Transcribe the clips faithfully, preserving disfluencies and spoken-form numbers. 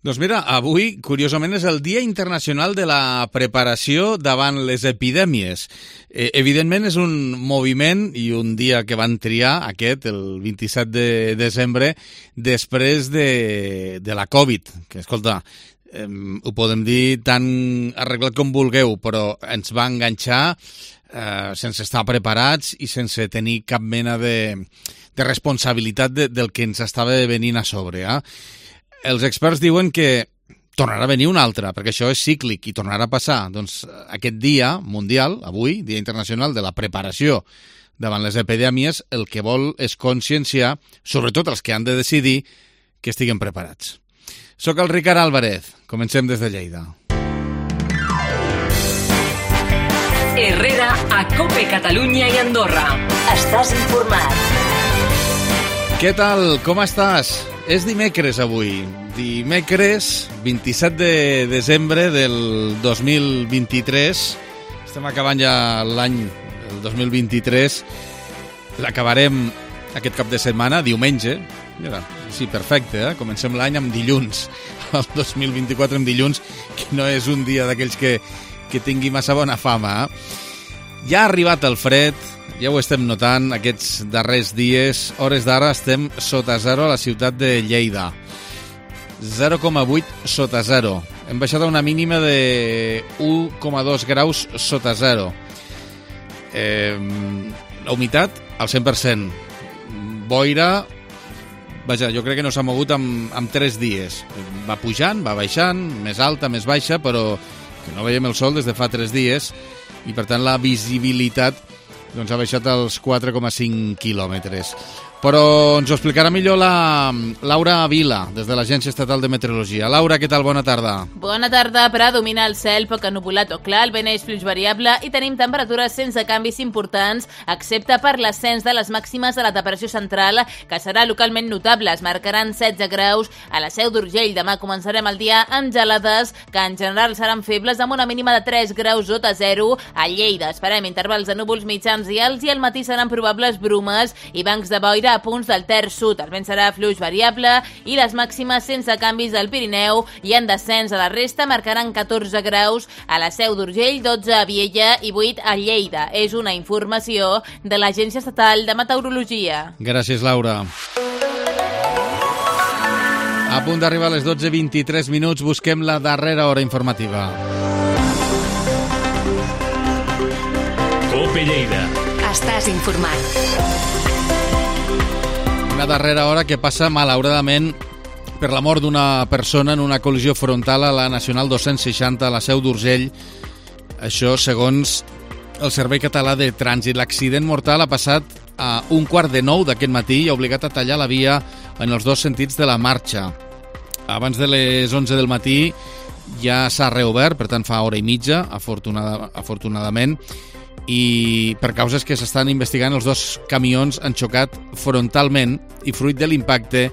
Doncs mira, avui, curiosament, és el Dia Internacional de la Preparació davant les epidèmies. Eh, evidentment, és un moviment i un dia que van triar, aquest, el vint-i-set de desembre, després de, de la Covid, que, escolta, eh, ho podem dir tan arreglat com vulgueu, però ens va enganxar eh, sense estar preparats i sense tenir cap mena de, de responsabilitat de, del que ens estava venint a sobre, eh? Els experts diuen que tornarà a venir un altre, perquè això és cíclic i tornarà a passar. Doncs aquest dia mundial, avui, Dia Internacional de la Preparació davant les epidèmies, el que vol és conscienciar, sobretot els que han de decidir, que estiguen preparats. Soc el Ricard Álvarez. Comencem des de Lleida. Herrera, a COPE Catalunya i Andorra. Estàs informat. Què tal? Com estàs? És dimecres avui, dimecres vint-i-set de desembre del dos mil vint-i-tres. Estem acabant ja l'any, el dos mil vint-i-tres. L'acabarem aquest cap de setmana, diumenge. Mira, sí, perfecte, eh? Comencem l'any amb dilluns, el dos mil vint-i-quatre amb dilluns, que no és un dia d'aquells que, que tingui massa bona fama, eh? Ja ha arribat el fred, ja ho estem notant aquests darrers dies. Hores d'ara estem sota zero a la ciutat de Lleida. zero coma vuit sota zero. Hem baixat a una mínima de u coma dos graus sota zero. Eh, la humitat al cent per cent. Boira, vaja, jo crec que no s'ha mogut amb, amb tres dies. Va pujant, va baixant, més alta, més baixa, però que no veiem el sol des de fa tres dies i per tant la visibilitat doncs ha baixat als quatre coma cinc quilòmetres. Però ens ho explicarà millor la Laura Vila, des de l'Agència Estatal de Meteorologia. Laura, què tal? Bona tarda. Bona tarda. Predomina el cel poc ennuvolat o clar, el vent és fluix variable i tenim temperatures sense canvis importants, excepte per l'ascens de les màximes de la temperatura central, que serà localment notable. Es marcaran setze graus a la Seu d'Urgell. Demà començarem el dia amb gelades, que en general seran febles, amb una mínima de tres graus sota zero. A Lleida esperem intervals de núvols mitjans i alts i al matí seran probables brumes i bancs de boira a punts del terç sud. El vent serà fluix variable i les màximes sense canvis al Pirineu i en descens a la resta marcaran catorze graus a la Seu d'Urgell, dotze a Viella i vuit a Lleida. És una informació de l'Agència Estatal de Meteorologia. Gràcies, Laura. A punt d'arribar a les dotze i vint-i-tres minuts, busquem la darrera hora informativa. COPE Lleida. Estàs informat. Una darrera hora que passa, malauradament, per la mort d'una persona en una col·lisió frontal a la Nacional dos-cents seixanta a la Seu d'Urgell. Això segons el Servei Català de Trànsit. L'accident mortal ha passat a un quart de nou d'aquest matí i ha obligat a tallar la via en els dos sentits de la marxa. Abans de les onze del matí ja s'ha reobert, per tant fa hora i mitja, afortunada, afortunadament, i per causes que s'estan investigant, els dos camions han xocat frontalment i fruit de l'impacte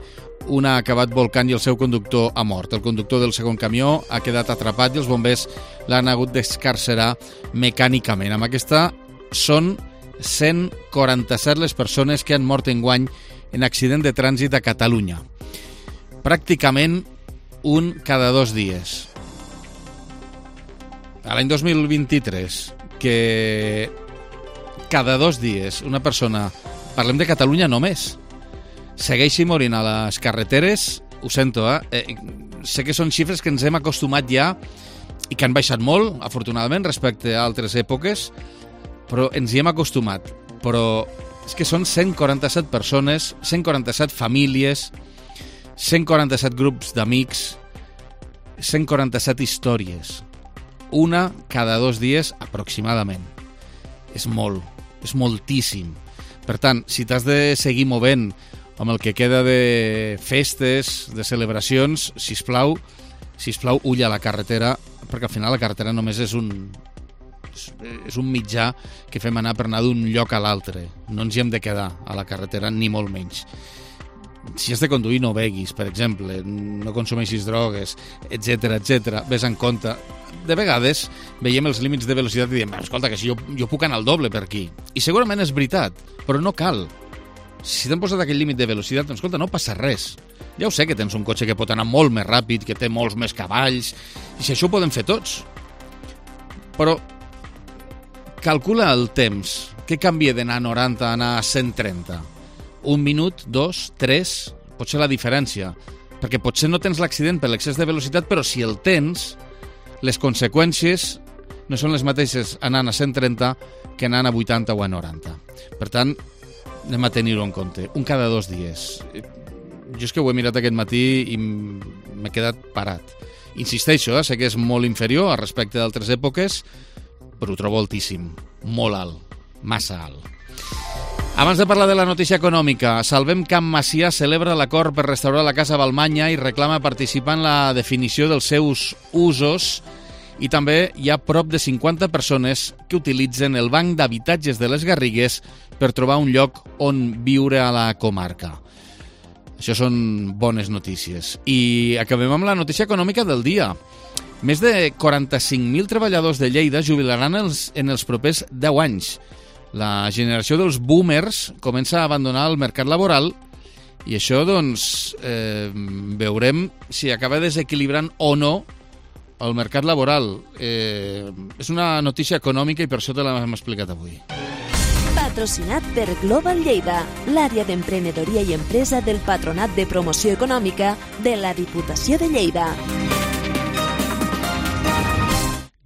un ha acabat volcant i el seu conductor ha mort. El conductor del segon camió ha quedat atrapat i els bombers l'han hagut d'excarcerar mecànicament. Amb aquesta són cent quaranta-set les persones que han mort enguany en accident de trànsit a Catalunya. Pràcticament un cada dos dies. A l'any dos mil vint-i-tres, que cada dos dies una persona, parlem de Catalunya només, segueixi morint a les carreteres, ho sento, eh? eh sé que són xifres que ens hem acostumat ja i que han baixat molt, afortunadament, respecte a altres èpoques, però ens hi hem acostumat. Però és que són cent quaranta-set persones, cent quaranta-set famílies, cent quaranta-set grups d'amics, cent quaranta-set històries. Una cada dos dies aproximadament. És molt, és moltíssim. Per tant, si t'has de seguir movent amb el que queda de festes, de celebracions, sisplau, sisplau, ull a la carretera, perquè al final la carretera només és un, és un mitjà que fem anar per anar d'un lloc a l'altre. No ens hi hem de quedar a la carretera, ni molt menys. Si has de conduir, no beguis, per exemple, no consumeixis drogues, etcètera, etcètera. Ves en compte. De vegades veiem els límits de velocitat i diem, escolta, que si jo, jo puc anar al doble per aquí. I segurament és veritat, però no cal. si t'han posat aquell límit de velocitat, doncs escolta, no passa res. Ja ho sé que tens un cotxe que pot anar molt més ràpid, que té molts més cavalls, i si això ho podem fer tots. Però calcula el temps. Què canvia d'anar a noranta a anar a cent trenta? Un minut, dos, tres, pot ser la diferència. Perquè potser no tens l'accident per l'excés de velocitat, però si el tens, les conseqüències no són les mateixes anant a cent trenta que anant a vuitanta o a noranta. Per tant, anem a tenir-ho en compte. Un cada dos dies. Jo és que ho he mirat aquest matí i m'he quedat parat. Insisteixo, eh? Sé que és molt inferior a respecte d'altres èpoques, però ho trobo altíssim. Molt alt. Massa alt. Abans de parlar de la notícia econòmica, Salvem Camp Macià celebra l'acord per restaurar la Casa Balmanya i reclama participar en la definició dels seus usos, i també hi ha prop de cinquanta persones que utilitzen el banc d'habitatges de les Garrigues per trobar un lloc on viure a la comarca. Això són bones notícies. I acabem amb la notícia econòmica del dia. Més de quaranta-cinc mil treballadors de Lleida jubilaran els, en els propers deu anys. La generació dels boomers comença a abandonar el mercat laboral i això, doncs, eh, veurem si acaba desequilibrant o no el mercat laboral. Eh, és una notícia econòmica i per això te l'hem explicat avui. Patrocinat per Global Lleida, l'àrea d'emprenedoria i empresa del Patronat de Promoció Econòmica de la Diputació de Lleida.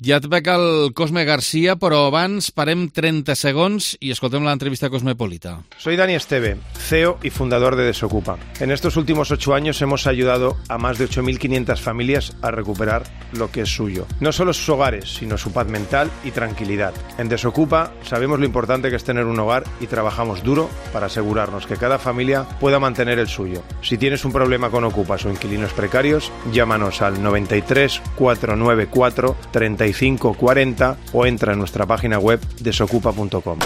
Ja et veig el Cosme García, però abans parem trenta segons i escoltem l'entrevista cosmopolita. Soy Dani Esteve, C E O y fundador de Desocupa. En estos últimos ocho años hemos ayudado a más de ocho mil quinientas familias a recuperar lo que es suyo. No solo sus hogares, sino su paz mental y tranquilidad. En Desocupa sabemos lo importante que es tener un hogar y trabajamos duro para asegurarnos que cada familia pueda mantener el suyo. Si tienes un problema con ocupas o inquilinos precarios, llámanos al noventa y tres, cuatrocientos noventa y cuatro, treinta y cinco cuarenta o entra en nuestra página web desocupa punto com.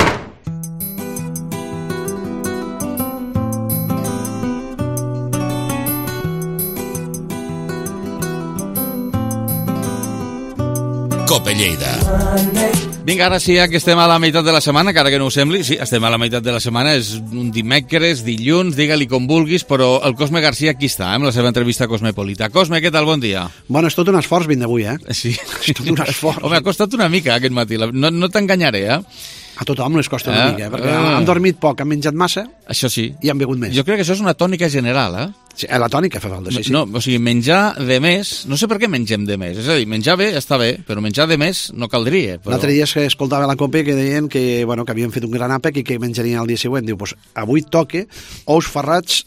Cope Lleida. Vinga, ara sí, que estem a la meitat de la setmana, encara que no ho sembli, sí, estem a la meitat de la setmana, és un dimecres, dilluns, digue-li com vulguis, però el Cosme García aquí està, eh, amb la seva entrevista cosmopolita. Cosme, què tal? Bon dia. Bueno, és tot un esforç vint d'avui, eh? Sí. És tot un esforç. Home, ha costat una mica aquest matí, no, no t'enganyaré, eh? A tothom les costa una eh? mica, eh? Perquè eh. han dormit poc, han menjat massa... Això sí. I han begut més. Jo crec que això és una tònica general, eh? Sí, la tònica fa falta, sí, sí. No, o sigui, menjar de més, no sé per què mengem de més, és a dir, menjar bé està bé, però menjar de més no caldria. Però... L'altre dia que escoltava la Cope que deien que, bueno, que havien fet un gran àpec i que menjarien el dia següent. Diu, pues, avui toque ous ferrats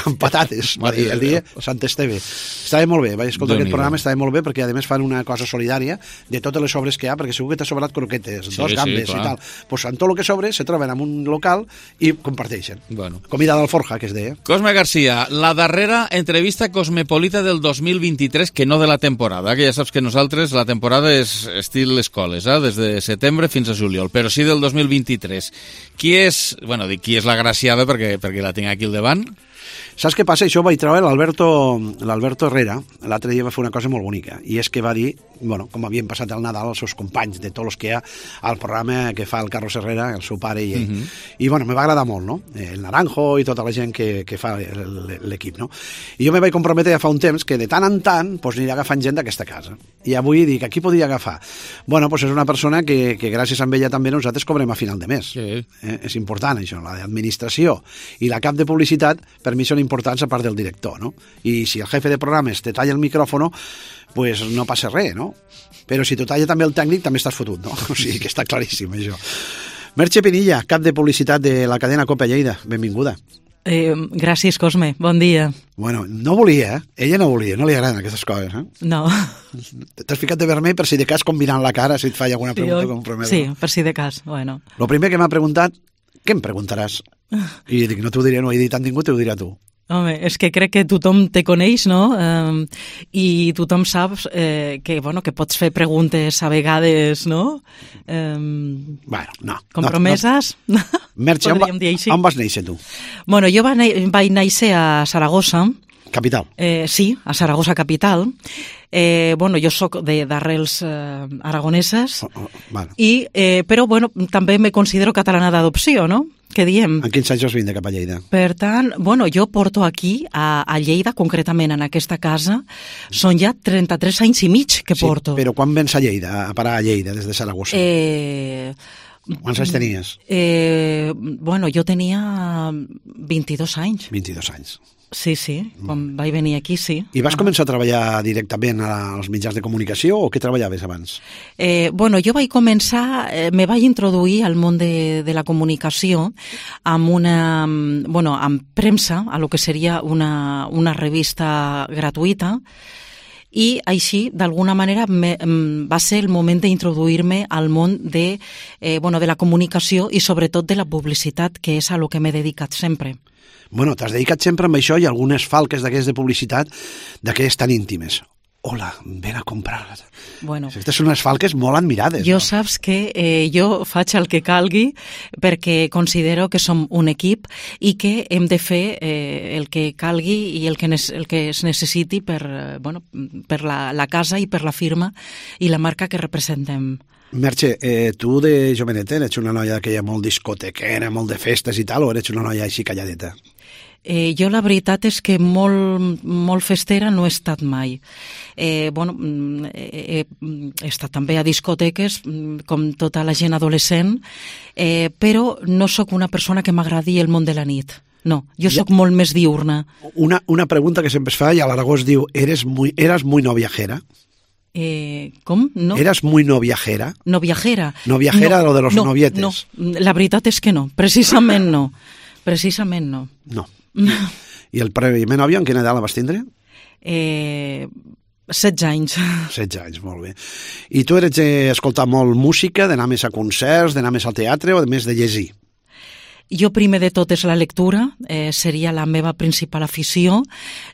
amb patates, va dir el dia Sant Esteve. Estava molt bé, vaig escoltar aquest programa, estava molt bé, perquè a més fan una cosa solidària de totes les sobres que hi ha, perquè segur que t'ha sobrat croquetes, sí, dos gambes sí, i tal. Pues en tot el que sobre se troben en un local i comparteixen. Bueno. Comida d'Alforja, que es deia. Cosme García, la darrera entrevista cosmopolita del dos mil vint-i-tres, que no de la temporada, que ja saps que nosaltres la temporada és estil escoles, eh? Des de setembre fins a juliol, però sí del dos mil vint-i-tres. Qui és, bueno, dic qui és l'agraciada perquè, perquè la tinc aquí al davant? Saps què passa? Això ho vaig treure l'Alberto l'Alberto Herrera, l'altre dia va fer una cosa molt bonica, i és que va dir, bueno, com havien passat el Nadal als seus companys, de tots els que hi ha al programa que fa el Carlos Herrera, el seu pare i ell. Uh-huh. I, bueno, me va agradar molt, no? El Naranjo i tota la gent que, que fa l'equip, no? I jo me vaig comprometre ja fa un temps que de tant en tant pues, aniré agafant gent d'aquesta casa. I avui dic, aquí podria agafar? Bueno, pues és una persona que, que gràcies a ella també nosaltres cobrem a final de mes. Sí. Eh? És important, això, la d'administració i la cap de publicitat, per mi són importants a part del director, no? I si el jefe de programes te talla el micròfono, pues no passa res, no? Però si te talla també el tècnic, també estàs fotut, no? O sigui que està claríssim, això. Merche Pinilla, cap de publicitat de la cadena Cope Lleida, benvinguda. Eh, gràcies, Cosme, bon dia. Bueno, no volia, eh? Ella no volia, no li agraden aquestes coses, eh? No. T'has ficat de vermell per si de cas combinant la cara, si et falla alguna pregunta sí, com prometo. Sí, per si de cas, bueno. Lo primer que m'ha preguntat, què em preguntaràs? I dic, no t'ho diré, no he dit a ningú, t'ho diré a tu. Home, és que crec que tothom te coneix, no? Eh, I tothom sap eh, que, bueno, que pots fer preguntes a vegades, no? Eh, bueno, no. Compromeses? No, no. Merche, on, va, on vas néixer tu? Bueno, jo va, vaig néixer a Saragossa. Capital? Eh, sí, a Saragossa capital. Eh, bueno, jo sóc d'arrels eh, aragoneses, oh, oh, bueno. I, eh, però bueno, també me considero catalana d'adopció, no? que diem. En quins anys has vingut cap a Lleida? Per tant, bueno, jo porto aquí, a, a Lleida, concretament en aquesta casa, són ja trenta-tres anys i mig que porto. Sí, però quan vens a Lleida, a parar a Lleida, des de Saragossa? Eh... Quants anys tenies? Eh, bueno, jo tenia vint-i-dos anys. vint-i-dos anys. Sí, sí, quan vaig venir aquí, sí. I vas començar a treballar directament als mitjans de comunicació o què treballaves abans? Eh, bueno, jo vaig començar, eh, me vaig introduir al món de, de la comunicació amb una, bueno, amb premsa, a lo que seria una, una revista gratuïta, i així, d'alguna manera, me, va ser el moment d'introduir-me al món de, eh, bueno, de la comunicació i sobretot de la publicitat, que és a lo que m'he dedicat sempre. Bueno, t'has dedicat sempre amb això i algunes falques d'aquestes de publicitat, d'aquelles tan íntimes. Hola, ven a comprar. Bueno, aquestes són unes falques molt admirades. Jo no? saps que eh, jo faig el que calgui perquè considero que som un equip i que hem de fer eh, el que calgui i el que, el que es necessiti per, eh, bueno, per la, la casa i per la firma i la marca que representem. Merche, eh, tu de joveneta eres una noia que hi ha molt discotequera, molt de festes i tal, o eres una noia així calladeta? Eh, jo la veritat és que molt, molt festera no he estat mai. Eh, bueno, he, he estat també a discoteques, com tota la gent adolescent, eh, però no sóc una persona que m'agradi el món de la nit. No, jo sóc molt més diurna. Una, una pregunta que sempre es fa, i a l'Aragó es diu, ¿eres muy, eras muy no viajera? Eh, com? No? ¿Eras muy no viajera? No viajera. No viajera, no, lo de los no, novietes. No, la veritat és que no, precisament no. Precisament no. No. I, i el primer nòvio en quina edat la vas tindre? Eh, setze anys. setze anys, molt bé. I tu eres d'escoltar molt música, d'anar més a concerts, d'anar més al teatre o més de llegir? Jo primer de tot és la lectura, eh, seria la meva principal afició.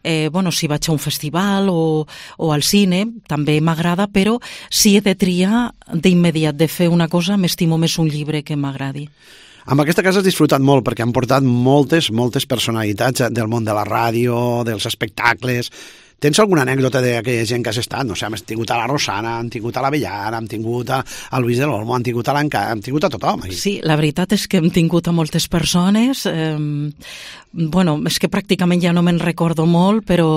Eh, bueno, si vaig a un festival o, o al cine, també m'agrada, però si he de triar d'immediat de fer una cosa, m'estimo més un llibre que m'agradi. Amb aquesta casa has disfrutat molt perquè han portat moltes, moltes personalitats del món de la ràdio, dels espectacles. Tens alguna anècdota d'aquella gent que has estat? No sé, hem tingut a la Rosana, hem tingut a la Bellara, hem tingut a, a Luis de l'Olmo, hem tingut a l'Enca, hem tingut a tothom. Aquí. Sí, la veritat és que hem tingut a moltes persones. Eh, bueno, és que pràcticament ja no me'n recordo molt, però...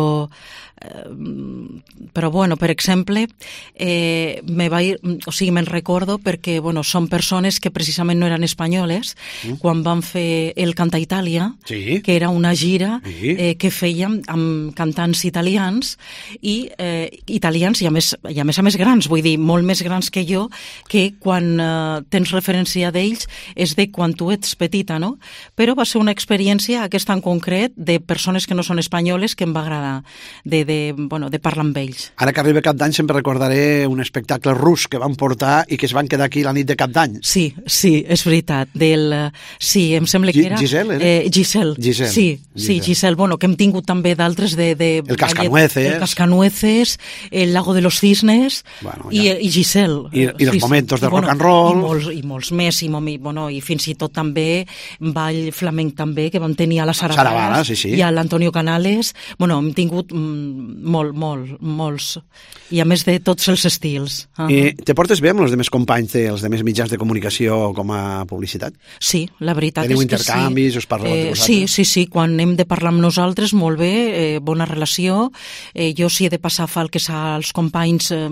però bueno, per exemple eh, me va ir, o sigui, me'n recordo perquè bueno, són persones que precisament no eren espanyoles mm. quan van fer el Canta Itàlia, sí. que era una gira sí. eh, que fèiem amb cantants italians i eh, italians i a, més, i a més a més grans, vull dir, molt més grans que jo, que quan eh, tens referència d'ells és de quan tu ets petita, no? Però va ser una experiència, aquesta en concret, de persones que no són espanyoles que em va agradar, de de, bueno, de parlar amb ells. Ara que arriba Cap d'Any sempre recordaré un espectacle rus que van portar i que es van quedar aquí la nit de Cap d'Any. Sí, sí, és veritat. Del, sí, em sembla que era... Giselle, era? Eh, Giselle. Giselle. Sí, Giselle. sí, Giselle. Bueno, que hem tingut també d'altres de... de el Cascanueces. El Cascanueces, el Lago de los Cisnes bueno, i, i Giselle. I, i els sí, momentos de bueno, rock and roll. I molts, i molts més, i, i, bueno, i fins i tot també ball flamenc també, que vam tenir a la Sara Bala, sí, sí. i a l'Antonio Canales. Bueno, hem tingut mm, molt, molt molts, i a més de tots els estils. Uh -huh. I te portes bé amb els demés companys dels demés mitjans de comunicació com a publicitat? Sí, la veritat Teniu és que intercanvis, sí. us parleu eh, entre vosaltres? Sí, sí, sí, quan hem de parlar amb nosaltres, molt bé, eh, bona relació. Eh, jo si he de passar falques als companys eh,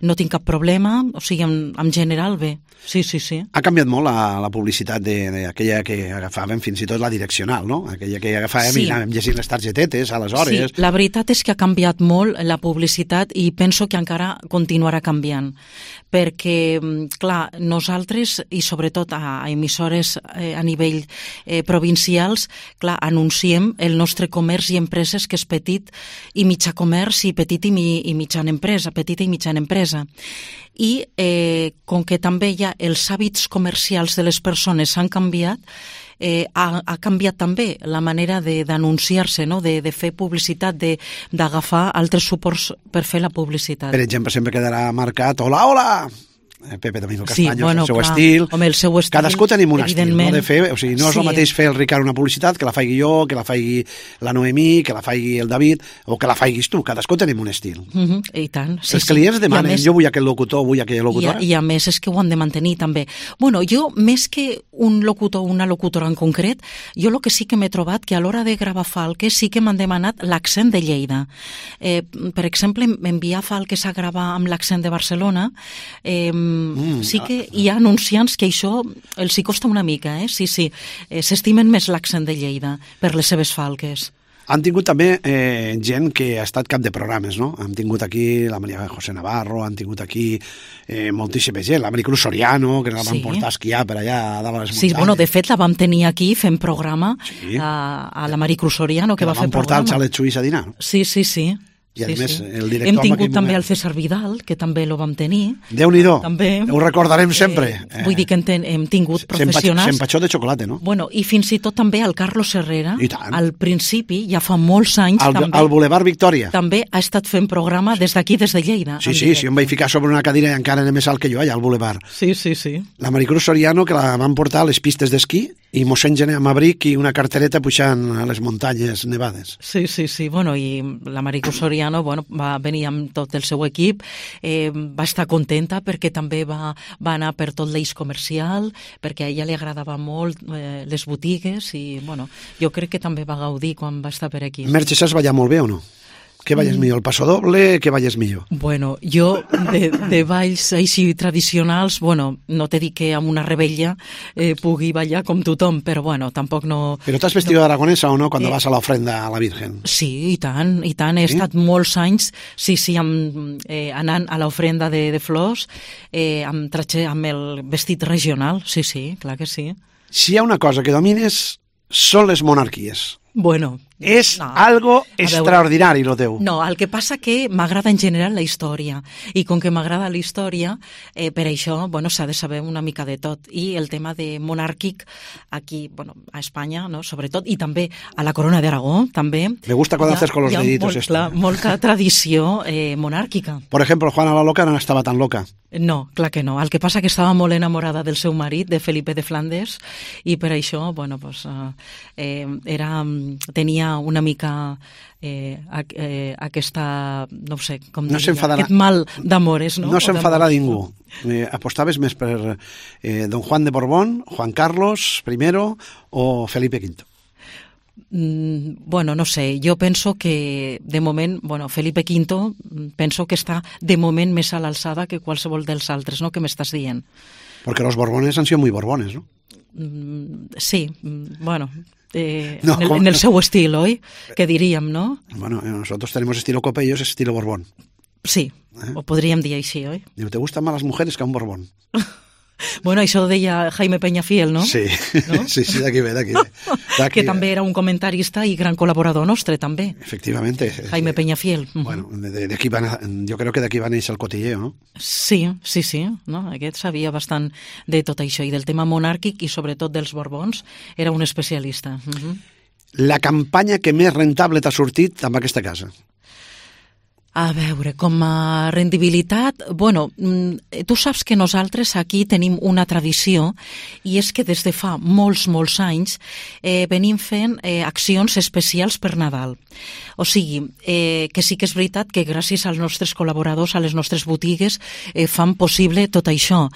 no tinc cap problema, o sigui, en, en general bé. Sí, sí, sí. Ha canviat molt la, la publicitat d'aquella que agafàvem, fins i tot la direccional, no? Aquella que agafàvem sí. i anàvem llegint les targetetes, aleshores... Sí, la veritat és que ha canviat molt la publicitat i penso que encara continuarà canviant, perquè, clar, nosaltres, i sobretot a, a emissores eh, a nivell eh, provincials, clar, anunciem el nostre comerç i empreses, que és petit i mitjà comerç i petit i, mi, i mitjana empresa, petita i mitjana empresa. I eh, com que també hi ha els hàbits comercials de les persones han canviat, eh, ha, ha canviat també la manera d'anunciar-se, no? de, de fer publicitat, d'agafar altres suports per fer la publicitat. Per exemple, sempre quedarà marcat hola, hola! Pepe Domingo Sí, Castaño, bueno, el seu clar. estil. Home, el seu estil, Cadascú tenim un estil, no? evidentment. De fer, o sigui, no és Sí. el mateix fer el Ricard una publicitat que la faigui jo, que la faigui la Noemí, que la faigui el David, o que la faiguis tu. Cadascú tenim un estil. Mhm, I tant. Sí, Els clients sí. I a demanen, més- jo vull aquell locutor, vull aquella I a, locutora. I a més és que ho han de mantenir també. Bueno, jo, més que un locutor o una locutora en concret, jo el que sí que m'he trobat que a l'hora de gravar falques sí que m'han demanat l'accent de Lleida. Eh, per exemple, enviar falques a gravar amb l'accent de Barcelona, eh, mm, sí que hi ha anunciants que això els hi costa una mica, eh? Sí, sí, eh, s'estimen més l'accent de Lleida per les seves falques. Han tingut també eh, gent que ha estat cap de programes, no? Han tingut aquí la Maria José Navarro, han tingut aquí eh, moltíssima gent, la Maricruz Soriano, que la van Sí. portar a esquiar per allà a dalt a les Sí, muntanyes. bueno, de fet la vam tenir aquí fent programa Sí. a, a la Maricruz Soriano, que, que la va fer van portar al programa. xalet suís a dinar. Sí, sí, sí. I a sí, més, sí. el director Hem en tingut aquell també moment- el César Vidal, que també lo vam tenir. Déu-n'hi-do, També. ho recordarem sempre. Eh, vull dir que hem, ten, hem tingut professionals. S'empatxó de xocolata, no? Bueno, i fins i tot també el Carlos Herrera, I tant. al principi, ja fa molts anys, Al, també, al Boulevard Victòria. també ha estat fent programa des d'aquí, des de Lleida. Sí, en sí, directe. sí, em vaig ficar sobre una cadira i encara era més alt que jo allà al Boulevard. Sí, sí, sí. La Maricruz Soriano, que la van portar a les pistes d'esquí, i mossèn Gené amb abric i una cartereta pujant a les muntanyes nevades. Sí, sí, sí. Bueno, i la Maricruz Soriano bueno, va venir amb tot el seu equip, eh, va estar contenta perquè també va, va anar per tot l'eix comercial, perquè a ella li agradava molt eh, les botigues i, bueno, jo crec que també va gaudir quan va estar per aquí. Merche, saps ballar molt bé o no? Què balles millor, el passo doble? Què balles millor? Bueno, jo de, de balls així tradicionals, bueno, no te dic que amb una rebella eh, pugui ballar com tothom, però bueno, tampoc no... Però t'has vestido no. aragonesa o no, quan Eh. vas a l'ofrenda a la Virgen? Sí, i tant, i tant. He Sí? estat molts anys, sí, sí, amb, eh, anant a l'ofrenda de, de flors, eh, amb, traje, amb el vestit regional, sí, sí, clar que sí. Si hi ha una cosa que domines, són les monarquies. Bueno, És no. algo A veure, extraordinari, lo teu. No, el que passa que m'agrada en general la història i com que m'agrada la història, eh, per això bueno, s'ha de saber una mica de tot. I el tema de monàrquic aquí, bueno, a Espanya, no? Sobretot, i també a la Corona d'Aragó, també. Me gusta cuando Hi ha- haces con los hi ha deditos molt, esto. clar, molta tradició eh, monàrquica. Por ejemplo, Juana la Loca no estava tan loca. No, clar que no. El que passa que estava molt enamorada del seu marit, de Felipe de Flandes, i per això, bueno, pues, eh, eh, era, tenia una mica eh, a, eh, aquesta, no ho sé, com No diria, s'enfadarà. aquest mal d'amores, no? No O s'enfadarà d'amors. ningú. Eh, apostaves més per eh, don Juan de Borbón, Juan Carlos primero o Felipe quinto? Mm, bueno, no sé, jo penso que de moment, bueno, Felipe quinto mm, penso que està de moment més a l'alçada que qualsevol dels altres, no?, que m'estàs dient. Porque los Borbones han sido muy Borbones, ¿no? Mm, sí, mm, bueno, eh, No, en, el, com- en el seu estil, oi? Que diríem, no? Bueno, eh, nosotros tenemos estilo Cope y ellos estilo Borbón. Sí, Eh? ho podríem dir així, oi? Digo, ¿te gustan más las mujeres que un Borbón? Bueno, això ho deia Jaime Peñafiel, no? Sí, No? sí, sí, d'aquí ve, d'aquí ve. D'aquí Que ve. també era un comentarista i gran col·laborador nostre, també. Efectivamente. Jaime Peñafiel. Mhm. Bueno, de, de aquí van a, yo creo que de aquí va a néixer el cotilleo, ¿no? Sí, sí, sí, no? Aquest sabia bastant de tot això i del tema monàrquic i sobretot dels Borbons, era un especialista. Mhm. La campanya que més rentable t'ha sortit amb aquesta casa. A veure, com a rendibilitat, bueno, mm, tu saps que nosaltres aquí tenim una tradició i és que des de fa molts, molts anys eh, venim fent eh, accions especials per Nadal. O sigui, eh, que sí que és veritat que gràcies als nostres col·laboradors, a les nostres botigues, eh, fan possible tot això.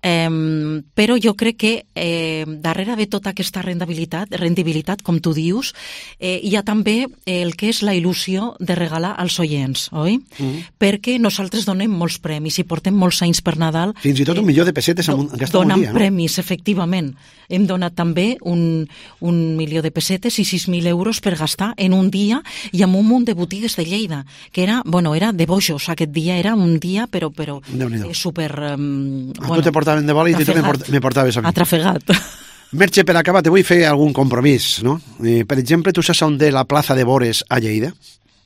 Eh, però jo crec que eh, darrere de tota aquesta rendibilitat, rendibilitat com tu dius, eh, hi ha també el que és la il·lusió de regalar als oients, oi? Mm. Perquè nosaltres donem molts premis i portem molts anys per Nadal. Fins i tot un milió de pessetes en, un, en aquesta Donant dia, no? premis, efectivament. Hem donat també un, un milió de pessetes i sis mil euros per gastar en un dia i amb un munt de botigues de Lleida, que era, bueno, era de bojos, aquest dia era un dia, però, però eh, super... Um, a bueno, tu te portaven de bòlit i tu me, port, me portaves a mi. Atrafegat. Merche, per acabar, te vull fer algun compromís, no? Eh, per exemple, tu saps on té la plaça de Bores a Lleida?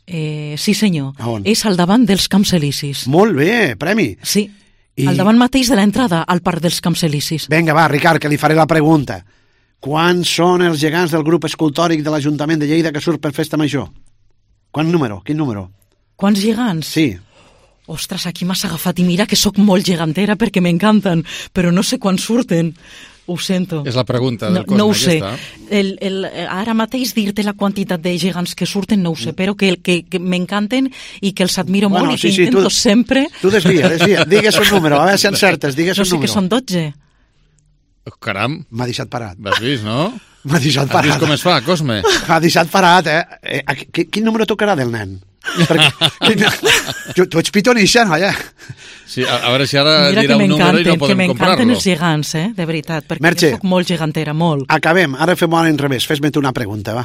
Eh, sí, senyor. A on? És al davant dels Camps Elisis. Molt bé, premi. Sí, I... al davant mateix de l'entrada al Parc dels Camps Elisis. Vinga, va, Ricard, que li faré la pregunta. Quants són els gegants del grup escultòric de l'Ajuntament de Lleida que surt per Festa Major? Quant número? Quin número? Quants gegants? Sí. Ostres, aquí m'has agafat i mira que sóc molt gegantera perquè m'encanten, però no sé quan surten. Ho sento. És la pregunta del no, Cosme, no ho sé. El, el, ara mateix dir-te la quantitat de gegants que surten no ho sé, però que, que, que m'encanten i que els admiro bueno, molt i sí, que sí, intento tu, sempre... Tu desvia, desvia. Digues un número, a veure si encertes, digues no un número. No sé que són dotze. Caram. M'ha deixat parat. L'has vist, no? M'ha deixat parat. Has vist com es fa, Cosme? M'ha deixat parat, eh? eh quin, quin número tocarà del nen? Perquè, quin, tu, tu ets pitonixa, noia. Sí, a, a veure si ara Mira dirà un número i no podem comprar-lo. Que m'encanten els gegants, eh? De veritat, perquè Merche, jo soc molt gegantera, molt. Acabem, ara fem al revés, fes-me tu una pregunta, va.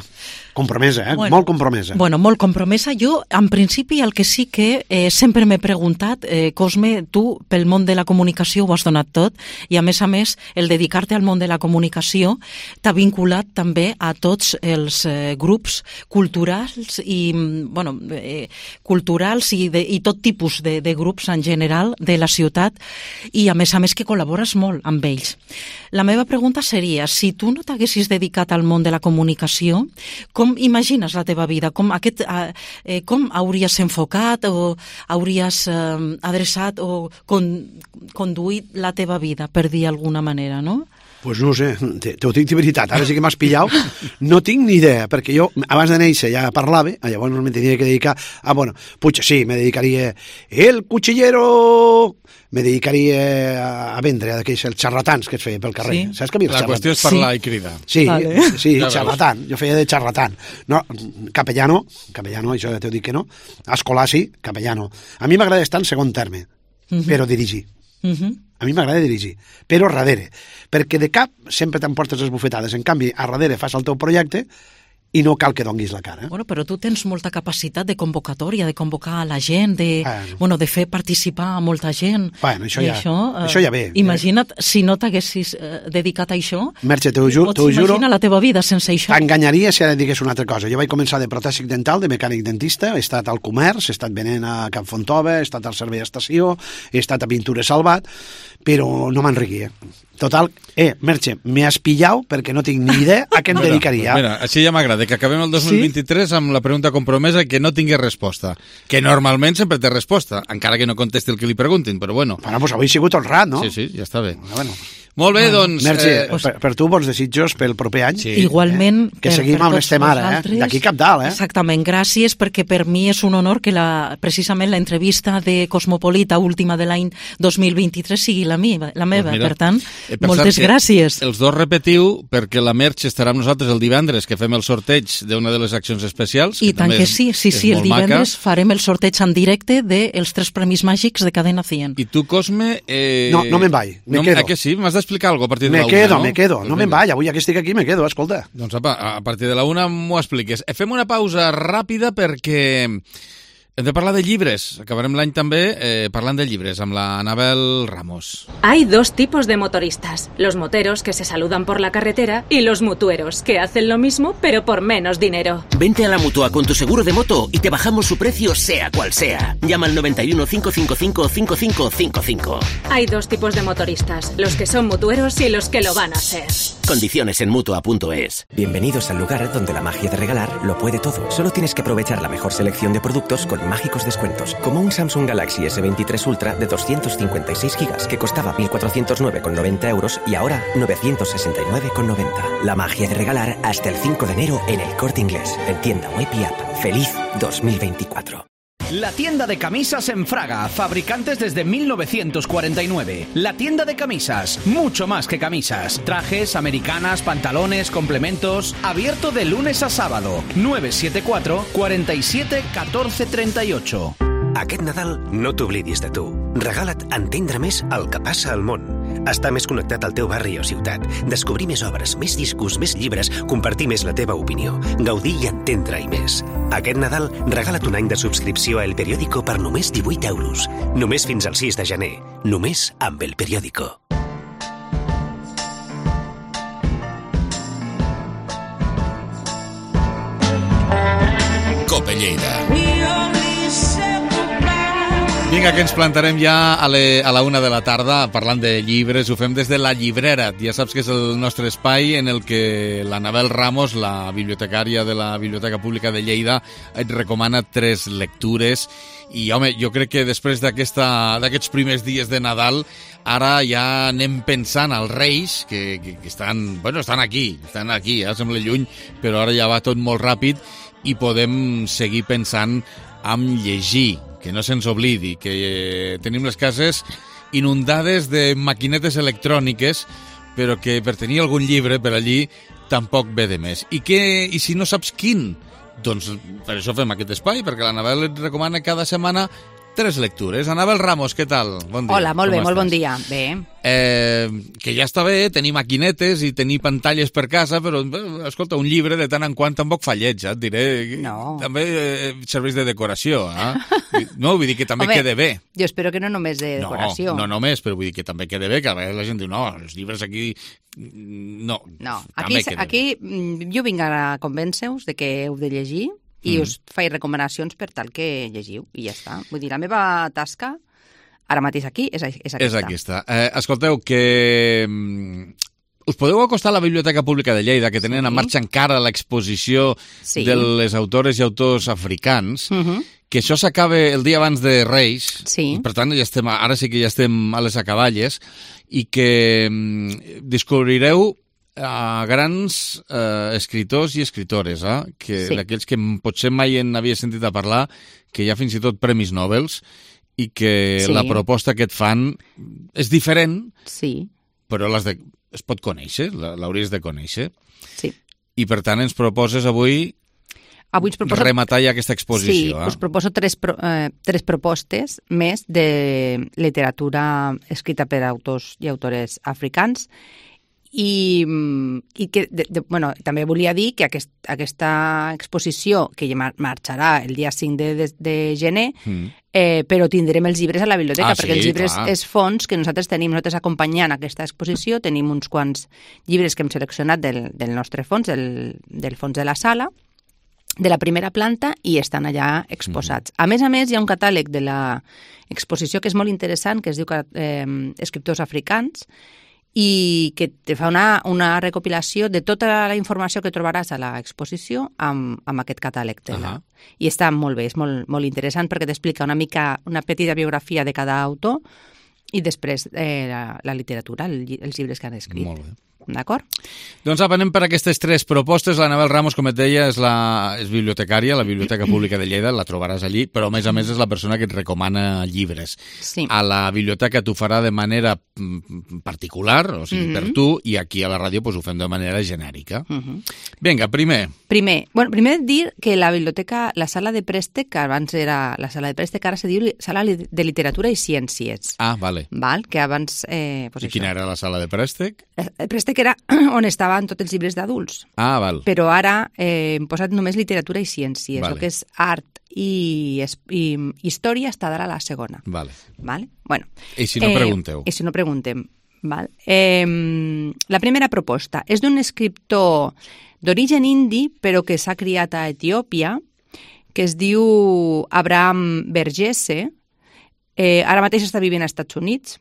Compromesa, eh? Bueno, molt compromesa. Bueno, molt compromesa. Jo, en principi, el que sí que eh, sempre m'he preguntat, eh, Cosme, tu, pel món de la comunicació ho has donat tot, i a més a més, el dedicar-te al món de la comunicació t'ha vinculat també a tots els eh, grups culturals i, bueno, eh, culturals i, de, i tot tipus de, de grups en general de la ciutat, i a més a més que col·labores molt amb ells. La meva pregunta seria, si tu no t'haguessis dedicat al món de la comunicació, com imagines la teva vida? Com, aquest, eh, com hauries enfocat o hauries eh, adreçat o con, conduït la teva vida, per dir d'alguna manera, no? Pues no ho sé, te, te ho dic de veritat, ara sí que m'has pillat, no tinc ni idea, perquè jo abans de néixer ja parlava, llavors me tenia que dedicar, ah, bueno, puig, sí, me dedicaria el cuchillero, me dedicaria a vendre aquells els xarlatans que es feia pel carrer. Sí. Saps que a mi la qüestió és parlar sí. i cridar. Sí, vale. sí, ja xarlatan, jo feia de xarlatan. No, capellano, capellano, això ja t'ho dic que no, escolar sí, capellano. A mi m'agrada estar en segon terme, uh-huh. però dirigir. Uh-huh. A mi m'agrada dirigir, però darrere, perquè de cap sempre t'emportes les bufetades, en canvi, a darrere fas el teu projecte i no cal que donguis la cara. Bueno, però tu tens molta capacitat de convocatòria, de convocar a la gent, de, bueno. Bueno, de fer participar a molta gent. Bueno, això ja, això, uh, això ja ve. Imagina't, eh? Si no t'haguessis uh, dedicat a això, Merche, t'ho juro, pots imaginar la teva vida sense això. T'enganyaria si ara digués una altra cosa. Jo vaig començar de protèsic dental, de mecànic dentista, he estat al comerç, he estat venent a Can Fontova, he estat al servei d'estació, he estat a Pintura Salvat, però no m'enriquia. Total, eh, Merche, m'he espillau perquè no tinc ni idea a què em mira, dedicaria. Mira, així ja m'agrada, que acabem el dos mil vint-i-tres sí? amb la pregunta compromesa que no tingui resposta. Que normalment sempre té resposta, encara que no contesti el que li preguntin, però bueno. Bueno, doncs avui he sigut honrat, no? Sí, sí, ja està bé. Bueno, bueno. Molt bé, doncs... Merche, eh, per, per tu bons desitjos pel proper any. Sí. Igualment, eh? Que seguim amb l'estem ara, eh? D'aquí cap dalt, eh? Exactament, gràcies, perquè per mi és un honor que la, precisament l'entrevista de Cosmopolita última de l'any dos mil vint-i-tres sigui la, mi, la meva, pues mira, per tant, eh, per moltes gràcies. Els dos repetiu, perquè la Merche estarà amb nosaltres el divendres, que fem el sorteig d'una de les accions especials. I tant que sí, sí, sí, el divendres maca. Farem el sorteig en directe dels tres premis màgics de Cadena cien. I tu, Cosme... Eh... No, no me'n vaig, me no, quedo. A què sí? M'has d'explicar alguna cosa a partir de Me quedo, no? me quedo, no me'n vaig, avui que estic aquí me quedo, escolta. Doncs apa, a partir de la una m'ho expliques. Fem una pausa ràpida perquè hem de parlar de llibres. Acabarem l'any també eh, parlant de llibres amb la Anabel Ramos. Hay dos tipos de motoristas, los moteros que se saludan por la carretera y los mutueros que hacen lo mismo pero por menos dinero. Vente a la Mutua con tu seguro de moto y te bajamos su precio sea cual sea. Llama al noventa y uno, cinco cinco cinco, cinco cinco cinco cinco. Hay dos tipos de motoristas, los que son mutueros y los que lo van a ser. Condiciones en Mutua punto es. Bienvenidos al lugar donde la magia de regalar lo puede todo. Solo tienes que aprovechar la mejor selección de productos con mágicos descuentos, como un Samsung Galaxy ese veintitrés Ultra de doscientos cincuenta y seis gigas que costaba mil cuatrocientos nueve con noventa euros y ahora novecientos sesenta y nueve con noventa. La magia de regalar hasta el cinco de enero en El Corte Inglés, en tienda web y app. ¡Feliz dos mil veinticuatro! La tienda de camisas en Fraga, fabricantes desde mil novecientos cuarenta y nueve. La tienda de camisas, mucho más que camisas. Trajes, americanas, pantalones, complementos. Abierto de lunes a sábado. nueve siete cuatro, cuatro siete, uno cuatro tres ocho. Aquest Nadal no t'oblidis de tu. Regala't entendre més el que passa al món. Estar més connectat al teu barri o ciutat. Descobrir més obres, més discos, més llibres, compartir més la teva opinió. Gaudir i entendre-hi més. Aquest Nadal regala't un any de subscripció a El Periódico per només divuit euros. Només fins al sis de gener. Només amb El Periódico. Cope Lleida. Vinga, que ens plantarem ja a, le, a la una de la tarda parlant de llibres. Ho fem des de La Llibrera. Ja saps que és el nostre espai en el que l'Anabel Ramos, la bibliotecària de la Biblioteca Pública de Lleida, et recomana tres lectures. I, home, jo crec que després d'aquests primers dies de Nadal, ara ja anem pensant als Reis, que, que, que estan, bueno, estan aquí, estan aquí, ja sembla lluny, però ara ja va tot molt ràpid i podem seguir pensant en llegir, que no se'ns oblidi, que eh, tenim les cases inundades de maquinetes electròniques, però que per tenir algun llibre per allí tampoc ve de més. I, que, i si no saps quin? Doncs per això fem aquest espai, perquè l'Anabel et recomana cada setmana tres lectures. Anabel Ramos, què tal? Bon dia. Hola, molt bé, Com molt estàs? bon dia. Bé. Eh, que ja està bé tenir maquinetes i tenir pantalles per casa, però, bé, escolta, un llibre de tant en quant tampoc fa lleig, eh? Et diré. No. També eh, serveix de decoració, eh? No, vull dir que també Home, quede bé. Jo espero que no només de decoració. No, no només, però vull dir que també quede bé, que a vegades la gent diu, no, els llibres aquí... No, No, aquí, aquí mm, jo vinc a convèncer-vos de que heu de llegir i Mm. us faig recomanacions per tal que llegiu, i ja està. Vull dir, la meva tasca ara mateix aquí és, és aquesta. És aquesta. Eh, escolteu, que mm, us podeu acostar a la Biblioteca Pública de Lleida, que tenen Sí. en marxa encara l'exposició Sí. de les autores i autors africans, Uh -huh. que això s'acaba el dia abans de Reis, Sí. i per tant ja estem, ara sí que ja estem a les acaballes, i que mm, descobrireu a grans eh, escriptors i escritores, eh? que Sí. d'aquells que potser mai en havia sentit a parlar, que hi ha fins i tot premis Nobels, i que Sí. la proposta que et fan és diferent, sí. però l'has de, es pot conèixer, la- l'hauries de conèixer. Sí. I per tant ens proposes avui Avui us proposo... rematar ja aquesta exposició. Sí, eh? us proposo tres, pro, eh, tres propostes més de literatura escrita per autors i autores africans i, mm, i que, de, de, bueno, també volia dir que aquest, aquesta exposició, que ja mar marxarà el dia cinc de, de, de gener, Mm. eh, però tindrem els llibres a la biblioteca, Ah, perquè sí, els llibres clar. és fons que nosaltres tenim, nosaltres acompanyant aquesta exposició, tenim uns quants llibres que hem seleccionat del, del nostre fons, del, del fons de la sala, de la primera planta, i estan allà exposats. Mm. A més a més, hi ha un catàleg de l'exposició que és molt interessant, que es diu eh, Escriptors africans, i que te fa una, una recopilació de tota la informació que trobaràs a l'exposició amb, amb aquest catàleg. De la... Ahà. I està molt bé, és molt, molt interessant perquè t'explica una mica, una petita biografia de cada autor i després eh, la, la literatura, el, lli- els llibres que han escrit. Molt bé. D'acord? Doncs apa, anem per aquestes tres propostes. L'Anabel Ramos, com et deia, és, la, és bibliotecària, la Biblioteca Pública de Lleida, la trobaràs allí, però a més a més és la persona que et recomana llibres. Sí. A la biblioteca t'ho farà de manera mm, particular, o sigui, Mhm. per tu, i aquí a la ràdio pues, ho fem de manera genèrica. Uh -huh. Vinga, primer. Primer, bueno, primer dir que la biblioteca, la sala de préstec, que abans era la sala de préstec, ara se diu li- sala li- de literatura i ciències. Ah, vale. Val? Que abans... Eh, pues I quina era la sala de préstec? El préstec era on estaven tots els llibres d'adults, Ah, val. però ara eh, hem posat només literatura i ciències. Vale. El que és art i, es- i història està ara a la segona. Vale. Vale? Bueno, I si no, pregunteu. I si no, preguntem. Val? Eh, la primera proposta és d'un escriptor d'origen indi, però que s'ha criat a Etiòpia, que es diu Abraham Verghese. Eh, ara mateix està vivint als Estats Units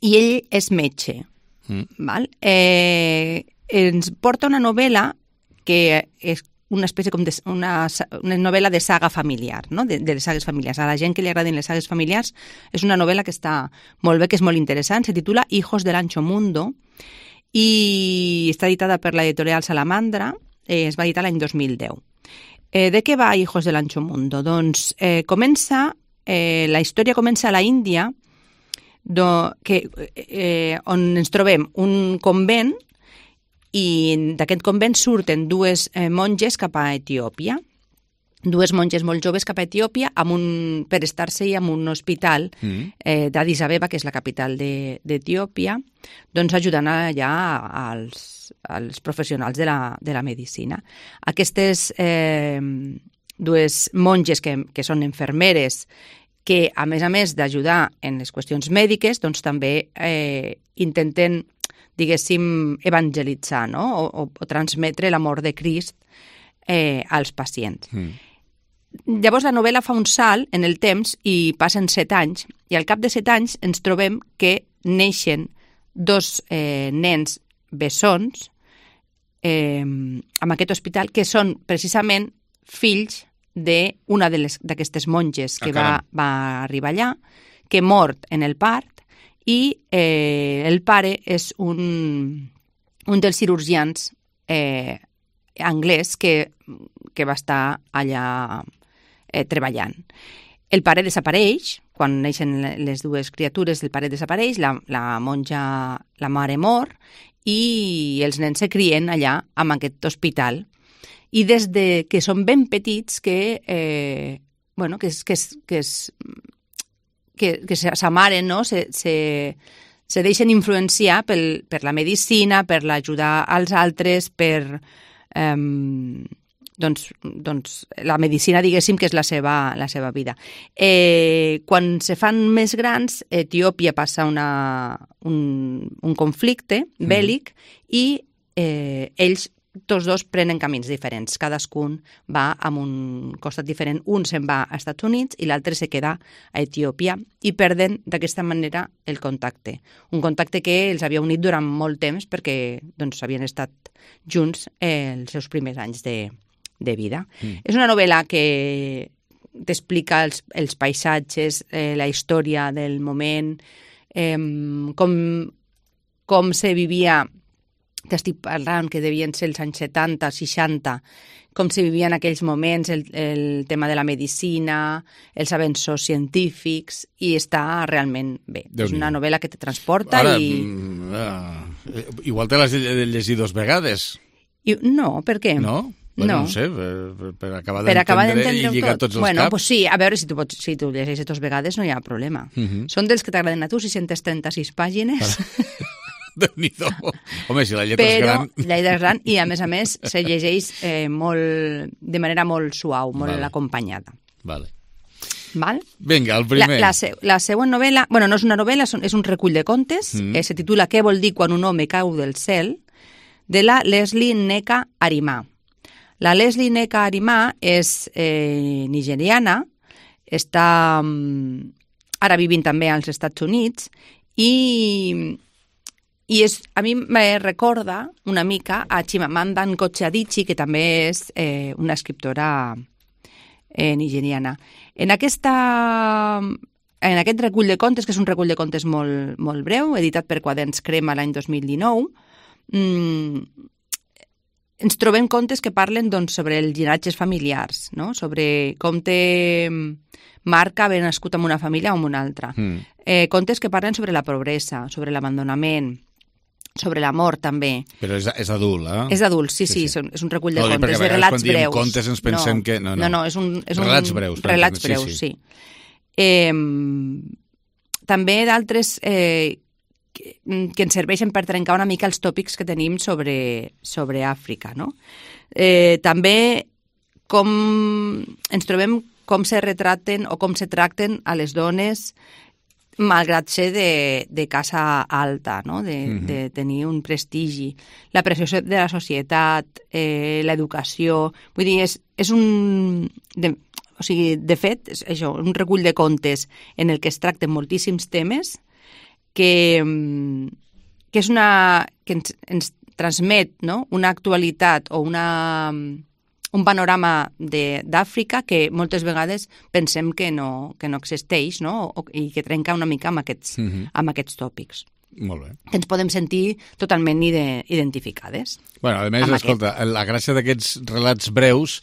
i ell és metge. Mm. Val? Eh, ens porta una novel·la que és una espècie com de, una, sa- una novel·la de saga familiar, no? de, de les sagues familiars. A la gent que li agradin les sagues familiars és una novel·la que està molt bé, que és molt interessant. Se titula Hijos del Ancho Mundo i està editada per l'editorial Salamandra. Eh, es va editar l'any dos mil deu. Eh, de què va Hijos del Ancho Mundo? Doncs eh, comença, eh, la història comença a la Índia, do, que, eh, on ens trobem un convent i d'aquest convent surten dues eh, monges cap a Etiòpia, dues monges molt joves cap a Etiòpia amb un, per estar-se en un hospital Mm. eh, d'Addis Abeba, que és la capital de- d'Etiòpia, doncs ajudant allà als, als professionals de la, de la medicina. Aquestes eh, dues monges que, que són infermeres, que a més a més d'ajudar en les qüestions mèdiques, doncs també eh, intenten, diguéssim, evangelitzar, no? o, o, o transmetre l'amor de Crist eh, als pacients. Mm. llavors la novel·la fa un salt en el temps i passen set anys, i al cap de set anys ens trobem que neixen dos eh, nens bessons eh, en aquest hospital, que són precisament fills d'una d'aquestes monges que Ah, va, va arribar allà, que mort en el part, i eh, el pare és un, un dels cirurgians eh, anglès que, que va estar allà eh, treballant. El pare desapareix, quan neixen les dues criatures, el pare desapareix, la, la monja, la mare mor, i els nens se crien allà, en aquest hospital. I des de que són ben petits que, eh, bueno, que, que, que, que, que s'amaren, no? se, se, se deixen influenciar pel, per la medicina, per l'ajudar als altres, per... Eh, doncs, doncs la medicina, diguéssim, que és la seva, la seva vida. Eh, quan se fan més grans, Etiòpia passa una, un, un conflicte bèl·lic mm. i eh, ells tots dos prenen camins diferents. Cadascun va a un costat diferent. Un se'n va als Estats Units i l'altre se queda a Etiòpia i perden d'aquesta manera el contacte. Un contacte que els havia unit durant molt temps perquè doncs, havien estat junts eh, els seus primers anys de, de vida. Mm. És una novel·la que t'explica els, els paisatges, eh, la història del moment, eh, com, com se vivia... T'estic parlant que devien ser els anys setanta, seixanta, com se vivia en aquells moments, el, el tema de la medicina, els avenços científics, i està realment bé. Déu és una novel·la que te transporta. Ara, i... Uh, igual te l'has llegit dos vegades. I, no, per què? No? Bueno, no. no sé, per, per acabar per d'entendre i lligar tot. tots els bueno, caps. Pues sí, a veure, si tu, pots, si tu llegeixes dos vegades no hi ha problema. Uh -huh. Són dels que t'agraden a tu, sis cents trenta-sis pàgines... Déu-n'hi-do. Home, si la lletra Però, és gran... la lletra és gran i, a més a més, se llegeix eh, molt, de manera molt suau, molt vale. acompanyada. Vale. Val? Vinga, el primer. La, la, se, la següent novel·la, bueno, no és una novel·la, és un recull de contes, mm. eh, se titula Què vol dir quan un home cau del cel, de la Leslie Nneka Arimah. La Leslie Nneka Arimah és eh, nigeriana, està um, ara vivint també als Estats Units, i... I és, a mi me recorda una mica a Chimamanda Ngozi Adichie, que també és eh, una escriptora eh, nigeriana. En, aquesta, en aquest recull de contes, que és un recull de contes molt, molt breu, editat per Quaderns Crema l'any dos mil dinou, mmm, ens trobem contes que parlen doncs, sobre els llinatges familiars, no? Sobre com té marca haver nascut en una família o en una altra. Mm. Eh, contes que parlen sobre la pobresa, sobre l'abandonament, sobre l'amor, també. Però és, és adult, eh? És adult, sí, sí, sí, és un recull de no, contes, de relats quan diem breus. Contes ens pensem no, que... No, no, no, és un... És relats un, breus. Relats breus, sí. sí. Eh, també d'altres eh, que, que ens serveixen per trencar una mica els tòpics que tenim sobre, sobre Àfrica, no? Eh, també com ens trobem com se retraten o com se tracten a les dones malgrat ser de, de casa alta, no? de, mm-hmm. de tenir un prestigi, la pressió de la societat, eh, l'educació... Vull dir, és, és un... De, o sigui, de fet, és això, un recull de contes en el que es tracten moltíssims temes que, que és una... que ens, ens transmet, no? Una actualitat o una... un panorama d'Àfrica que moltes vegades pensem que no, que no existeix, no? O, i que trenca una mica amb aquests, mm-hmm. amb aquests tòpics. Molt bé. Que ens podem sentir totalment ide identificades. Bueno, a més, escolta, aquest. La gràcia d'aquests relats breus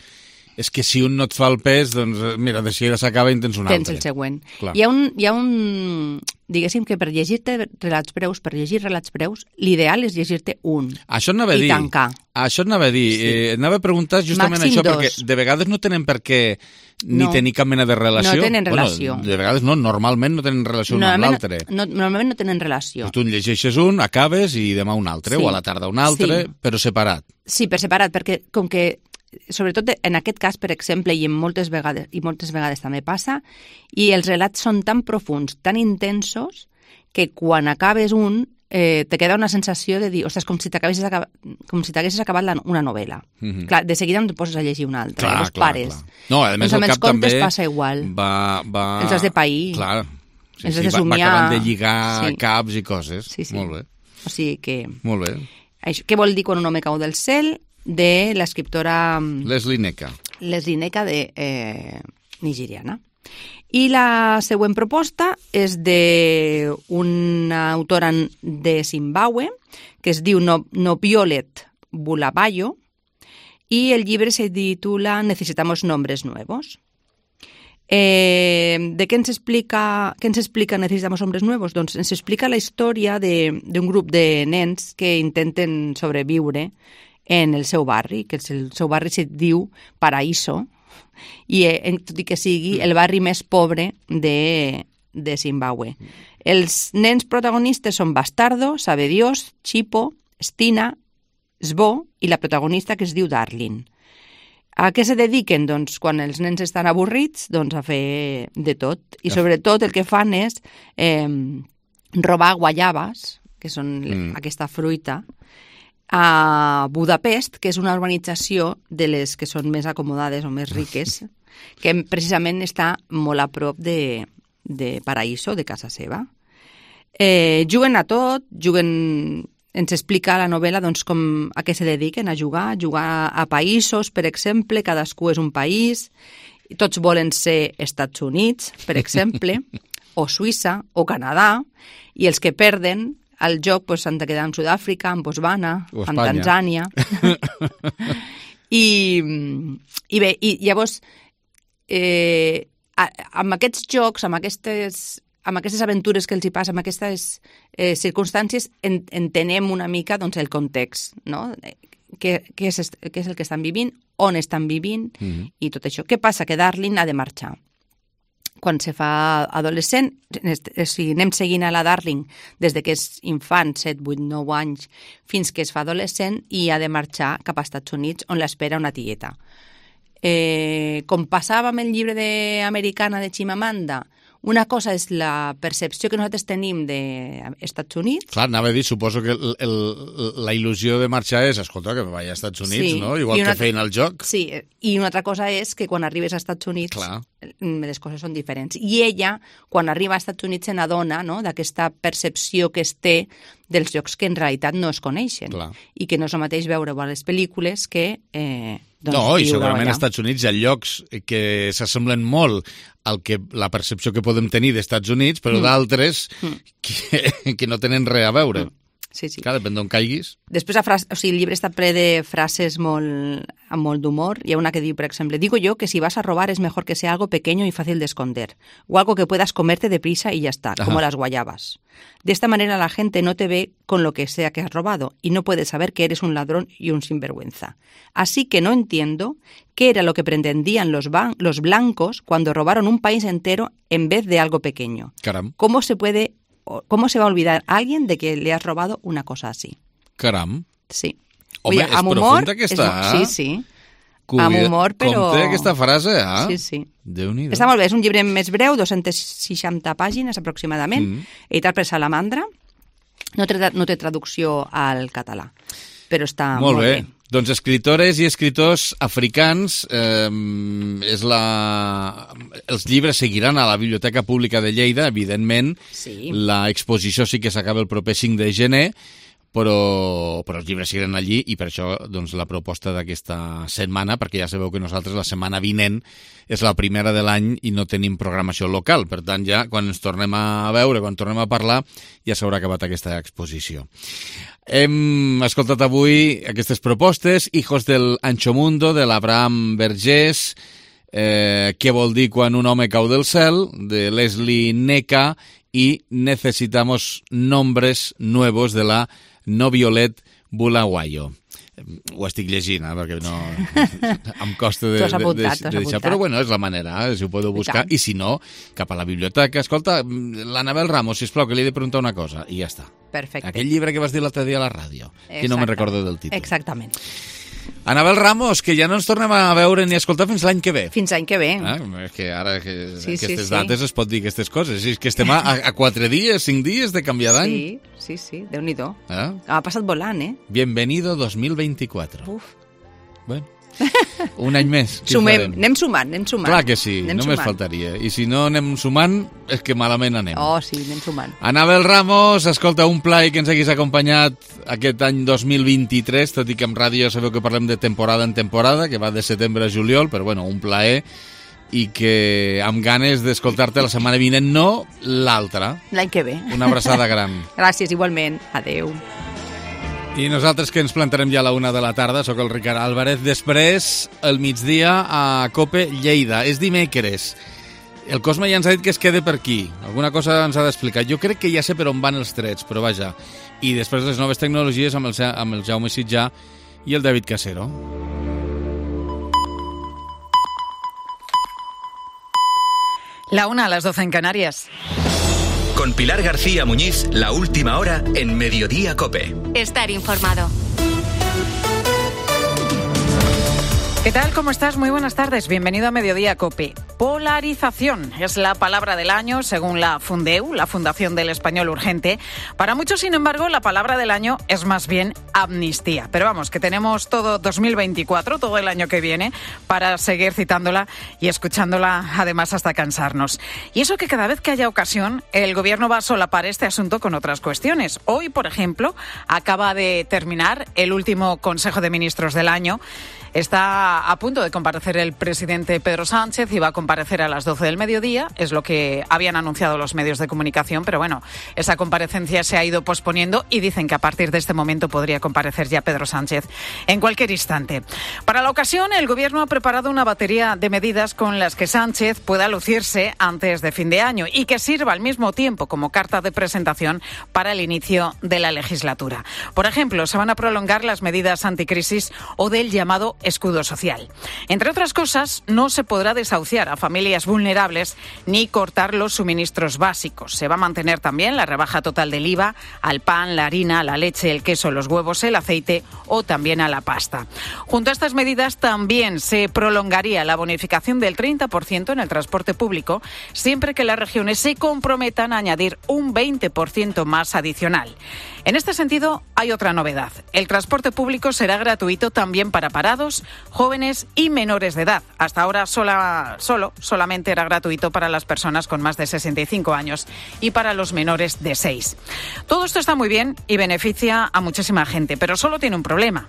és que si un no et fa el pes, doncs, mira, de seguida s'acaba i en tens un altre. Tens el següent. Clar. Hi ha un... Hi ha un diguéssim que per llegir-te relats breus, per llegir relats breus, l'ideal és llegir-te un. Això anava a dir. I tancar. Això anava a dir. Sí. Eh, anava a preguntar justament Màxim això, dos. perquè de vegades no tenen per què ni no. tenir cap mena de relació. No tenen relació. Bueno, de vegades no, normalment no tenen relació un amb l'altre. No, normalment no tenen relació. Tu en llegeixes un, acabes i demà un altre, sí. o a la tarda un altre, sí. però separat. Sí, per separat, perquè com que sobretot en aquest cas, per exemple, i en moltes vegades, i moltes vegades també passa, i els relats són tan profuns, tan intensos, que quan acabes un eh, te queda una sensació de dir, ostres, com si t'haguessis acabat, com si t'haguessis acabat la, una novel·la. Mm-hmm. Clar, de seguida no et poses a llegir una altra, clar, llavors clar, pares. Clar. No, a més, el cap també passa igual. Va, va... Els has de pair. Clar, sí, els sí, has de va, somiar. va acabant de lligar sí. caps i coses. Sí, sí. Molt bé. O sigui que... Molt bé. Això, què vol dir quan un home cau del cel? De l'escriptora... Leslie Neka. Leslie Neka, de eh, nigeriana. I la següent proposta és d'una autora de Zimbabue que es diu no, Nobiolet Bulawayo i el llibre se titula Necesitamos nombres nuevos. Eh, de què ens explica, què ens explica Necesitamos nombres nuevos? Doncs ens explica la història d'un grup de nens que intenten sobreviure en el seu barri, que el seu barri se diu Paraíso, i eh, tot i que sigui el barri més pobre de, de Zimbabue. Els nens protagonistes són Bastardo, Sabe Dios, Chipo, Stina, Sbo i la protagonista que es diu Darling. A què se dediquen? Doncs quan els nens estan avorrits, doncs a fer de tot. I sobretot el que fan és eh, robar guayabes, que són mm. aquesta fruita, a Budapest, que és una urbanització de les que són més acomodades o més riques, que precisament està molt a prop de, de Paraíso, de casa seva. Eh, juguen a tot, juguen... Ens explica la novel·la doncs, com a què se dediquen a jugar, jugar a països, per exemple, cadascú és un país, tots volen ser Estats Units, per exemple, o Suïssa, o Canadà, i els que perden al joc pues, han de quedar en Sud-àfrica, en Botswana, en Tanzània. I, I bé, i llavors, eh, amb aquests jocs, amb aquestes... amb aquestes aventures que els hi passa, amb aquestes eh, circumstàncies, en, entenem una mica doncs, el context, no? Què, què, és, què és el que estan vivint, on estan vivint, mm-hmm. i tot això. Què passa? Que Darling ha de marxar. Quan se fa adolescent, o sigui, anem seguint a la Darling des de que és infant, set, vuit, nou anys, fins que es fa adolescent i ha de marxar cap als Estats Units, on l'espera una tieta. Eh, com passava amb el llibre de Americana de Chimamanda, una cosa és la percepció que nosaltres tenim dels Estats Units. Clar, anava a dir, suposo que el, el, la il·lusió de marxar és, escolta, que me vaig als Estats Units, sí, no? Igual una... que feien el joc. Sí, i una altra cosa és que quan arribes als Estats Units Clar. les coses són diferents. I ella, quan arriba als Estats Units, se n'adona, no?, d'aquesta percepció que es té dels llocs que en realitat no es coneixen. Clar. I que no és el mateix veure a les pel·lícules que... Eh, doncs, no, i segurament als Estats Units hi ha llocs que s'assemblen molt al que la percepció que podem tenir d'Estats Units, però mm. d'altres mm. que, que no tenen res a veure. Mm. Sí, sí. Clar, depèn d'on caiguis. Després, frase, o sigui, el llibre està ple de frases molt, amb molt d'humor. Hi ha una que diu, per exemple, digo yo que si vas a robar es mejor que sea algo pequeño y fácil de esconder, o algo que puedas comerte deprisa y ya está, Ajá. como las guayabas. De esta manera la gente no te ve con lo que sea que has robado y no puede saber que eres un ladrón y un sinvergüenza. Así que no entiendo qué era lo que pretendían los, ban- los blancos cuando robaron un país entero en vez de algo pequeño. Caram. ¿Cómo se puede... ¿Cómo se va a olvidar a alguien de que le has robado una cosa así? Caram. Sí. Home, és profunda aquesta, eh? Sí, sí. Cuida... Amb humor, però... Com té aquesta frase, eh? Sí, sí. Déu-n'hi-do. Està molt bé, és un llibre més breu, dues-centes seixanta pàgines aproximadament, mm. editat per Salamandra. No té, no té traducció al català, però està molt, molt bé. bé. Doncs escritores i escriptors africans, eh, és la... els llibres seguiran a la Biblioteca Pública de Lleida, evidentment. Sí. L'exposició sí que s'acaba el proper cinc de gener, però, però els llibres seguiran allí i per això doncs, la proposta d'aquesta setmana, perquè ja sabeu que nosaltres la setmana vinent és la primera de l'any i no tenim programació local. Per tant, ja quan ens tornem a veure, quan tornem a parlar, ja s'haurà acabat aquesta exposició. Hem escoltat avui aquestes propostes, Hijos del Ancho Mundo, de l'Abraham Vergés, eh, Què vol dir quan un home cau del cel, de Leslie Neka, i Necesitamos nombres nuevos, de la Nobiolet Bulawayo. Ho estic llegint, eh, perquè no... em costa de, apuntat, de, de, de deixar. Però bueno, és la manera, eh, si ho podeu buscar. I, I si no, cap a la biblioteca. Escolta, l'Anabel Ramos, sisplau, que li he de preguntar una cosa. I ja està. Perfecte. Aquell llibre que vas dir l'altre dia a la ràdio. Exacte. Que no me'n recordo del títol. Exactament. Anabel Ramos, que ja no ens tornem a veure ni a escoltar fins l'any que ve. Fins l'any que ve. Ah, és que ara que Sí, sí, aquestes sí. dates es pot dir aquestes coses. És que estem a, a quatre dies, cinc dies de canviar d'any. Sí, sí, sí, Déu-n'hi-do. Ah? Ha passat volant, eh? Bienvenido dos mil veinticuatro. Uf. Bueno, un any més. Què Sumem, farem? anem sumant, anem sumant. Clar que sí, anem només sumant. faltaria. I si no anem sumant, és que malament anem. Oh, sí, anem sumant. Anabel Ramos, escolta, un plaer que ens haguis acompanyat aquest any dos mil vint-i-tres, tot i que en ràdio sabeu que parlem de temporada en temporada, que va de setembre a juliol, però bueno, un plaer, i que amb ganes d'escoltar-te la setmana vinent, no l'altra. L'any que ve. Una abraçada gran. Gràcies, igualment. Adeu. I nosaltres que ens plantarem ja a la una de la tarda, sóc el Ricard Álvarez, després el migdia a COPE Lleida. És dimecres. El Cosme ja ens ha dit que es quede per aquí. Alguna cosa ens ha d'explicar. Jo crec que ja sé per on van els trets, però vaja. I després les noves tecnologies amb el, amb el Jaume Sitjà i el David Casero. La una a las doce en Canarias. Con Pilar García Muñiz, la última hora en Mediodía COPE. Estar informado. ¿Qué tal? ¿Cómo estás? Muy buenas tardes. Bienvenido a Mediodía COPE. Polarización es la palabra del año según la Fundeu, la Fundación del Español Urgente. Para muchos, sin embargo, la palabra del año es más bien amnistía. Pero vamos, que tenemos todo dos mil veinticuatro, todo el año que viene, para seguir citándola y escuchándola, además, hasta cansarnos. Y eso que cada vez que haya ocasión, el Gobierno va a solapar este asunto con otras cuestiones. Hoy, por ejemplo, acaba de terminar el último Consejo de Ministros del año. Está a punto de comparecer el presidente Pedro Sánchez y va a comparecer a las doce del mediodía, es lo que habían anunciado los medios de comunicación, pero bueno, esa comparecencia se ha ido posponiendo y dicen que a partir de este momento podría comparecer ya Pedro Sánchez en cualquier instante. Para la ocasión, el Gobierno ha preparado una batería de medidas con las que Sánchez pueda lucirse antes de fin de año y que sirva al mismo tiempo como carta de presentación para el inicio de la legislatura. Por ejemplo, se van a prolongar las medidas anticrisis o del llamado escudo social. Entre otras cosas, no se podrá desahuciar a familias vulnerables ni cortar los suministros básicos. Se va a mantener también la rebaja total del I V A al pan, la harina, la leche, el queso, los huevos, el aceite o también a la pasta. Junto a estas medidas también se prolongaría la bonificación del treinta por ciento en el transporte público, siempre que las regiones se comprometan a añadir un veinte por ciento más adicional. En este sentido, hay otra novedad. El transporte público será gratuito también para parados, jóvenes y menores de edad. Hasta ahora sola, solo, solamente era gratuito para las personas con más de sesenta y cinco años y para los menores de seis. Todo esto está muy bien y beneficia a muchísima gente, pero solo tiene un problema.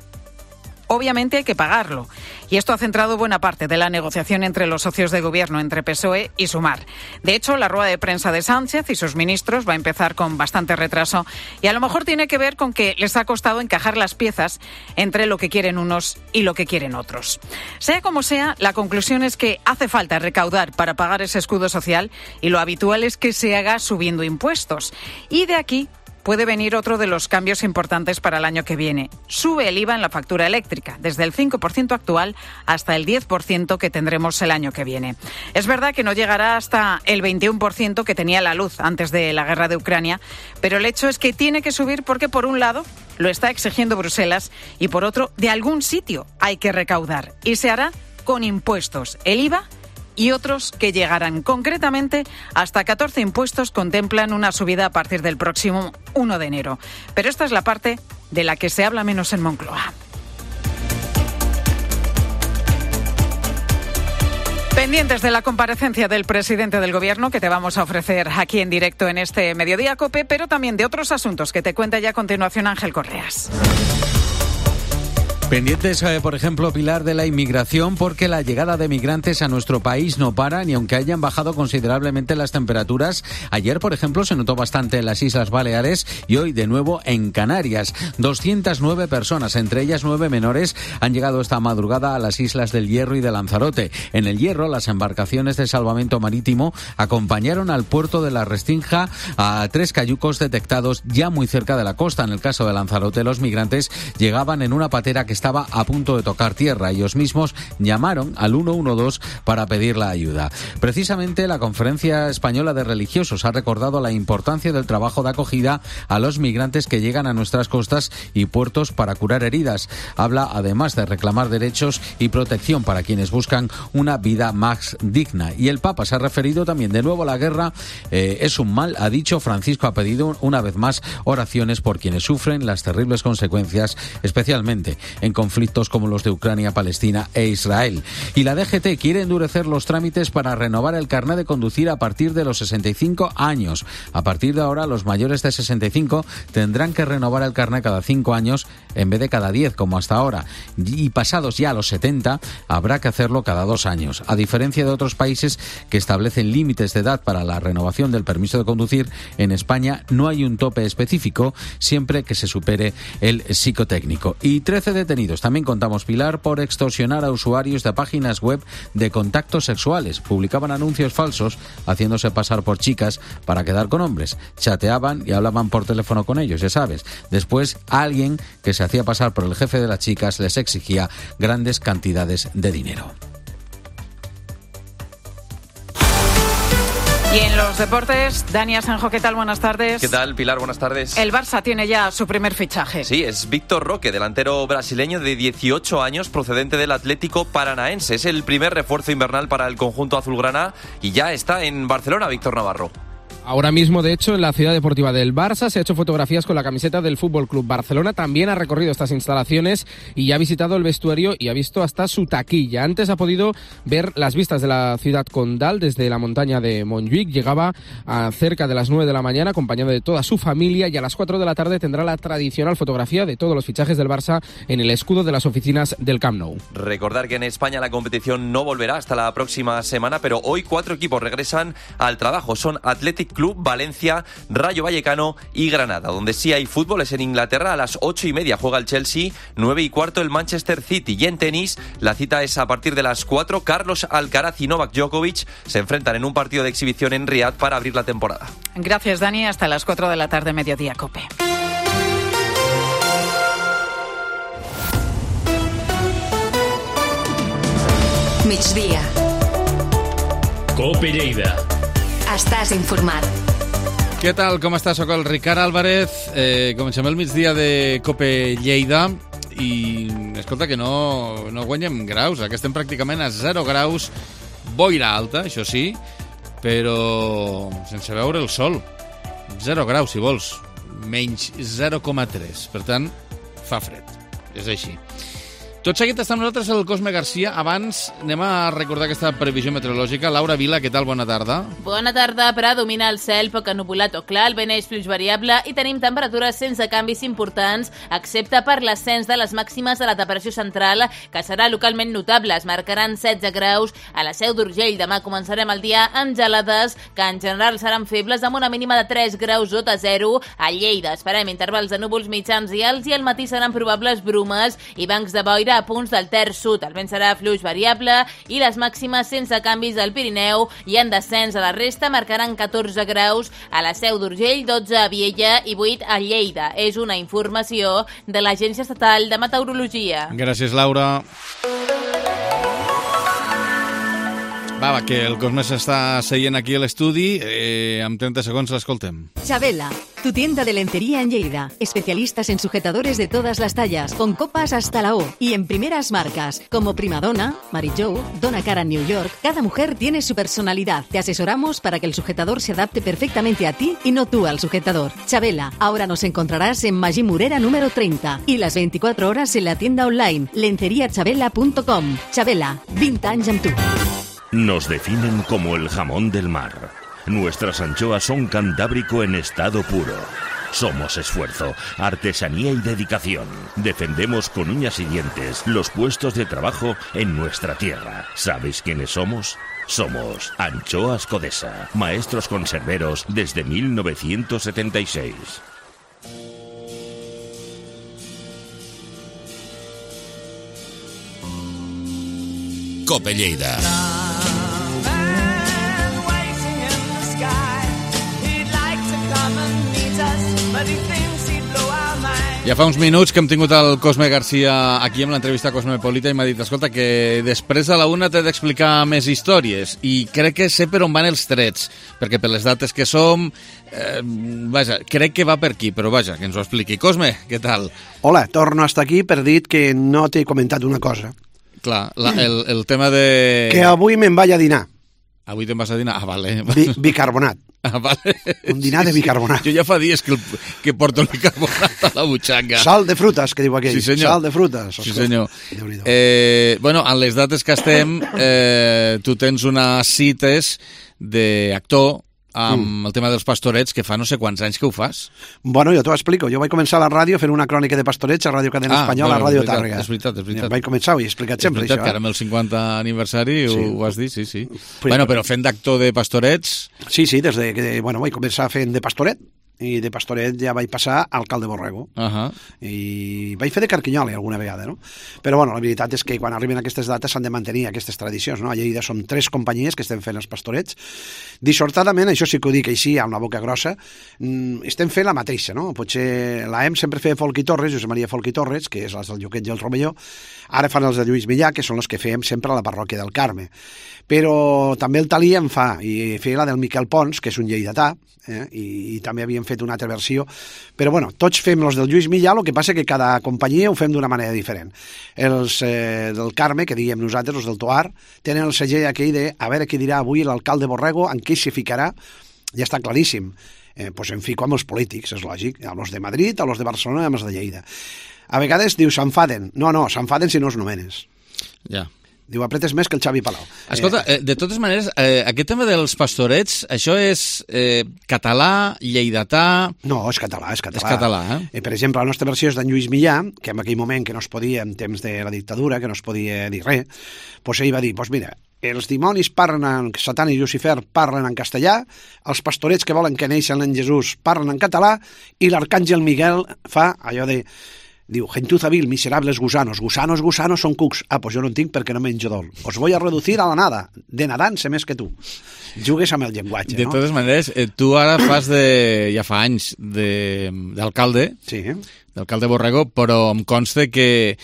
Obviamente hay que pagarlo. Y esto ha centrado buena parte de la negociación entre los socios de gobierno, entre P S O E y Sumar. De hecho, la rueda de prensa de Sánchez y sus ministros va a empezar con bastante retraso y a lo mejor tiene que ver con que les ha costado encajar las piezas entre lo que quieren unos y lo que quieren otros. Sea como sea, la conclusión es que hace falta recaudar para pagar ese escudo social y lo habitual es que se haga subiendo impuestos. Y de aquí puede venir otro de los cambios importantes para el año que viene. Sube el I V A en la factura eléctrica, desde el cinco por ciento actual hasta el diez por ciento que tendremos el año que viene. Es verdad que no llegará hasta el veintiuno por ciento que tenía la luz antes de la guerra de Ucrania, pero el hecho es que tiene que subir porque, por un lado, lo está exigiendo Bruselas y, por otro, de algún sitio hay que recaudar. Y se hará con impuestos, el I V A y otros que llegarán. Concretamente, hasta catorce impuestos contemplan una subida a partir del próximo uno de enero. Pero esta es la parte de la que se habla menos en Moncloa. Pendientes de la comparecencia del presidente del Gobierno, que te vamos a ofrecer aquí en directo en este Mediodía COPE, pero también de otros asuntos que te cuenta ya a continuación Ángel Correas. Pendientes, eh, por ejemplo, Pilar, de la inmigración, porque la llegada de migrantes a nuestro país no para, ni aunque hayan bajado considerablemente las temperaturas. Ayer, por ejemplo, se notó bastante en las Islas Baleares y hoy de nuevo en Canarias. doscientas nueve personas, entre ellas nueve menores, han llegado esta madrugada a las Islas del Hierro y de Lanzarote. En el Hierro, las embarcaciones de salvamento marítimo acompañaron al puerto de la Restinga a tres cayucos detectados ya muy cerca de la costa. En el caso de Lanzarote, los migrantes llegaban en una patera que estaba a punto de tocar tierra. Ellos mismos llamaron al ciento doce para pedir la ayuda. Precisamente la Conferencia Española de Religiosos ha recordado la importancia del trabajo de acogida a los migrantes que llegan a nuestras costas y puertos para curar heridas. Habla además de reclamar derechos y protección para quienes buscan una vida más digna. Y el Papa se ha referido también de nuevo a la guerra. Eh, es un mal, ha dicho. Francisco ha pedido una vez más oraciones por quienes sufren las terribles consecuencias, especialmente en conflictos como los de Ucrania, Palestina e Israel. Y la D G T quiere endurecer los trámites para renovar el carnet de conducir a partir de los sesenta y cinco años. A partir de ahora, los mayores de sesenta y cinco tendrán que renovar el carnet cada cinco años en vez de cada diez, como hasta ahora. Y pasados ya los setenta, habrá que hacerlo cada dos años. A diferencia de otros países que establecen límites de edad para la renovación del permiso de conducir, en España no hay un tope específico, siempre que se supere el psicotécnico. Y trece detenidos, también contamos, Pilar, por extorsionar a usuarios de páginas web de contactos sexuales. Publicaban anuncios falsos haciéndose pasar por chicas para quedar con hombres. Chateaban y hablaban por teléfono con ellos, ya sabes. Después, alguien que se hacía pasar por el jefe de las chicas les exigía grandes cantidades de dinero. Y en los deportes, Dani Asenjo, ¿qué tal? Buenas tardes. ¿Qué tal, Pilar? Buenas tardes. El Barça tiene ya su primer fichaje. Sí, es Víctor Roque, delantero brasileño de dieciocho años, procedente del Atlético Paranaense. Es el primer refuerzo invernal para el conjunto azulgrana y ya está en Barcelona, Víctor Navarro. Ahora mismo, de hecho, en la ciudad deportiva del Barça se ha hecho fotografías con la camiseta del Fútbol Club Barcelona. También ha recorrido estas instalaciones y ha visitado el vestuario y ha visto hasta su taquilla. Antes ha podido ver las vistas de la ciudad condal desde la montaña de Montjuïc. Llegaba a cerca de las nueve de la mañana acompañado de toda su familia y a las cuatro de la tarde tendrá la tradicional fotografía de todos los fichajes del Barça en el escudo de las oficinas del Camp Nou. Recordar que en España la competición no volverá hasta la próxima semana, pero hoy cuatro equipos regresan al trabajo. Son Athletic Club, Valencia, Rayo Vallecano y Granada. Donde sí hay fútbol es en Inglaterra. A las ocho y media juega el Chelsea, nueve y cuarto el Manchester City. Y en tenis, la cita es a partir de las cuatro. Carlos Alcaraz y Novak Djokovic se enfrentan en un partido de exhibición en Riad para abrir la temporada. Gracias, Dani. Hasta las cuatro de la tarde, Mediodía Cope. Migdia. Cope Lleida. Estàs informat. Què tal? Com estàs? Soc el Ricard Álvarez. Eh, comencem el migdia de Cope Lleida i escolta que no, no guanyem graus, que estem pràcticament a zero graus, boira alta, això sí, però sense veure el sol. Zero graus, si vols, menys zero coma tres. Per tant, fa fred. És així. Tot seguit està amb nosaltres el Cosme Garcia. Abans anem a recordar aquesta previsió meteorològica. Laura Vila, què tal? Bona tarda. Bona tarda. Predomina el cel poc ennubulat o clar, el vent és fluix variable i tenim temperatures sense canvis importants, excepte per l'ascens de les màximes de la temperatura central, que serà localment notable. Es marcaran setze graus a la Seu d'Urgell. Demà començarem el dia amb gelades, que en general seran febles, amb una mínima de tres graus sota zero. A Lleida esperem intervals de núvols mitjans i alts i al matí seran probables brumes i bancs de boira a punts del terç sud. El vent serà fluix variable i les màximes sense canvis al Pirineu i en descens a la resta marcaran catorze graus a la Seu d'Urgell, dotze a Viella i vuit a Lleida. És una informació de l'Agència Estatal de Meteorologia. Gràcies, Laura. Va, va, que el Cosme s'està seient aquí a l'estudi. Eh, en trenta segons l'escoltem. Chabela, tu tienda de lencería en Lleida. Especialistas en sujetadores de todas las tallas, con copas hasta la O y en primeras marcas, como Primadonna, Mary Jo, Donna Karan New York. Cada mujer tiene su personalidad. Te asesoramos para que el sujetador se adapte perfectamente a ti y no tú al sujetador. Chabela, ahora nos encontrarás en Magí Morera número treinta y las veinticuatro horas en la tienda online lencería chabela punto com. Chabela, veinte anys amb tu. Nos definen como el jamón del mar. Nuestras anchoas son cantábrico en estado puro. Somos esfuerzo, artesanía y dedicación. Defendemos con uñas y dientes los puestos de trabajo en nuestra tierra. ¿Sabéis quiénes somos? Somos Anchoas Codesa, maestros conserveros desde mil novecientos setenta y seis. Cope Lleida. But he thinks he'd blow our mind. Ja fa uns minuts que hem tingut el Cosme Garcia aquí amb l'entrevista Cosmopolita i m'ha dit, escolta, que després a la una t'he d'explicar més històries i crec que sé per on van els trets, perquè per les dates que som, eh, vaja, crec que va per aquí, però vaja, que ens ho expliqui. Cosme, què tal? Hola, torno a estar aquí per dir que no t'he comentat una cosa. Clar, la, el, el tema de... Que avui me'n vaig a dinar. Avui te'n vas a dinar? Ah, vale. Bi bicarbonat. Ah, vale. Un dinar de bicarbonat. Jo ja fa dies que, el, que porto el bicarbonat a la butxaca. Sal de frutes, que diu aquell. Sí, senyor. Sal de frutes. Sí, senyor. Eh, bueno, en les dates que estem, eh, tu tens unes cites d'actor amb mm. el tema dels pastorets, que fa no sé quants anys que ho fas. Bueno, jo t'ho explico. Jo vaig començar a la ràdio fent una crònica de pastorets a Ràdio Cadena ah, Espanyola, bueno, a Ràdio és veritat, Tàrrega. És veritat, és veritat. Vaig començar, ho he explicat sempre, és veritat, això. Que ara amb el cinquanta aniversari sí. ho has dit, sí, sí. Pues, bueno, però fent d'actor de pastorets... Sí, sí, des de que, bueno, vaig començar fent de pastoret, i de pastoret ja vaig passar a alcalde Borrego. Uh -huh. I vaig fer de carquinyoli alguna vegada, no? Però, bueno, la veritat és que quan arriben aquestes dates s'han de mantenir aquestes tradicions, no? A Lleida som tres companyies que estem fent els pastorets. Dissortadament, això sí que ho dic així, amb la boca grossa, estem fent la mateixa, no? Potser l'A E M sempre feia Folc i Torres, Josep Maria Folc i Torres, que és les del Lluquet i el Romelló, ara fan els de Lluís Millà, que són els que fèiem sempre a la parròquia del Carme. Però també el Talí en fa, i feia la del Miquel Pons, que és un lleidatà, eh? I, i també havíem fet una altra versió, però bueno, tots fem els del Lluís Millà, el que passa que cada companyia ho fem d'una manera diferent. Els eh, del Carme, que diguem nosaltres, els del Toar, tenen el segell aquell de a veure què dirà avui l'alcalde Borrego, en què s'hi ficarà, ja està claríssim. Eh, doncs em fico amb els polítics, és lògic, amb els de Madrid, amb els de Barcelona i amb els de Lleida. A vegades diu s'enfaden, no, no, s'enfaden si no els nomenes. Ja. Diu, apretes més que el Xavi Palau. Escolta, eh, de totes maneres, eh, aquest tema dels pastorets, això és eh, català, lleidatà... No, és català, és català. És català, eh? eh? Per exemple, la nostra versió és d'en Lluís Millà, que en aquell moment que no es podia, en temps de la dictadura, que no es podia dir res, doncs ell va dir, doncs mira, els dimonis parlen en Satan i Lucifer parlen en castellà, els pastorets que volen que neixen en Jesús parlen en català, i l'arcàngel Miguel fa allò de... Diu, gentuza vil, miserables gusanos. Gusanos, gusanos, són cucs. Ah, pues jo no en tinc perquè no menjo dol. Os voy a reducir a la nada. De nadant sé més que tu. Jugues amb el llenguatge, de no? De totes maneres, eh, tu ara fas de... ja fa anys d'alcalde, sí. d'alcalde Borrego, però em consta que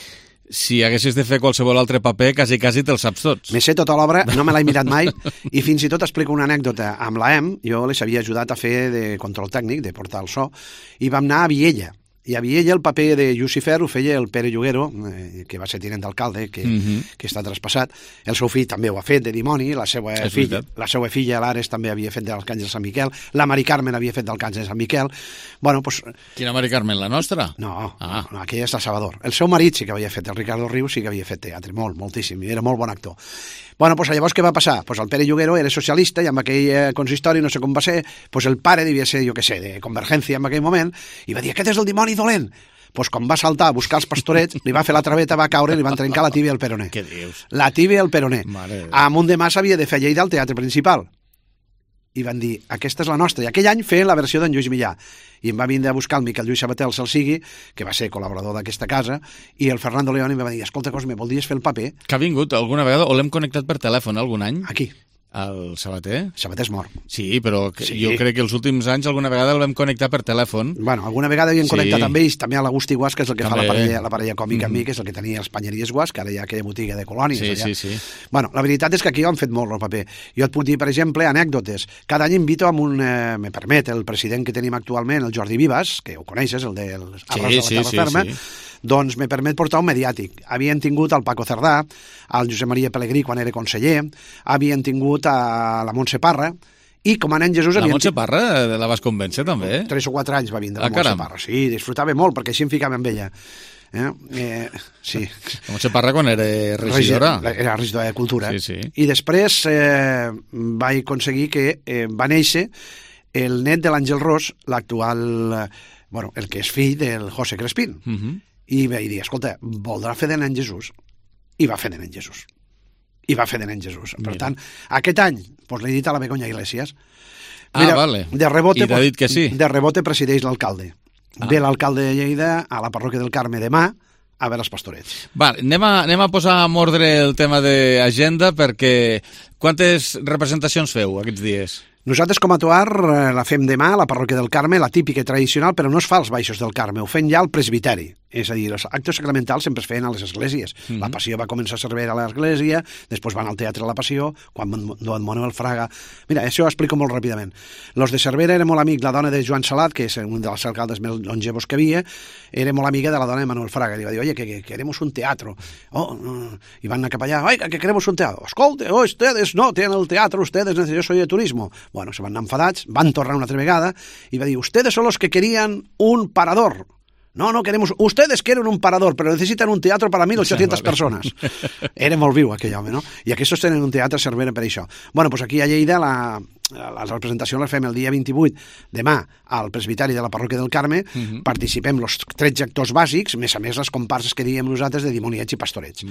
si haguessis de fer qualsevol altre paper, quasi, quasi te'l saps tots. Me sé tota l'obra, no me l'he mirat mai, i fins i tot explico una anècdota. Amb l'A E M, jo les havia ajudat a fer de control tècnic, de portar el so, i vam anar a Viella. I a Viella el paper de Lucifer ho feia el Pere Lloguero, eh, que va ser tinent d'alcalde, que, mm-hmm. que està traspassat. El seu fill també ho ha fet de dimoni, la seva, filla, la seva filla, l'Ares, també havia fet de l'Arcàngel Sant Miquel, la Mari Carmen havia fet d'Arcàngel Sant Miquel. Bueno, pues... Quina Mari Carmen, la nostra? No, ah. no, aquella és la Salvador. El seu marit sí que havia fet, el Ricardo Rius sí que havia fet teatre, molt, moltíssim, i era molt bon actor. Bueno, pues llavors què va passar? Pues el Pere Lloguero era socialista i amb aquell eh, consistori, no sé com va ser, pues el pare devia ser, jo què sé, de Convergència en aquell moment, i va dir, aquest és el dimoni dolent. Pues quan va saltar a buscar els pastorets, li va fer la traveta, va caure i li van trencar la tíbia al peroné. Què dius? La tíbia al peroné. A Munt de Mas havia de fer a Lleida al teatre principal. I van dir, aquesta és la nostra. I aquell any feien la versió d'en Lluís Millà. I em va vindre a buscar el Miquel Lluís Sabater, el Salsigui, que va ser col·laborador d'aquesta casa, i el Fernando León em va dir, escolta, Cosme, voldries fer el paper? Que ha vingut alguna vegada, o l'hem connectat per telèfon algun any? Aquí. El Sabater? Sabater és mort. Sí, però sí. jo crec que els últims anys alguna vegada el vam connectar per telèfon. Bueno, alguna vegada havíem sí. connectat amb ells, també a l'Agustí Guas, que és el que també. fa la parella, la parella còmica mm-hmm. amb mi, que és el que tenia els Panyeries Guas, que ara hi ha aquella botiga de colònies. Sí, allà. sí, sí. Bueno, la veritat és que aquí ho han fet molt el paper. Jo et puc dir, per exemple, anècdotes. Cada any invito amb un, eh, me permet, el president que tenim actualment, el Jordi Vivas, que ho coneixes, el del Arròs sí, de la sí, Terra sí, Ferma, sí. doncs me permet portar un mediàtic. Havien tingut el Paco Cerdà, el Josep Maria Pelegrí quan era conseller, havien tingut a la Montse Parra, i com a nen Jesús... La Montse Parra la vas convèncer, també? Tres o quatre anys va vindre ah, la Montse Parra. Sí, disfrutava molt, perquè així em ficava amb ella. Eh? Eh, sí. La Montse Parra quan era regidora. Era regidora de Cultura. Sí, sí. I després eh, vaig aconseguir que eh, va néixer el net de l'Àngel Ros, l'actual... Bueno, el que és fill del José Crespín. Uh-huh. I vaig dir, escolta, voldrà fer de nen Jesús? I va fer de nen Jesús. I va fer de nen Jesús. Per Mira. tant, aquest any, doncs l'he dit a la Begoña Iglesias. Mira, ah, vale. De rebote, I t'ha dit que sí. De rebote presideix l'alcalde. Ah. Ve l'alcalde de Lleida a la parròquia del Carme demà a veure els pastorets. Vale, anem a, anem a posar en ordre el tema d'agenda, perquè quantes representacions feu aquests dies? Nosaltres com a Toar la fem demà a la parròquia del Carme, la típica i tradicional, però no es fa als baixos del Carme, ho fem ja al presbiteri. És a dir, els actes sacramentals sempre es feien a les esglésies. Mm-hmm. La Passió va començar a servir a l'església, després van al Teatre de la Passió, quan Don Manuel Fraga... Mira, això ho explico molt ràpidament. Los de Cervera era molt amic, la dona de Joan Salat, que és un dels alcaldes més longevos que havia, era molt amiga de la dona de Manuel Fraga. Li va dir, oye, que, que queremos un teatro. Oh, no. I van anar cap allà, oiga, que queremos un teatro. Escolte, oh, ustedes no tienen el teatro, ustedes, yo soy de turismo. Bueno, se van anar enfadats, van tornar una altra vegada i va dir, ustedes son los que querían un parador. No, no queremos... Ustedes quieren un parador, pero necesitan un teatro para mil ochocientas persones. Era molt viu aquell home, no? I aquests tenen un teatre a Cervera per això. Bueno, doncs aquí a Lleida la, la representació la fem el dia vint-i-vuit, demà, al presbiteri de la parròquia del Carme, uh-huh. Participem els tretze actors bàsics, més a més les comparses que diem nosaltres de dimoniets i pastorets.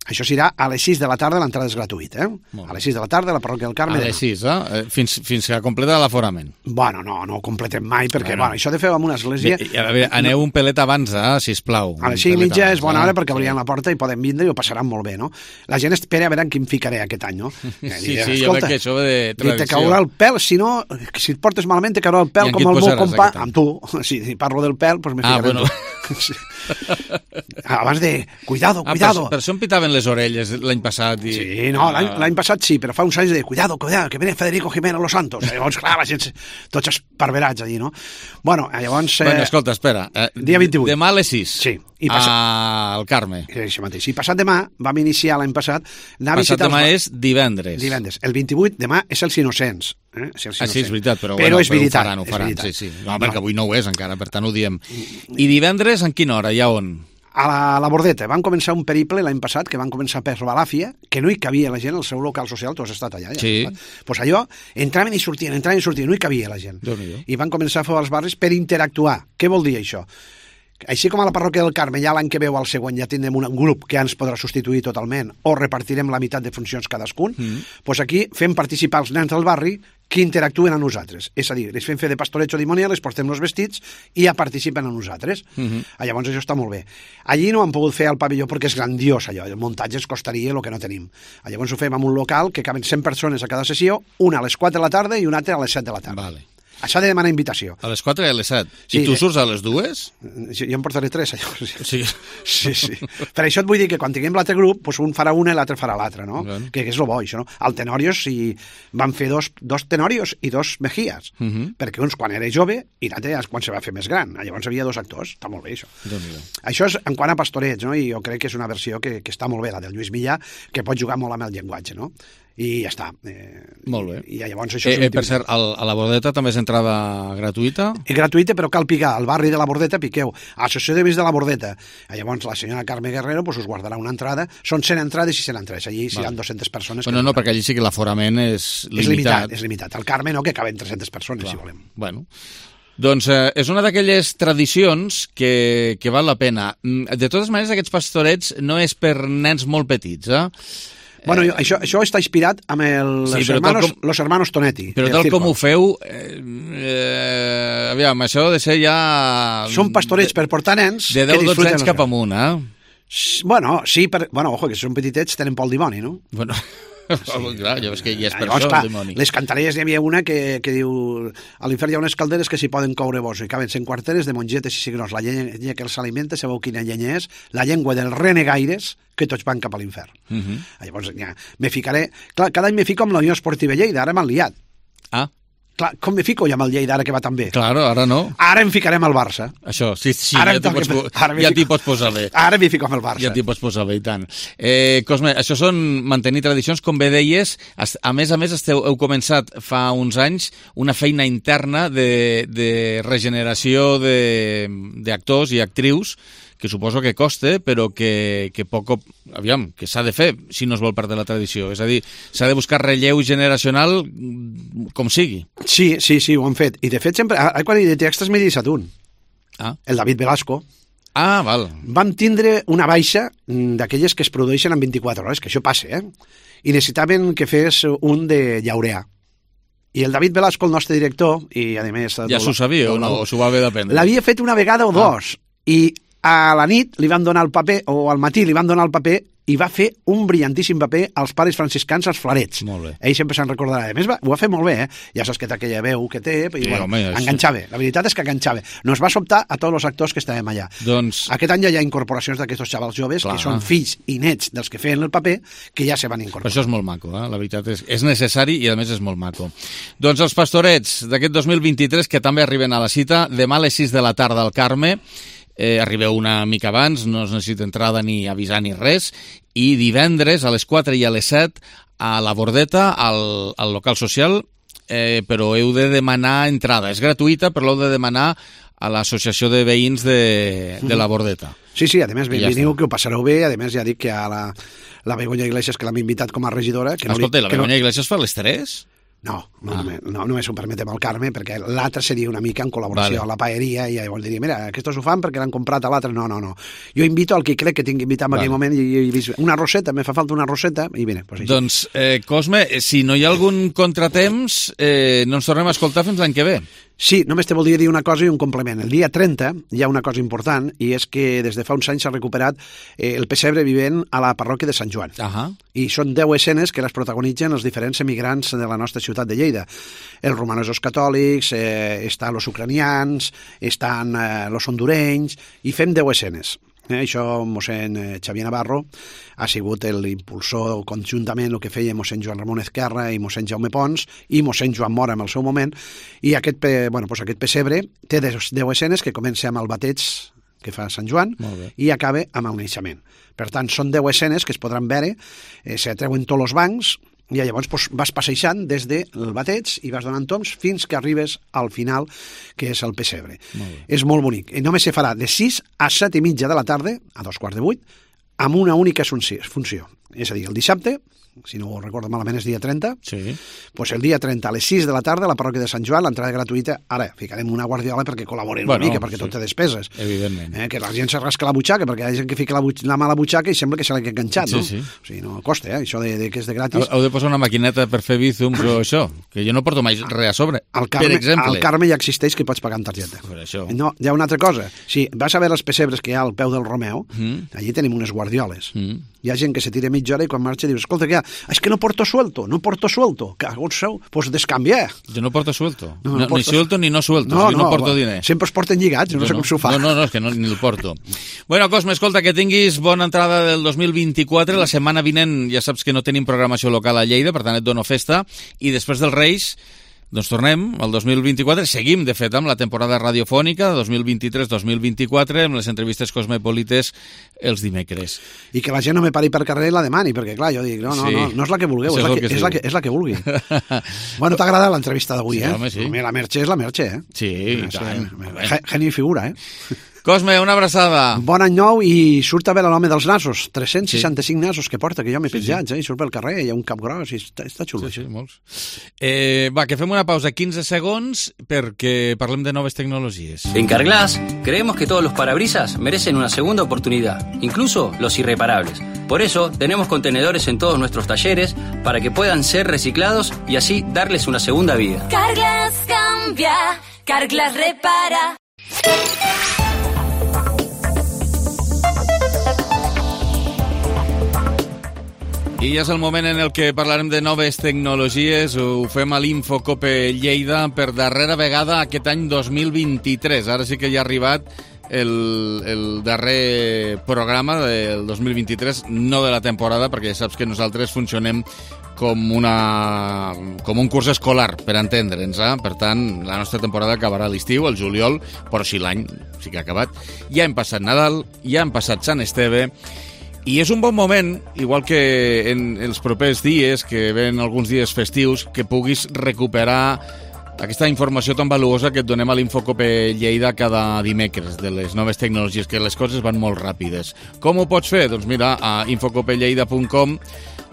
Això serà a les sis de la tarda, l'entrada és gratuïta, eh? A les sis de la tarda, a la parròquia del Carme. A les sis, eh? Fins, fins que completa l'aforament. Bueno, no, no ho completem mai, perquè bueno. Bueno, això de fer amb una església... I, a veure, aneu un pelet abans, eh, sisplau. A les cinc i mitja és bona hora perquè obrien la porta i poden vindre i ho passaran molt bé, no? La gent espera a veure en quin ficaré aquest any, no? Sí, sí, sí, jo veig que això ve de tradició. Te caurà el pèl, si no, si et portes malament te caurà el pèl com el meu compà, amb tu. Si parlo del pèl, doncs me ficaré ah, bueno. Sí. Abans de... Cuidado, cuidado. Ah, per, per això em pitaven les orelles l'any passat. I... Sí, no, l'any passat sí, però fa uns anys de cuidado, cuidado, que viene Federico Jiménez Los Santos. Llavors, clar, la gent, tots esparverats allí, no? Bueno, llavors... Eh... Bueno, escolta, espera. Eh, dia vint-i-vuit. Demà a les sis. Sí. I passat... al Carme. Això mateix. I passat demà, vam iniciar l'any passat... Passat demà els... és divendres. Divendres. El vint-i-vuit, demà és els Innocents. Eh? És els ah, sí, és veritat, però, però bueno, és veritat. Ho faran, ho faran. Veritat. Sí, sí. No, perquè no. Avui no ho és encara, per tant ho diem. I divendres, en quina hora? I a on? A la, la Bordeta. Van començar un periple l'any passat, que van començar per Balàfia, que no hi cabia la gent, el seu local social, tu has estat allà. Ja, sí. Doncs pues allò, entraven i sortien, entraven i sortien, no hi cabia la gent. I van començar a fer els barris per interactuar. Què vol dir això? Així com a la parròquia del Carme, ja l'any que veu al següent ja tindrem un grup que ja ens podrà substituir totalment o repartirem la meitat de funcions cadascun, doncs mm. pues aquí fem participar els nens del barri que interactuen amb nosaltres. És a dir, les fem fer de pastorets o dimonial, les portem els vestits i ja participen amb nosaltres. Mm-hmm. Llavors això està molt bé. Allí no han pogut fer al pavelló perquè és grandiós allò, el muntatge ens costaria el que no tenim. Llavors ho fem en un local que caben cent persones a cada sessió, una a les quatre de la tarda i una altra a les set de la tarda. Vale. S'ha de demanar invitació. A les quatre i a les set. Sí, I tu surts a les dues? Jo em portaré tres, allò. Sí. Sí, sí. Per això et vull dir que quan tinguem l'altre grup, doncs un farà una i l'altre farà l'altre, no? Bueno. Que, que és el bo, això, no? Al Tenorios si van fer dos, dos Tenorios i dos Mejías, uh -huh. perquè uns quan era jove i l'altre quan se va fer més gran. Llavors havia dos actors, està molt bé, això. Això és en quant a pastorets, no? I jo crec que és una versió que, que està molt bé, la del Lluís Millà, que pot jugar molt amb el llenguatge, no? I ja està. Eh, Molt bé. I, i llavors això eh, eh, per cert, al, a la Bordeta també és entrada gratuïta? És gratuïta, però cal picar. Al barri de la Bordeta piqueu. Associació de Veïns de la Bordeta. I llavors la senyora Carme Guerrero pues, us guardarà una entrada. Són cent entrades i cent entrades. Allí vale. Seran dues-centes persones. Bueno, no, perquè allí sí que l'aforament és limitat. És limitat, és limitat. Al Carme no, que caben tres-centes persones, clar, si volem. Bueno. Doncs eh, és una d'aquelles tradicions que, que val la pena. De totes maneres, aquests pastorets no és per nens molt petits, eh? Bueno, jo, això, això està inspirat amb el, sí, els hermanos, com, los hermanos Tonetti. Però tal com ho feu, eh, eh, aviam, això ha de ser ja... Són pastorets per portar nens... De deu a dotze anys cap amunt, eh? Bueno, sí, per, bueno, ojo, que si són petitets tenen pel dimoni, no? Bueno... Sí. Clar, ja veus que hi és per llavors, això, clar, el dimoni. Les cantareres hi havia una que, que diu a l'infern hi ha unes calderes que s'hi poden coure vos i caben cent quarteres de mongetes i cigrons. La llenya que els alimenta, sabeu quina llenya és? La llengua dels renegaires que tots van cap a l'infern. Uh -huh. Llavors, ja, me ficaré... Clar, cada any me fico amb la Unió Esportiva Lleida, ara m'han liat. Ah. Clar, com me fico ja amb el Lleida ara que va tan bé? Claro, ara no. Ara em ficarem al Barça. Això, sí, sí, ara ja t'hi pots, ja fico... pots posar bé. Ara m'hi fico amb el Barça. Ja t'hi pots posar bé, i tant. Eh, Cosme, això són mantenir tradicions, com bé deies, a més a més esteu, heu començat fa uns anys una feina interna de, de regeneració d'actors i actrius, que suposo que costa, però que, que poc, aviam, que s'ha de fer si no es vol perdre la tradició. És a dir, s'ha de buscar relleu generacional com sigui. Sí, sí, sí, ho han fet. I de fet sempre, ara quan hi de textos m'he deixat un. Ah. El David Velasco. Ah, val. Vam tindre una baixa d'aquelles que es produeixen en vint-i-quatre hores, que això passa, eh? I necessitaven que fes un de Llaureà. I el David Velasco, el nostre director, i a més... Ja s'ho sabia o no? O s'ho va haver d'aprendre? L'havia fet una vegada o dos. Ah. I A la nit li van donar el paper, o al matí li van donar el paper, i va fer un brillantíssim paper als pares franciscans als Flarets. Molt bé. Ell sempre se'n recordarà. A més, va, ho va fer molt bé, eh? Ja saps que té aquella veu que té, i Sí, bueno, home, és- enganxava. La veritat és que enganxava. Nos va sobtar a tots els actors que estàvem allà. Doncs... Aquest any ja hi ha incorporacions d'aquests xavals joves, Clar. que són fills i nets dels que feien el paper, que ja se van incorporar. Però això és molt maco, eh? La veritat és, és necessari i a més és molt maco. Doncs els Pastorets d'aquest dos mil vint-i-tres, que també arriben a la cita, demà a les sis de la tarda al Carme, eh, arribeu una mica abans, no es necessita entrada ni avisar ni res, i divendres a les quatre i a les set a la Bordeta, al, al local social, eh, però heu de demanar entrada. És gratuïta, però l'heu de demanar a l'associació de veïns de, de la Bordeta. Sí, sí, a més, I ja veniu està. que ho passareu bé, a més ja dic que a la, la Begoña Iglesias, que l'hem invitat com a regidora... Que no Escolta, li, la que no- Begoña Iglesias fa les tres? No, no, ah. no, només ho permetem al Carme, perquè l'altre seria una mica en col·laboració Vale. a la paeria, i llavors diria, mira, aquests ho fan perquè l'han comprat a l'altre. No, no, no. Jo invito al que crec que tinc invitat en Vale. aquell moment, i, i he vist una roseta, me fa falta una roseta, i mira, pues així. Doncs, eh, Cosme, si no hi ha algun contratemps, eh, no ens tornem a escoltar fins l'any que ve. Sí, només te voldria dir una cosa i un complement. El dia trenta hi ha una cosa important, i és que des de fa uns anys s'ha recuperat eh, el pessebre vivent a la parròquia de Sant Joan. Ahà. I són deu escenes que les protagonitzen els diferents emigrants de la nostra ciutat de Lleida. Els romanesos catòlics, eh, estan els ucranians, estan eh, els hondurenys, i fem deu escenes. Eh, això mossèn eh, Xavier Navarro ha sigut l'impulsor conjuntament el que feia mossèn Joan Ramon Ezquerra i mossèn Jaume Pons i mossèn Joan Mora en el seu moment, i aquest, pe, bueno, pues aquest pessebre té deu escenes que comença amb el bateig que fa Sant Joan i acaba amb el naixement. Per tant, són deu escenes que es podran veure, eh, s'atreuen tots els bancs, i llavors pues, vas passejant des del bateig i vas donant toms fins que arribes al final, que és el pessebre. Molt És molt bonic. I només se farà de sis a set i mitja de la tarda, a dos quarts de vuit, amb una única funció. És a dir, el dissabte, si no ho recordo malament és dia trenta, sí. pues el dia trenta a les sis de la tarda a la parròquia de Sant Joan, l'entrada gratuïta. Ara, ficarem una guardiola perquè col·laboren Bueno, una mica, perquè sí. tot té despeses. Evidentment. Eh, que la gent se rasca la butxaca, perquè hi ha gent que fica la, butx la mà a la butxaca i sembla que se l'ha enganxat, Sí, no? sí. O sigui, no costa, eh? Això de, de que és de gratis. Heu de posar una maquineta per fer bízums o això, que jo no porto mai res a sobre, Al Carme, per exemple. al Carme ja existeix que pots pagar amb targeta. Per això. No, hi ha una altra cosa. Si vas a veure els pessebres que hi ha al peu del Romeu, Mm. allí tenim unes guardioles. Mm. Hi ha gent que se tira mitja hora i quan marxa diu, escolta, què hi ha? És que no porto suelto, no porto suelto. Cagó el seu, pues descanvia. Jo no porto suelto. No, No, no ni portes- suelto ni no suelto. No, o sigui, no, no porto diner. Sempre es porten lligats, no Jo sé com s'ho fa. No, no, no, és que no, ni el porto. Bueno, Cosme, escolta, que tinguis bona entrada del dos mil vint-i-quatre. La setmana vinent ja saps que no tenim programació local a Lleida, per tant et dono festa. I després dels Reis, doncs tornem al dos mil vint-i-quatre. Seguim, de fet, amb la temporada radiofònica dos mil vint-i-tres dos mil vint-i-quatre, amb les entrevistes cosmopolites els dimecres. I que la gent no me pari per carrer i la demani, perquè clar, jo dic, no, no, Sí. no, no és la que vulgueu, és Això és la el que, que es és, la diu. que, és la que vulgui. Bueno, t'ha agradat l'entrevista d'avui, Sí, eh? home, sí. Home, la Merche és la Merche, eh? Sí, i És, tant. eh, ge- Geni i figura, eh? Cosme, una abraçada. Bon any nou i surt a veure l'home dels nassos. tres-cents seixanta-cinc nassos que porta, que jo m'he Sí, sí. penjat, eh? I surt pel carrer, hi ha un cap gros, i està, està xulo. Sí, sí, molts. Eh, va, que fem una pausa, quinze segons, perquè parlem de noves tecnologies. En Carglass creemos que todos los parabrisas merecen una segunda oportunidad, incluso los irreparables. Por eso tenemos contenedores en todos nuestros talleres para que puedan ser reciclados y así darles una segunda vida. Carglass cambia, Carglass repara. I ja és el moment en el que parlarem de noves tecnologies. Ho fem a l'Infocope Lleida per darrera vegada aquest any dos mil vint-i-tres. Ara sí que ja ha arribat el, el darrer programa del dos mil vint-i-tres, no de la temporada, perquè ja saps que nosaltres funcionem com, una, com un curs escolar, per entendre'ns. Eh? Per tant, la nostra temporada acabarà a l'estiu, al juliol, però si l'any sí que ha acabat. Ja hem passat Nadal, ja hem passat Sant Esteve, i és un bon moment, igual que en els propers dies, que ven alguns dies festius, que puguis recuperar aquesta informació tan valuosa que et donem a l'Infocope Lleida cada dimecres, de les noves tecnologies, que les coses van molt ràpides. Com ho pots fer? Doncs mira, a infocopelleida punt com,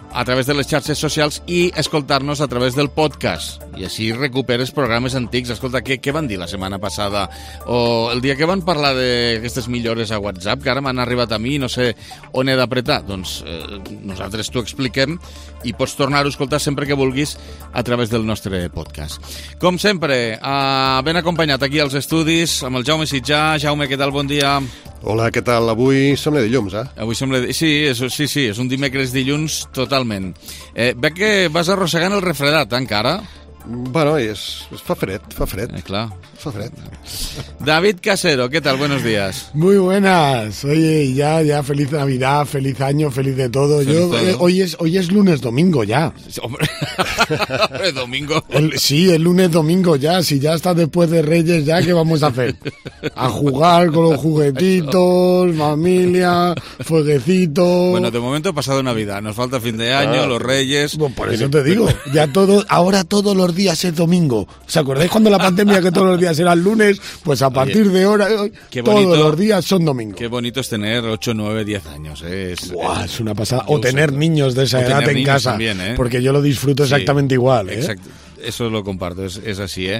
a través de les xarxes socials i escoltar-nos a través del podcast. I així recuperes programes antics. Escolta, què, què van dir la setmana passada? O el dia que van parlar d'aquestes millores a WhatsApp, que ara m'han arribat a mi i no sé on he d'apretar. Doncs eh, nosaltres t'ho expliquem i pots tornar-ho a escoltar sempre que vulguis a través del nostre podcast. Com sempre, eh, ben acompanyat aquí als estudis amb el Jaume Sitjà. Jaume, què tal? Bon dia. Hola, què tal? Avui som de dilluns, eh? Avui som de... Sí, és, sí, sí, és un dimecres dilluns totalment. Eh, veig que vas arrossegant el refredat, eh, encara? Bueno, és, es fa fred, fa fred. Eh, clar. Fa fred. David Casero, ¿qué tal? Buenos días. Muy buenas. Oye, ya, ya feliz Navidad, feliz año, feliz de todo. Feliz Yo todo. eh, hoy es hoy es lunes domingo ya. Hombre, domingo. El, sí, el lunes domingo ya. Si ya está después de Reyes, ya ¿qué vamos a hacer? A jugar con los juguetitos, familia, fueguecitos. Bueno, de momento ha pasado Navidad. Nos falta fin de año, Ah. los Reyes. Bueno, por eso te digo, ya todo, ahora todos los días es domingo. ¿Os acordáis cuando la pandemia que todos los días eran lunes? Pues a partir Oye, de ahora, hoy, qué todos bonito. los días son domingo. Qué bonito es tener ocho, nueve, diez años. ¿eh? Es, Buah, es una pasada. yo O tener uso- niños de esa o edad tener en niños casa. también, ¿eh? Porque yo lo disfruto Sí, exactamente igual. ¿eh? Exacte. Eso lo comparto, és, és així, eh?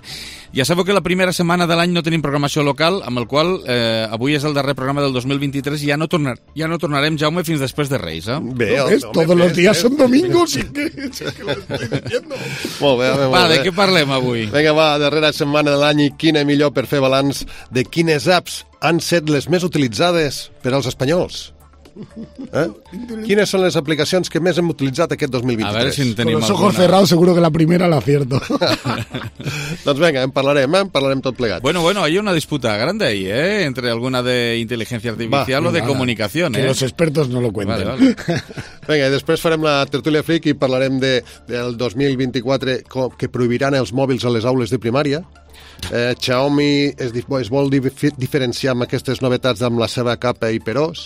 Ja sabeu que la primera setmana de l'any no tenim programació local, amb el qual eh, avui és el darrer programa del dos mil vint-i-tres i ja no, tornar, ja no tornarem, Jaume, fins després de Reis, eh? Bé, ¿No ves? Todos los días son domingos. Sí que, sí que lo estoy diciendo. Molt bé, molt Va, bé. de què parlem avui? Vinga, va, darrera setmana de l'any i quina millor per fer balanç de quines apps han set les més utilitzades per als espanyols. Eh? Quines són les aplicacions que més hem utilitzat aquest dos mil vint-i-tres? A veure si en Con tenim los ojos alguna. cerrados seguro que la primera la acierto. Doncs vinga, en parlarem, eh? En parlarem tot plegat. Bueno, bueno, hay una disputa grande ahí, ¿eh? Entre alguna de inteligencia artificial Va, o de venga, comunicación, que ¿eh? los expertos no lo cuenten. Vale, vale. Vinga, i després farem la tertúlia fric i parlarem de, del dos mil vint-i-quatre co- que prohibiran els mòbils a les aules de primària. Eh, Xiaomi es, di- es vol dif diferenciar amb aquestes novetats amb la seva capa hiperós.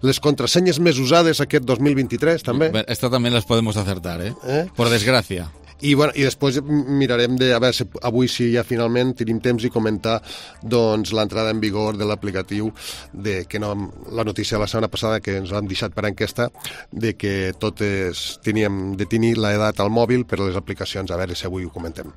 Les contrasenyes més usades aquest dos mil vint-i-tres, també. Esta también las podemos acertar, ¿eh? Eh? Por desgracia. I, bueno, i després mirarem de, a veure si avui sí ja finalment tenim temps i comentar doncs, l'entrada en vigor de l'aplicatiu de que no, la notícia de la setmana passada que ens han deixat per enquesta de que totes teníem de tenir l'edat al mòbil per les aplicacions, a veure si avui ho comentem.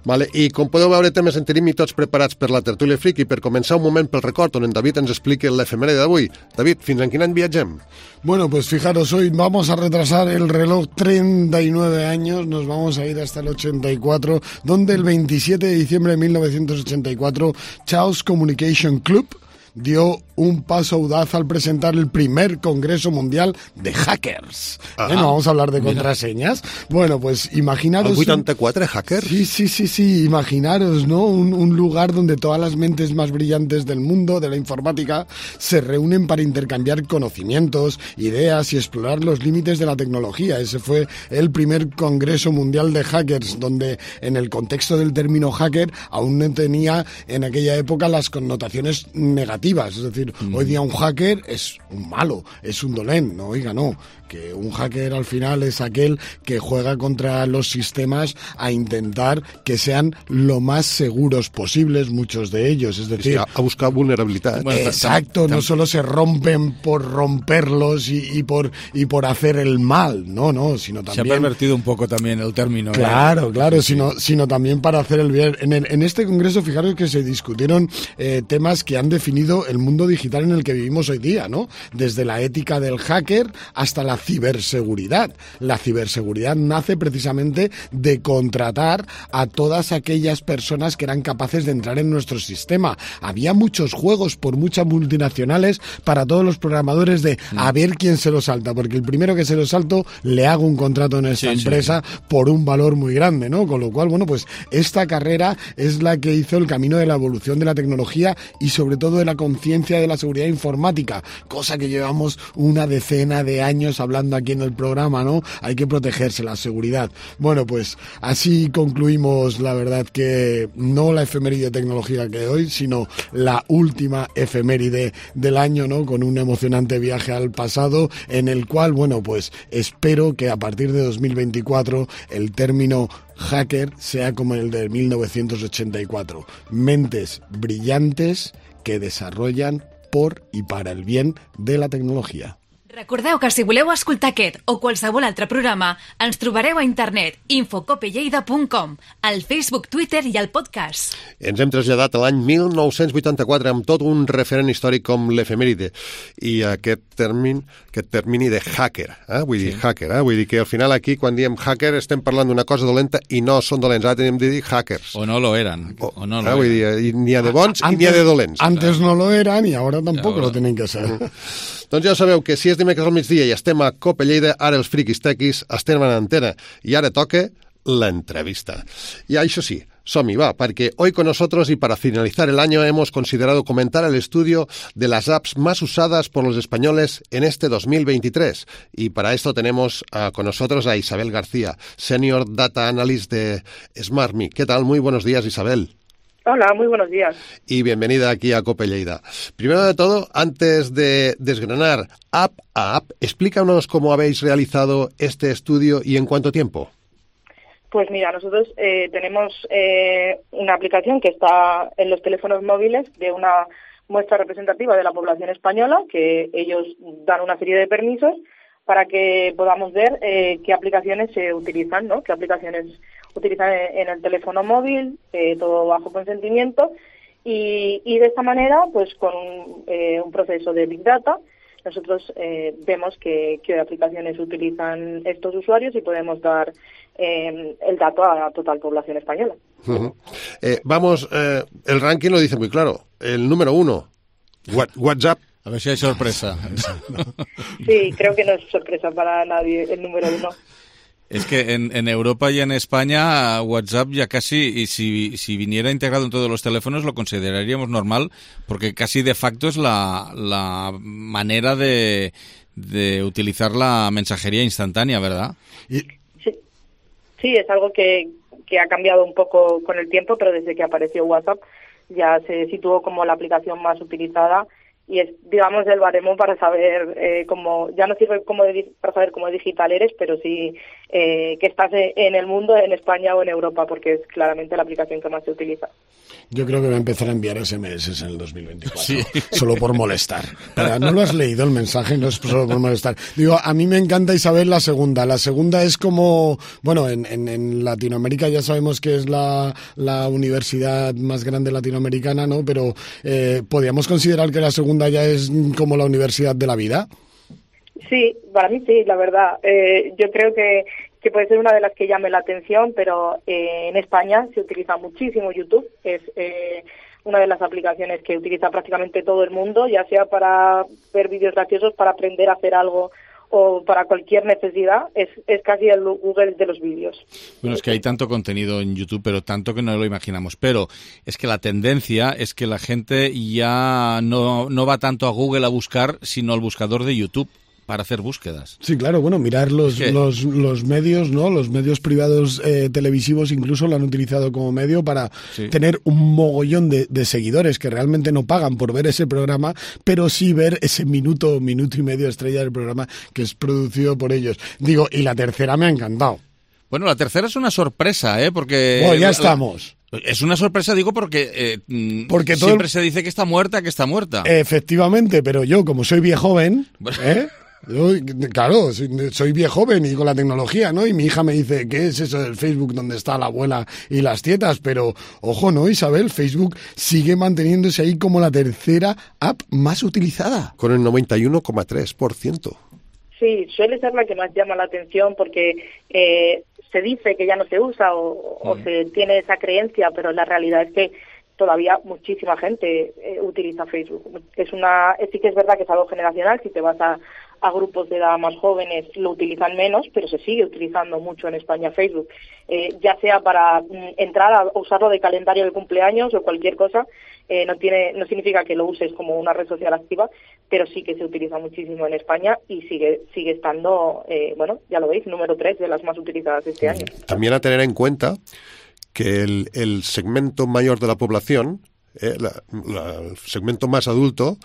Vale. I com podeu veure temes en tenim i tots preparats per la tertúlia fric i per començar un moment pel record on en David ens expliqui l'efemèride d'avui. David, fins en quin any viatgem? Bueno, pues fijaros, hoy vamos a retrasar el reloj treinta y nueve años, nos vamos a ir hasta el ochenta y cuatro, donde el veintisiete de diciembre de mil novecientos ochenta y cuatro, Chaos Communication Club dio un paso audaz al presentar el primer Congreso Mundial de Hackers. Ajá. ¿Eh? No vamos a hablar de Mira. contraseñas. Bueno, pues imaginaros... ¿El vuitanta-quatre hackers? Sí, sí, sí, sí, imaginaros, ¿no? Un, un lugar donde todas las mentes más brillantes del mundo de la informática se reúnen para intercambiar conocimientos, ideas y explorar los límites de la tecnología. Ese fue el primer Congreso Mundial de Hackers, donde en el contexto del término hacker aún no tenía en aquella época las connotaciones negativas. Es decir, mm. hoy día un hacker es un malo, es un dolén, no, oiga, no. Que un hacker al final es aquel que juega contra los sistemas a intentar que sean lo más seguros posibles, muchos de ellos. Es decir, sí, a buscar vulnerabilidad. Bueno, exacto, no solo se rompen por romperlos y, y por y por hacer el mal, no, no, sino también... Se ha pervertido un poco también el término. Claro, ¿eh? claro, Sí. sino, sino también para hacer el bien. En, el, en este congreso, fijaros que se discutieron eh, temas que han definido el mundo digital en el que vivimos hoy día, ¿no? Desde la ética del hacker hasta la ciberseguridad. La ciberseguridad nace precisamente de contratar a todas aquellas personas que eran capaces de entrar en nuestro sistema. Había muchos juegos por muchas multinacionales para todos los programadores de a ver quién se lo salta, porque el primero que se lo salto le hago un contrato en esta Sí, empresa sí. por un valor muy grande, ¿no? Con lo cual, bueno, pues esta carrera es la que hizo el camino de la evolución de la tecnología y sobre todo de la conciencia de la seguridad informática, cosa que llevamos una decena de años hablando aquí en el programa, ¿no? Hay que protegerse, la seguridad. Bueno, pues así concluimos, la verdad, que no la efeméride tecnológica que hoy, sino la última efeméride del año, ¿no? Con un emocionante viaje al pasado en el cual, bueno, pues espero que a partir de dos mil veinticuatro el término hacker sea como el de mil novecientos ochenta y cuatro. Mentes brillantes que desarrollan por y para el bien de la tecnología. Recordeu que si voleu escoltar aquest o qualsevol altre programa, ens trobareu a internet info cope lleida punt com, al Facebook, Twitter i al podcast. Ens hem traslladat a l'any mil nou-cents vuitanta-quatre amb tot un referent històric com l'efemèride i aquest termini, aquest termini de hacker, eh? vull dir, sí. hacker, eh? vull dir que al final aquí quan diem hacker estem parlant d'una cosa dolenta i no són dolents, ara tenim de dir hackers. O no lo eran. O, o no lo eh? vull dir, n'hi ha de bons antes, i n'hi ha de dolents. Antes no lo eran i ara tampoc lo tenen que ser. Doncs ja sabeu que si és dimecres al migdia i estem a Cope Lleida, ara els friquis tequis estem en antena i ara toca l'entrevista. I això sí, som-hi, va, porque hoy con nosotros y para finalizar el año hemos considerado comentar el estudio de las apps más usadas por los españoles en este dos mil veintitrés. Y para esto tenemos uh, con nosotros a Isabel García, Senior Data Analyst de SmartMe. ¿Qué tal? Muy buenos días, Isabel. Hola, muy buenos días. Y bienvenida aquí a Cope Lleida. Primero de todo, antes de desgranar app a app, explícanos cómo habéis realizado este estudio y en cuánto tiempo. Pues mira, nosotros eh, tenemos eh, una aplicación que está en los teléfonos móviles de una muestra representativa de la población española, que ellos dan una serie de permisos para que podamos ver eh, qué aplicaciones se utilizan, ¿no? Qué aplicaciones utilizan en, en el teléfono móvil, eh, todo bajo consentimiento, y, y de esta manera, pues con eh, un proceso de Big Data, nosotros eh, vemos que, qué aplicaciones utilizan estos usuarios y podemos dar eh, el dato a la total población española. Uh-huh. eh, vamos, eh, el ranking lo dice muy claro. El número uno, WhatsApp. A ver si hay sorpresa. Sí, creo que no es sorpresa para nadie el número uno. Es que en, en Europa y en España WhatsApp ya casi, y si, si viniera integrado en todos los teléfonos, lo consideraríamos normal, porque casi de facto es la, la manera de, de utilizar la mensajería instantánea, ¿verdad? Sí, sí, es algo que, que ha cambiado un poco con el tiempo, pero desde que apareció WhatsApp ya se situó como la aplicación más utilizada. Y es, digamos, el baremo para saber eh, cómo, ya no sirve como de, para saber cómo digital eres, pero sí eh, que estás en el mundo, en España o en Europa, porque es claramente la aplicación que más se utiliza. Yo creo que voy a empezar a enviar ese eme ese en el dos mil veinticuatro, sí. Solo por molestar. Para, ¿no lo has leído el mensaje? No es solo por molestar. Digo, a mí me encanta, Isabel, la segunda. La segunda es como, bueno, en, en, en Latinoamérica ya sabemos que es la, la universidad más grande latinoamericana, ¿no? Pero eh, ¿podríamos considerar que la segunda ya es como la universidad de la vida? Sí, para mí sí, la verdad. Eh, yo creo que, que puede ser una de las que llame la atención, pero eh, en España se utiliza muchísimo YouTube. Es eh, una de las aplicaciones que utiliza prácticamente todo el mundo, ya sea para ver vídeos graciosos, para aprender a hacer algo o para cualquier necesidad. Es, es casi el Google de los vídeos. Bueno, es que hay tanto contenido en YouTube, pero tanto que no lo imaginamos. Pero es que la tendencia es que la gente ya no, no va tanto a Google a buscar, sino al buscador de YouTube para hacer búsquedas. Sí, claro, bueno, mirar los, los, los medios, ¿no? Los medios privados eh, televisivos incluso lo han utilizado como medio para sí. tener un mogollón de, de seguidores que realmente no pagan por ver ese programa, pero sí ver ese minuto, minuto y medio estrella del programa que es producido por ellos. Digo, y la tercera me ha encantado. Bueno, la tercera es una sorpresa, ¿eh? Porque... Bueno, ya estamos. La... Es una sorpresa, digo, porque, eh, porque todo siempre el... se dice que está muerta, que está muerta. Efectivamente, pero yo, como soy viejoven, ¿eh? Yo, claro, soy, soy viejoven y con la tecnología, ¿no? Y mi hija me dice, ¿qué es eso del Facebook donde está la abuela y las tietas? Pero, ojo, ¿no, Isabel? Facebook sigue manteniéndose ahí como la tercera app más utilizada. Con el noventa y uno coma tres por ciento. Sí, suele ser la que más llama la atención porque eh, se dice que ya no se usa o, mm. o se tiene esa creencia, pero la realidad es que todavía muchísima gente eh, utiliza Facebook. Es una, sí que es verdad que es algo generacional. Si te vas a, a grupos de edad más jóvenes lo utilizan menos, pero se sigue utilizando mucho en España Facebook, eh, ya sea para mm, entrar a usarlo de calendario de cumpleaños o cualquier cosa. Eh, no tiene, no significa que lo uses como una red social activa, pero sí que se utiliza muchísimo en España y sigue sigue estando, eh, bueno, ya lo veis, número tres de las más utilizadas este año. También a tener en cuenta que el, el segmento mayor de la población, eh, la, la, el segmento más adulto,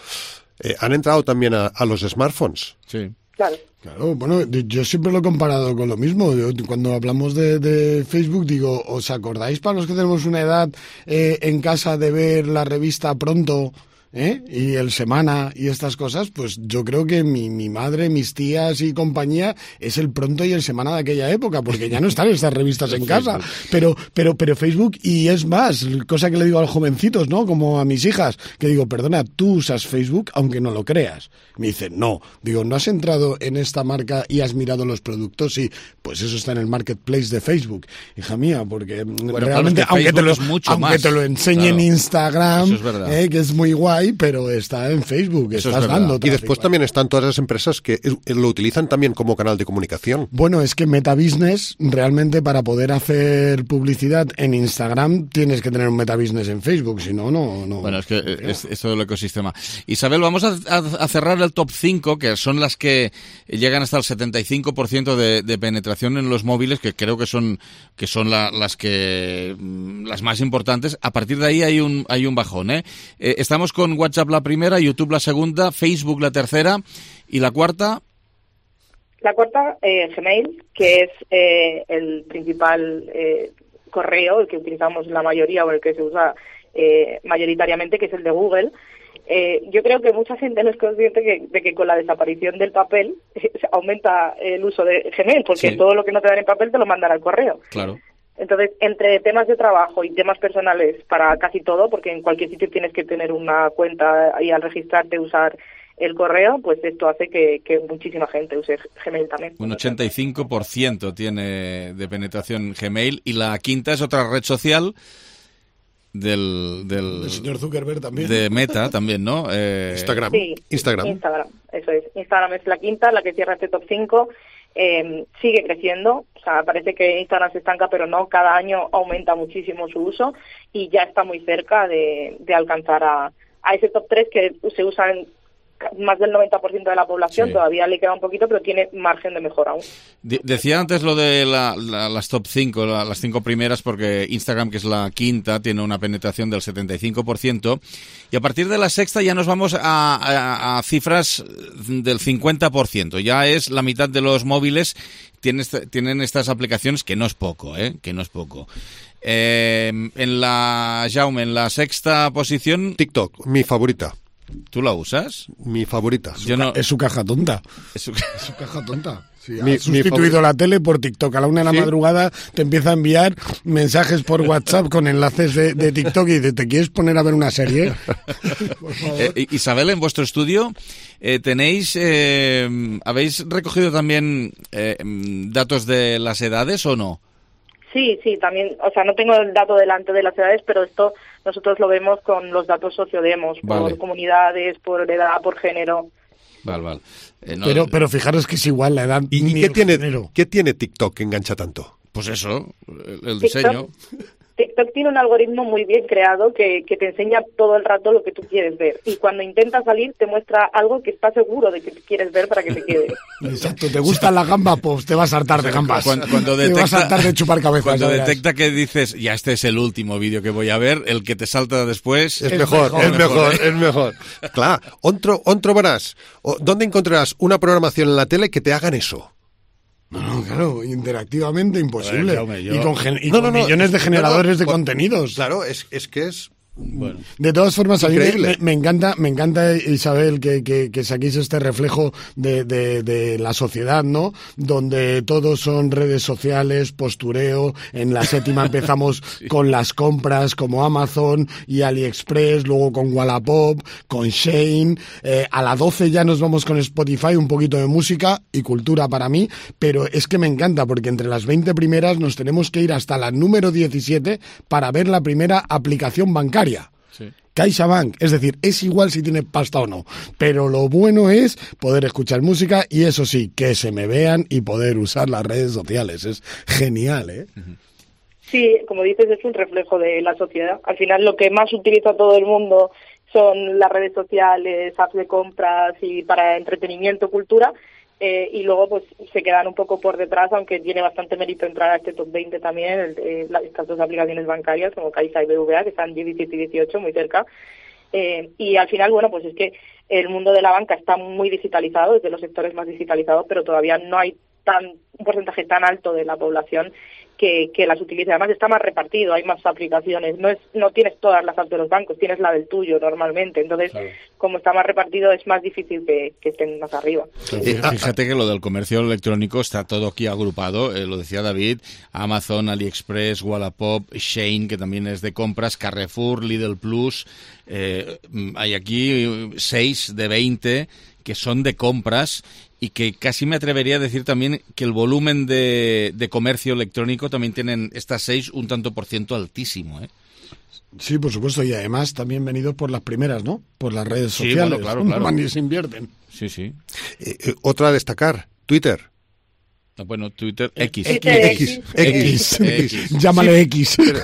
eh, han entrado también a, a los smartphones. Sí. Claro. Claro, bueno, yo siempre lo he comparado con lo mismo. Yo, cuando hablamos de, de Facebook, digo, ¿os acordáis para los que tenemos una edad eh, en casa de ver la revista Pronto? ¿eh? Y el Semana y estas cosas, pues yo creo que mi, mi madre, mis tías y compañía es el Pronto y el Semana de aquella época, porque ya no están estas revistas en casa. Pero, pero, pero Facebook, y es más, cosa que le digo a los jovencitos, ¿no? Como a mis hijas, que digo, perdona, tú usas Facebook aunque no lo creas. Me dicen, no. Digo, ¿no has entrado en esta marca y has mirado los productos? Sí, pues eso está en el marketplace de Facebook. Hija mía, porque bueno, realmente, claro, es que aunque, te lo, aunque más. te lo enseñe claro. en Instagram, es eh, que es muy guay, pero está en Facebook, eso estás es dando. Y después también están todas las empresas que lo utilizan también como canal de comunicación. Bueno, es que Meta Business, realmente para poder hacer publicidad en Instagram, tienes que tener un Meta Business en Facebook, si no, no... no bueno, es que es, es todo el ecosistema. Isabel, vamos a, a, a cerrar el top cinco, que son las que llegan hasta el setenta y cinco por ciento de, de penetración en los móviles, que creo que son que son la, las que las más importantes. A partir de ahí hay un hay un bajón, ¿eh? Eh, estamos con WhatsApp la primera, YouTube la segunda, Facebook la tercera y la cuarta. La cuarta, eh, Gmail, que es eh, el principal eh, correo, el que utilizamos la mayoría o el que se usa eh, mayoritariamente, que es el de Google. Eh, yo creo que mucha gente no es consciente que, de que con la desaparición del papel eh, aumenta el uso de Gmail, porque sí. todo lo que no te dan en papel te lo mandan al correo. Claro. Entonces, entre temas de trabajo y temas personales para casi todo, porque en cualquier sitio tienes que tener una cuenta y al registrarte usar el correo, pues esto hace que, que muchísima gente use Gmail también. Un ochenta y cinco por ciento tiene de penetración Gmail, y la quinta es otra red social del, del el señor Zuckerberg también. De Meta también, ¿no? Eh, Instagram. Sí, Instagram. Instagram, eso es. Instagram es la quinta, la que cierra este top cinco. Eh, sigue creciendo, o sea, parece que Instagram se estanca, pero no, cada año aumenta muchísimo su uso y ya está muy cerca de, de alcanzar a, a ese top tres que se usa en más del noventa por ciento de la población. Sí. Todavía le queda un poquito, pero tiene margen de mejora aún. De- decía antes lo de la, la, las top cinco, la, las cinco primeras, porque Instagram, que es la quinta, tiene una penetración del setenta y cinco por ciento, y a partir de la sexta ya nos vamos a, a, a cifras del cincuenta por ciento. Ya es la mitad de los móviles tienen, tienen estas aplicaciones, que no es poco, ¿eh? Que no es poco. Eh, en la, Jaume, en la sexta posición... TikTok, mi favorita. ¿Tú la usas? Mi favorita. Yo no... Es su caja tonta. Es su, es su caja tonta. Sí, mi, ha sustituido la tele por TikTok. A la una de la ¿Sí? madrugada te empieza a enviar mensajes por WhatsApp con enlaces de, de TikTok y de, ¿te quieres poner a ver una serie? Por favor. Eh, Isabel, en vuestro estudio eh, tenéis, eh, ¿habéis recogido también eh, datos de las edades o no? Sí, sí, también, o sea, no tengo el dato delante de las edades, pero esto nosotros lo vemos con los datos sociodemos, vale. por comunidades, por edad, por género. Vale, vale. Eh, no, pero, pero fijaros que es igual la edad. ¿Y, y qué tiene, qué tiene TikTok que engancha tanto? Pues eso, el, el diseño. TikTok, TikTok tiene un algoritmo muy bien creado que, que te enseña todo el rato lo que tú quieres ver. Y cuando intentas salir te muestra algo que estás seguro de que quieres ver para que te quedes. Exacto, ¿te gustan las gambas? Pues te vas a hartar de gambas. Cuando, cuando detecta, te vas a hartar de chupar cabezas. Cuando detecta que dices, ya este es el último vídeo que voy a ver, el que te salta después... Es, es mejor, mejor, es mejor, es mejor. Clar, on, tro, on trobaràs, o, ¿dónde encontrarás una programación en la tele que te hagan eso? No, no, claro, interactivamente imposible. Ver, yo... Y con, gen- y no, con no, no, millones de generadores no, no, de con... contenidos. Claro, es, es que es... Bueno. De todas formas, a mí me, me encanta, me encanta, Isabel, que, que, que saquéis este reflejo de, de, de la sociedad, ¿no? Donde todos son redes sociales, postureo. En la séptima empezamos sí. con las compras como Amazon y AliExpress, luego con Wallapop, con Shein. Eh, a la doce ya nos vamos con Spotify, un poquito de música y cultura para mí, pero es que me encanta porque entre las veinte primeras nos tenemos que ir hasta la número diecisiete para ver la primera aplicación bancaria. Sí. CaixaBank, es decir, es igual si tienes pasta o no, pero lo bueno es poder escuchar música y eso sí, que se me vean y poder usar las redes sociales, es genial, ¿eh? Sí, como dices, es un reflejo de la sociedad. Al final lo que más utiliza todo el mundo son las redes sociales, apps de compras y para entretenimiento, cultura. Eh, y luego pues se quedan un poco por detrás, aunque tiene bastante mérito entrar a este top veinte también, el, eh, estas dos aplicaciones bancarias como Caixa y B V A, que están diecisiete y dieciocho, muy cerca. Eh, y al final, bueno, pues es que el mundo de la banca está muy digitalizado, es de los sectores más digitalizados, pero todavía no hay tan un porcentaje tan alto de la población que, que las utilice. Además está más repartido, hay más aplicaciones, no es no tienes todas las apps de los bancos, tienes la del tuyo normalmente, entonces claro. como está más repartido es más difícil que, que estén más arriba. Eh, fíjate que lo del comercio electrónico está todo aquí agrupado, eh, lo decía David, Amazon, AliExpress, Wallapop, Shein, que también es de compras, Carrefour, Lidl Plus, eh, hay aquí seis de veinte que son de compras y que casi me atrevería a decir también que el volumen de, de comercio electrónico también tienen estas seis un tanto por ciento altísimo, ¿eh? Sí, por supuesto, y además también venidos por las primeras, ¿no? Por las redes Sí, sociales, bueno, claro, claro. Ni se invierten. Sí, sí. Eh, eh, otra a destacar, Twitter. Bueno, Twitter, X. X, X, X, X. Llámale X. Pero,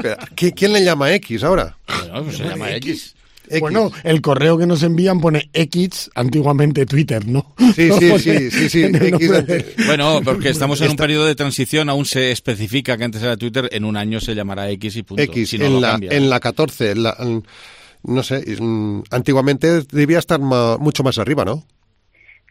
pero, ¿quién le llama X ahora? Bueno, pues se llama X. X. Bueno, el correo que nos envían pone X, antiguamente Twitter, ¿no? Sí, sí, sí, sí, sí. X de... Bueno, porque estamos en un periodo de transición, aún se especifica que antes era Twitter, en un año se llamará X y punto. X, si no en, lo la, cambia. en la catorce, en la, en, no sé, antiguamente debía estar ma, mucho más arriba, ¿no?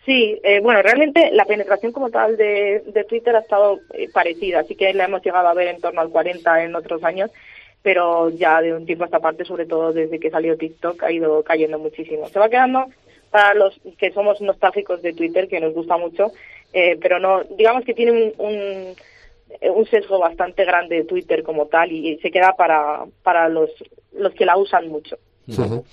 Sí, eh, bueno, realmente la penetración como tal de, de Twitter ha estado eh, parecida, así que la hemos llegado a ver en torno al cuarenta en otros años, pero ya de un tiempo a esta parte, sobre todo desde que salió TikTok, ha ido cayendo muchísimo. Se va quedando para los que somos nostálgicos de Twitter, que nos gusta mucho, eh, pero no, digamos que tiene un, un, un sesgo bastante grande de Twitter como tal y, y se queda para, para los, los que la usan mucho. Uh-huh.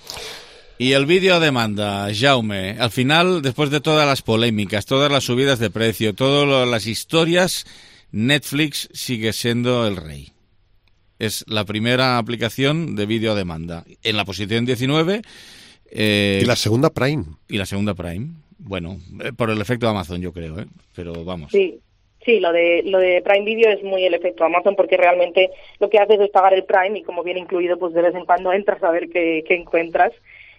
Y el vídeo a demanda, Jaume, al final, después de todas las polémicas, todas las subidas de precio, todas las historias, Netflix sigue siendo el rey. Es la primera aplicación de vídeo a demanda. En la posición diecinueve... Eh, y la segunda Prime. Y la segunda Prime. Bueno, eh, por el efecto Amazon, yo creo, ¿eh? Pero vamos. Sí, sí, lo de lo de Prime Video es muy el efecto Amazon porque realmente lo que haces es pagar el Prime y como viene incluido, pues de vez en cuando entras a ver qué, qué encuentras.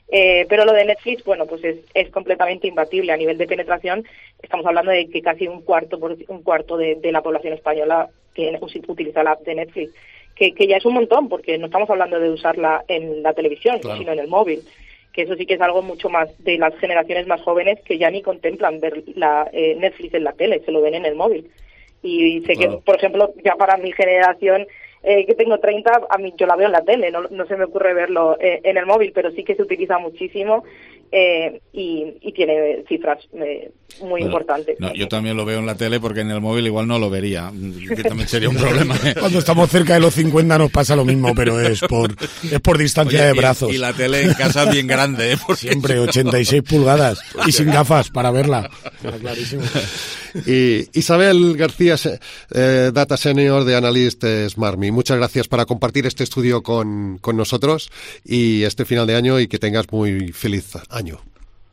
Eh, pero lo de Netflix, bueno, pues es, es completamente imbatible a nivel de penetración. Estamos hablando de que casi un cuarto por, un cuarto de, de la población española que utiliza la app de Netflix. Que, que ya es un montón, porque no estamos hablando de usarla en la televisión, claro. sino en el móvil, que eso sí que es algo mucho más de las generaciones más jóvenes que ya ni contemplan ver la eh, Netflix en la tele, se lo ven en el móvil. Y sé claro. que, por ejemplo, ya para mi generación, eh, que tengo treinta, a mí yo la veo en la tele, no, no se me ocurre verlo eh, en el móvil, pero sí que se utiliza muchísimo eh, y, y tiene cifras eh, muy bueno, importantes. No, yo también lo veo en la tele porque en el móvil igual no lo vería, que también sería un problema. ¿eh? Cuando estamos cerca de los cincuenta nos pasa lo mismo, pero es por es por distancia Oye, de y, brazos. Y la tele en casa bien grande. ¿eh? Siempre ochenta y seis pulgadas y sin gafas para verla. Clarísimo. Y Isabel García, eh, Data Senior de Analyst SmartMe, muchas gracias por compartir este estudio con, con nosotros y este final de año y que tengas muy feliz año.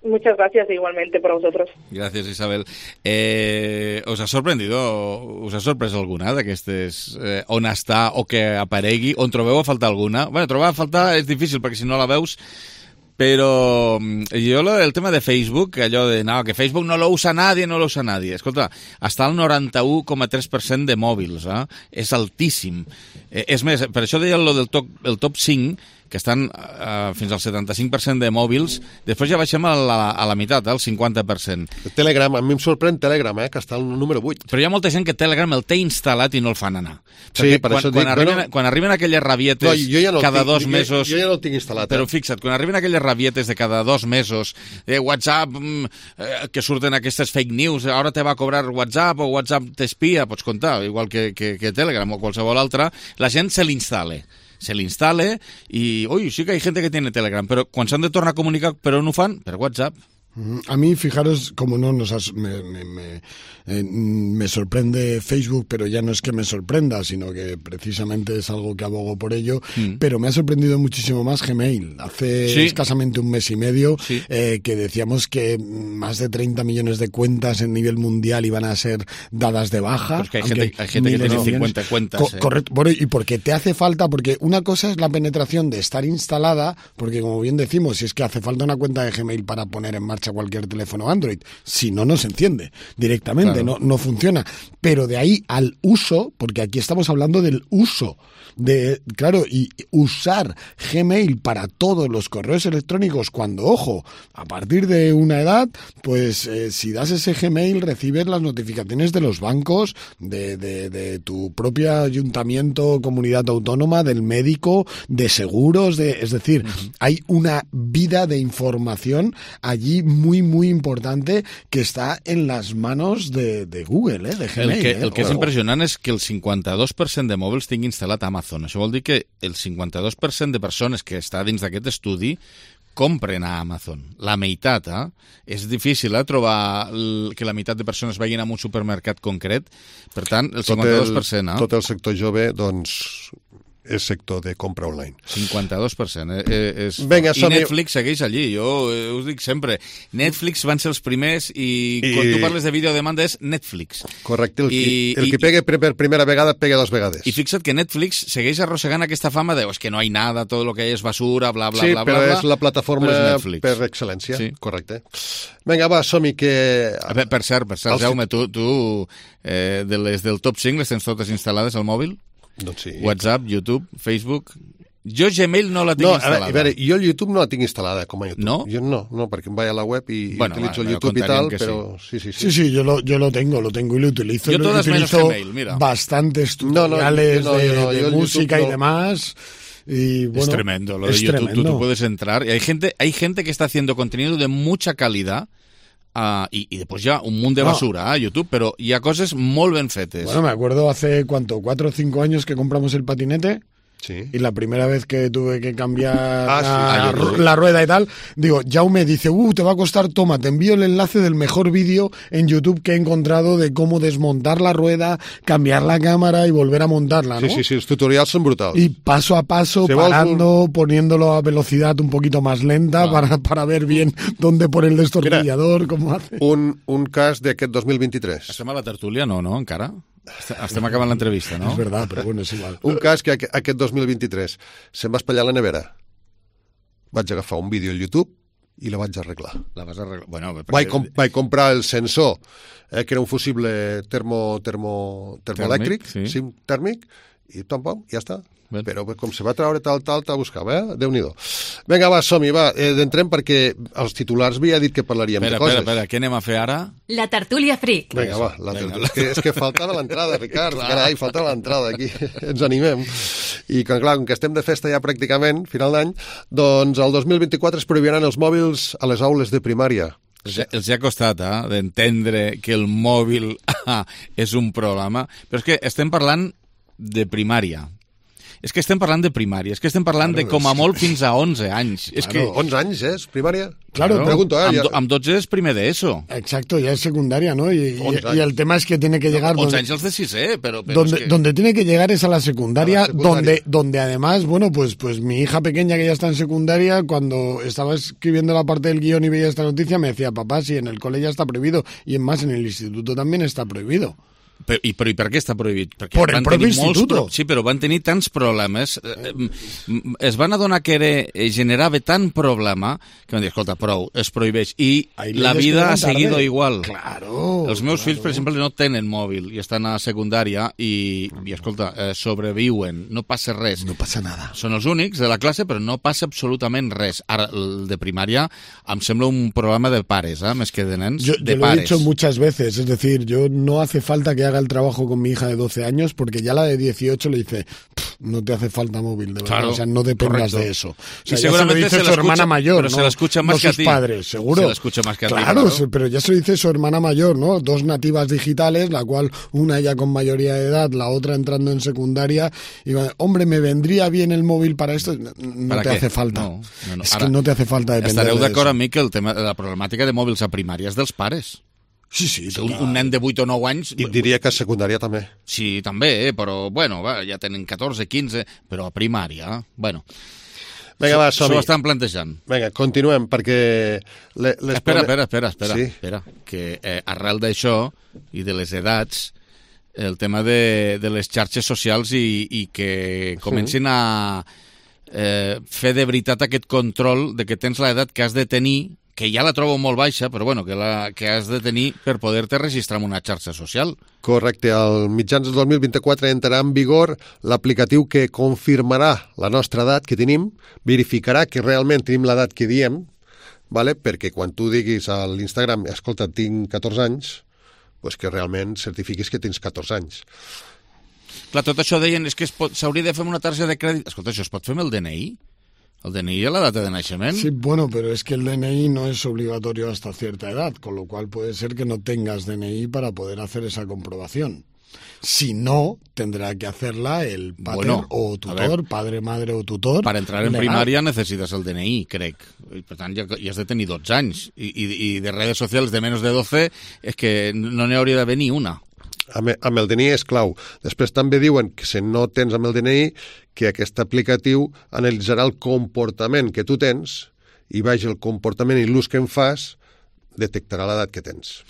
Muchas gracias igualmente por vosotros. Gràcies, Isabel. Eh, us ha sorprendido, us ha sorprès alguna d'aquestes eh, on està o que aparegui, on trobeu a faltar alguna? Bueno, trobar a faltar és difícil perquè si no la veus, pero yo lo del tema de Facebook, allò de no, que Facebook no lo usa nadie, no lo usa nadie. Escolta, està al noranta-u coma tres per cent de mòbils, eh? És altíssim. Eh, és més, per això deia lo del top, el top cinc, que estan uh, fins al setanta-cinc per cent de mòbils, després ja baixem a la, a la meitat, al cinquanta per cent. Telegram, a mi em sorprèn Telegram, eh, que està al número vuit. Però hi ha molta gent que Telegram el té instal·lat i no el fan anar. Sí, per quan, això quan, dic, arriben, bueno, quan arriben aquelles rabietes no, ja no cada tinc, dos jo, mesos... Jo, jo ja no el tinc instal·lat. Però eh? fixa't, quan arriben aquelles rabietes de cada dos mesos, eh, WhatsApp, eh, que surten aquestes fake news, ara te va a cobrar WhatsApp o WhatsApp t'espia, pots comptar, igual que, que, que Telegram o qualsevol altra, la gent se l'instal·la. se l'instale i, ui, sí que hay gente que tiene Telegram, però quan s'han de tornar a comunicar, per on ho fan? Per WhatsApp. A mí, fijaros, como no nos has, me, me, me, eh, me sorprende Facebook, pero ya no es que me sorprenda, sino que precisamente es algo que abogo por ello, mm. pero me ha sorprendido muchísimo más Gmail. Hace ¿Sí? escasamente un mes y medio sí. eh, que decíamos que más de treinta millones de cuentas en nivel mundial iban a ser dadas de baja. Porque hay gente, hay gente que tiene cincuenta cuentas. Co- eh. Correcto, bueno, y porque te hace falta, porque una cosa es la penetración de estar instalada, porque como bien decimos, si es que hace falta una cuenta de Gmail para poner en marcha marcha cualquier teléfono Android. Si no, no se enciende directamente, claro. no, no funciona. Pero de ahí al uso, porque aquí estamos hablando del uso, de claro, y usar Gmail para todos los correos electrónicos cuando, ojo, a partir de una edad, pues eh, si das ese Gmail recibes las notificaciones de los bancos, de, de, de tu propio ayuntamiento, comunidad autónoma, del médico, de seguros, de, es decir, uh-huh. hay una vida de información allí muy, muy importante que está en las manos de, de Google, eh, de Gmail. El que, eh, el que és ojo. impressionant és que el cinquanta-dos per cent de mòbils tingui instal·lat Amazon. Això vol dir que el cinquanta-dos per cent de persones que està dins d'aquest estudi compren a Amazon. La meitat, eh? És difícil eh, trobar el, que la meitat de persones vagin a un supermercat concret. Per tant, el cinquanta-dos per cent. Tot el, eh? tot el sector jove, doncs, és sector de compra online. cinquanta-dos per cent. Eh, eh, és... Venga, I Netflix segueix allí, jo eh, us dic sempre. Netflix van ser els primers i, I... quan tu parles de videodemanda és Netflix. Correcte, el, I, qui, el i, que pegue per primera vegada pega dos vegades. I fixa't que Netflix segueix arrossegant aquesta fama de es que no hay nada, todo lo que hay es basura, bla, bla, sí, bla, bla. Sí, però bla, és la plataforma per excel·lència. Sí. Correcte. Vinga, va, som-hi que... Per, per cert, per cert, Jaume, tu, tu eh, de les del top cinc les tens totes instal·lades al mòbil? Doncs sí. WhatsApp, YouTube, Facebook... Jo Gmail no la tinc no, instal·lada. A veure, jo el YouTube no la tinc instal·lada com a YouTube. ¿No? Jo no, no, perquè em vaig a la web i bueno, utilitzo va, el YouTube y tal, pero sí. sí, sí, sí. Sí, sí, yo lo, yo lo tengo, lo tengo y lo utilizo. Yo lo todas utilizo menos Gmail, mira. Bastantes tutoriales no, no, de, no, de yo música YouTube y no. demás. Y, bueno, es tremendo, lo de es YouTube, tremendo. tú, tú puedes entrar y hay gente, hay gente que está haciendo contenido de mucha calidad. Uh, y, y después ya un mundo de basura no. a YouTube, pero hi ha coses molt ben fetes. Bueno, me acuerdo hace, ¿cuánto? ¿Cuatro o cinco años que compramos el patinete? Sí. Y la primera vez que tuve que cambiar ah, la, sí, la, la rueda y tal, digo, Jaume dice, uh, te va a costar, toma, te envío el enlace del mejor vídeo en YouTube que he encontrado de cómo desmontar la rueda, cambiar la cámara y volver a montarla, ¿no? Sí, sí, sí, los tutorials son brutales. Y paso a paso, Se parando, un... poniéndolo a velocidad un poquito más lenta ah. para, para ver bien dónde pone el destornillador, Mira, cómo hace. Un, un cas d'aquest dos mil vint-i-tres. Estem a la tertúlia, no, no, encara? Estem acabant l'entrevista, no? És verdad, però bueno, és igual. Un cas que aquest dos mil vint-i-tres se'm va espatllar la nevera. Vaig agafar un vídeo al YouTube i la vaig arreglar. La vas arreglar? Bueno, perquè... vaig, com, vaig comprar el sensor, eh, que era un fusible termo, termo, termoelèctric, tèrmic, sí. sí, tèrmic, i pam, pam, ja està. Ben. Però com se va treure tal, tal, tal, buscava, eh? Déu-n'hi-do. Vinga, va, som-hi, va, eh, d'entrem perquè els titulars havia dit que parlaríem espera, de coses. Espera, espera, què anem a fer ara? La tertúlia freak. Vinga, va, la tertúlia. És que, és que faltava l'entrada, Ricard, carai, faltava l'entrada aquí, ens animem. I com, clar, com que estem de festa ja pràcticament, final d'any, doncs el dos mil vint-i-quatre es prohibiran els mòbils a les aules de primària. Els, els ha costat, eh, d'entendre que el mòbil ah, és un problema, però és que estem parlant de primària. És que estem parlant de primària, és que estem parlant claro, de com a molt fins a onze anys. Claro, és que... onze anys, eh? És primària? Claro, claro. Pregunto, eh? Amb, amb dotze és primer d'ESO. Exacto, ya es secundaria, ¿no? Y, y, y el tema es que tiene que llegar... No, once donde, años de sisè, pero... pero donde, es que... donde tiene que llegar es a la secundaria, a la secundaria. Donde, donde además, bueno, pues, pues mi hija pequeña que ya está en secundaria, cuando estaba escribiendo la parte del guión y veía esta noticia, me decía, papá, si en el cole ya está prohibido, y en más en el instituto también está prohibido. Però, i, però i per què està prohibit? Perquè por el propi instituto. Pro... Sí, però van tenir tants problemes. Eh, es van adonar que era, generava tant problema que van dir, escolta, prou, es prohibeix. I Ahí la vida ha seguido tarde. Igual. Claro. Els meus claro. fills, per exemple, no tenen mòbil i estan a secundària i, i escolta, eh, sobreviuen, no passa res. No passa nada. Són els únics de la classe, però no passa absolutament res. Ara, el de primària em sembla un problema de pares, eh, més que de nens, yo, de yo pares. Lo he dicho muchas veces, es decir, yo no hace falta que haga el trabajo con mi hija de doce años, porque ya la de dieciocho le dice, no te hace falta móvil, de verdad, claro, o sea, no dependas correcto. de eso. O sea, y seguramente se lo dice se su escucha, hermana mayor, pero ¿no? se la escucha más no que a sus ti. padres, seguro. Se la escucha más que a ti, claro, claro. pero ya se lo dice su hermana mayor, ¿no? Dos nativas digitales, la cual una ya con mayoría de edad, la otra entrando en secundaria, y va, hombre, me vendría bien el móvil para esto, no ¿Para te qué? hace falta. No, no, no. Es Ara, que no te hace falta depender estareu de d'acord eso. amb mi que el tema, la problemàtica de mòbils a primària és dels pares. Sí, sí, un, un nen de vuit o nou anys... I diria que a secundària també. Sí, també, eh? Però, bueno, va, ja tenen catorze, quinze, però a primària, bueno... Vinga, va, som-hi. S'ho estan plantejant. Vinga, continuem, perquè... Le, les espera, espera, espera, espera, sí. espera, que eh, arrel d'això i de les edats, el tema de, de les xarxes socials i, i que comencin a eh, fer de veritat aquest control de que tens l'edat que has de tenir, que ja la trobo molt baixa, però bueno, que, la, que has de tenir per poder-te registrar en una xarxa social. Correcte. Al mitjans del dos mil vint-i-quatre entrarà en vigor l'aplicatiu que confirmarà la nostra edat que tenim, verificarà que realment tenim l'edat que diem, vale? Perquè quan tu diguis a l'Instagram, escolta, tinc catorze anys, pues que realment certifiquis que tens catorze anys. Clar, tot això deien és que s'hauria de fer amb una targeta de crèdit. Escolta, això es pot fer amb el D N I? El D N I es la data de nacimiento. Sí, bueno, pero es que el D N I no es obligatorio hasta cierta edad, con lo cual puede ser que no tengas D N I para poder hacer esa comprobación. Si no, tendrá que hacerla el padre bueno, o tutor, padre, madre o tutor. Per entrar en legal. primària necessites el D N I, crec. I, per tant, ja, ja has de tenir dotze anys. I, i, i de redes socials de menys de doce és que no n'hi hauria d'haver ni una. Amb, amb el D N I és clau. Després també diuen que si no tens amb el D N I, que aquest aplicatiu analitzarà el comportament que tu tens i baix el comportament i l'ús que en fas, detectarà l'edat que tens.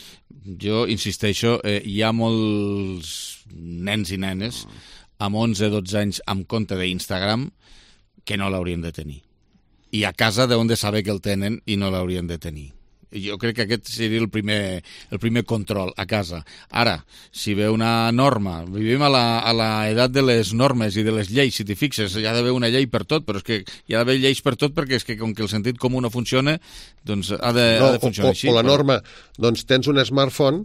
Jo insisteixo, eh, hi ha molts nens i nenes amb onze o dotze anys amb compte d'Instagram que no l'haurien de tenir. I a casa deuen de saber que el tenen i no l'haurien de tenir. Jo crec que aquest seria el primer, el primer control a casa. Ara, si ve una norma, vivim a la, a la edat de les normes i de les lleis, si t'hi fixes, hi ha d'haver una llei per tot, però és que hi ha d'haver lleis per tot perquè és que com que el sentit comú no funciona, doncs ha de, no, ha de funcionar o, així. O la però... norma, doncs tens un smartphone,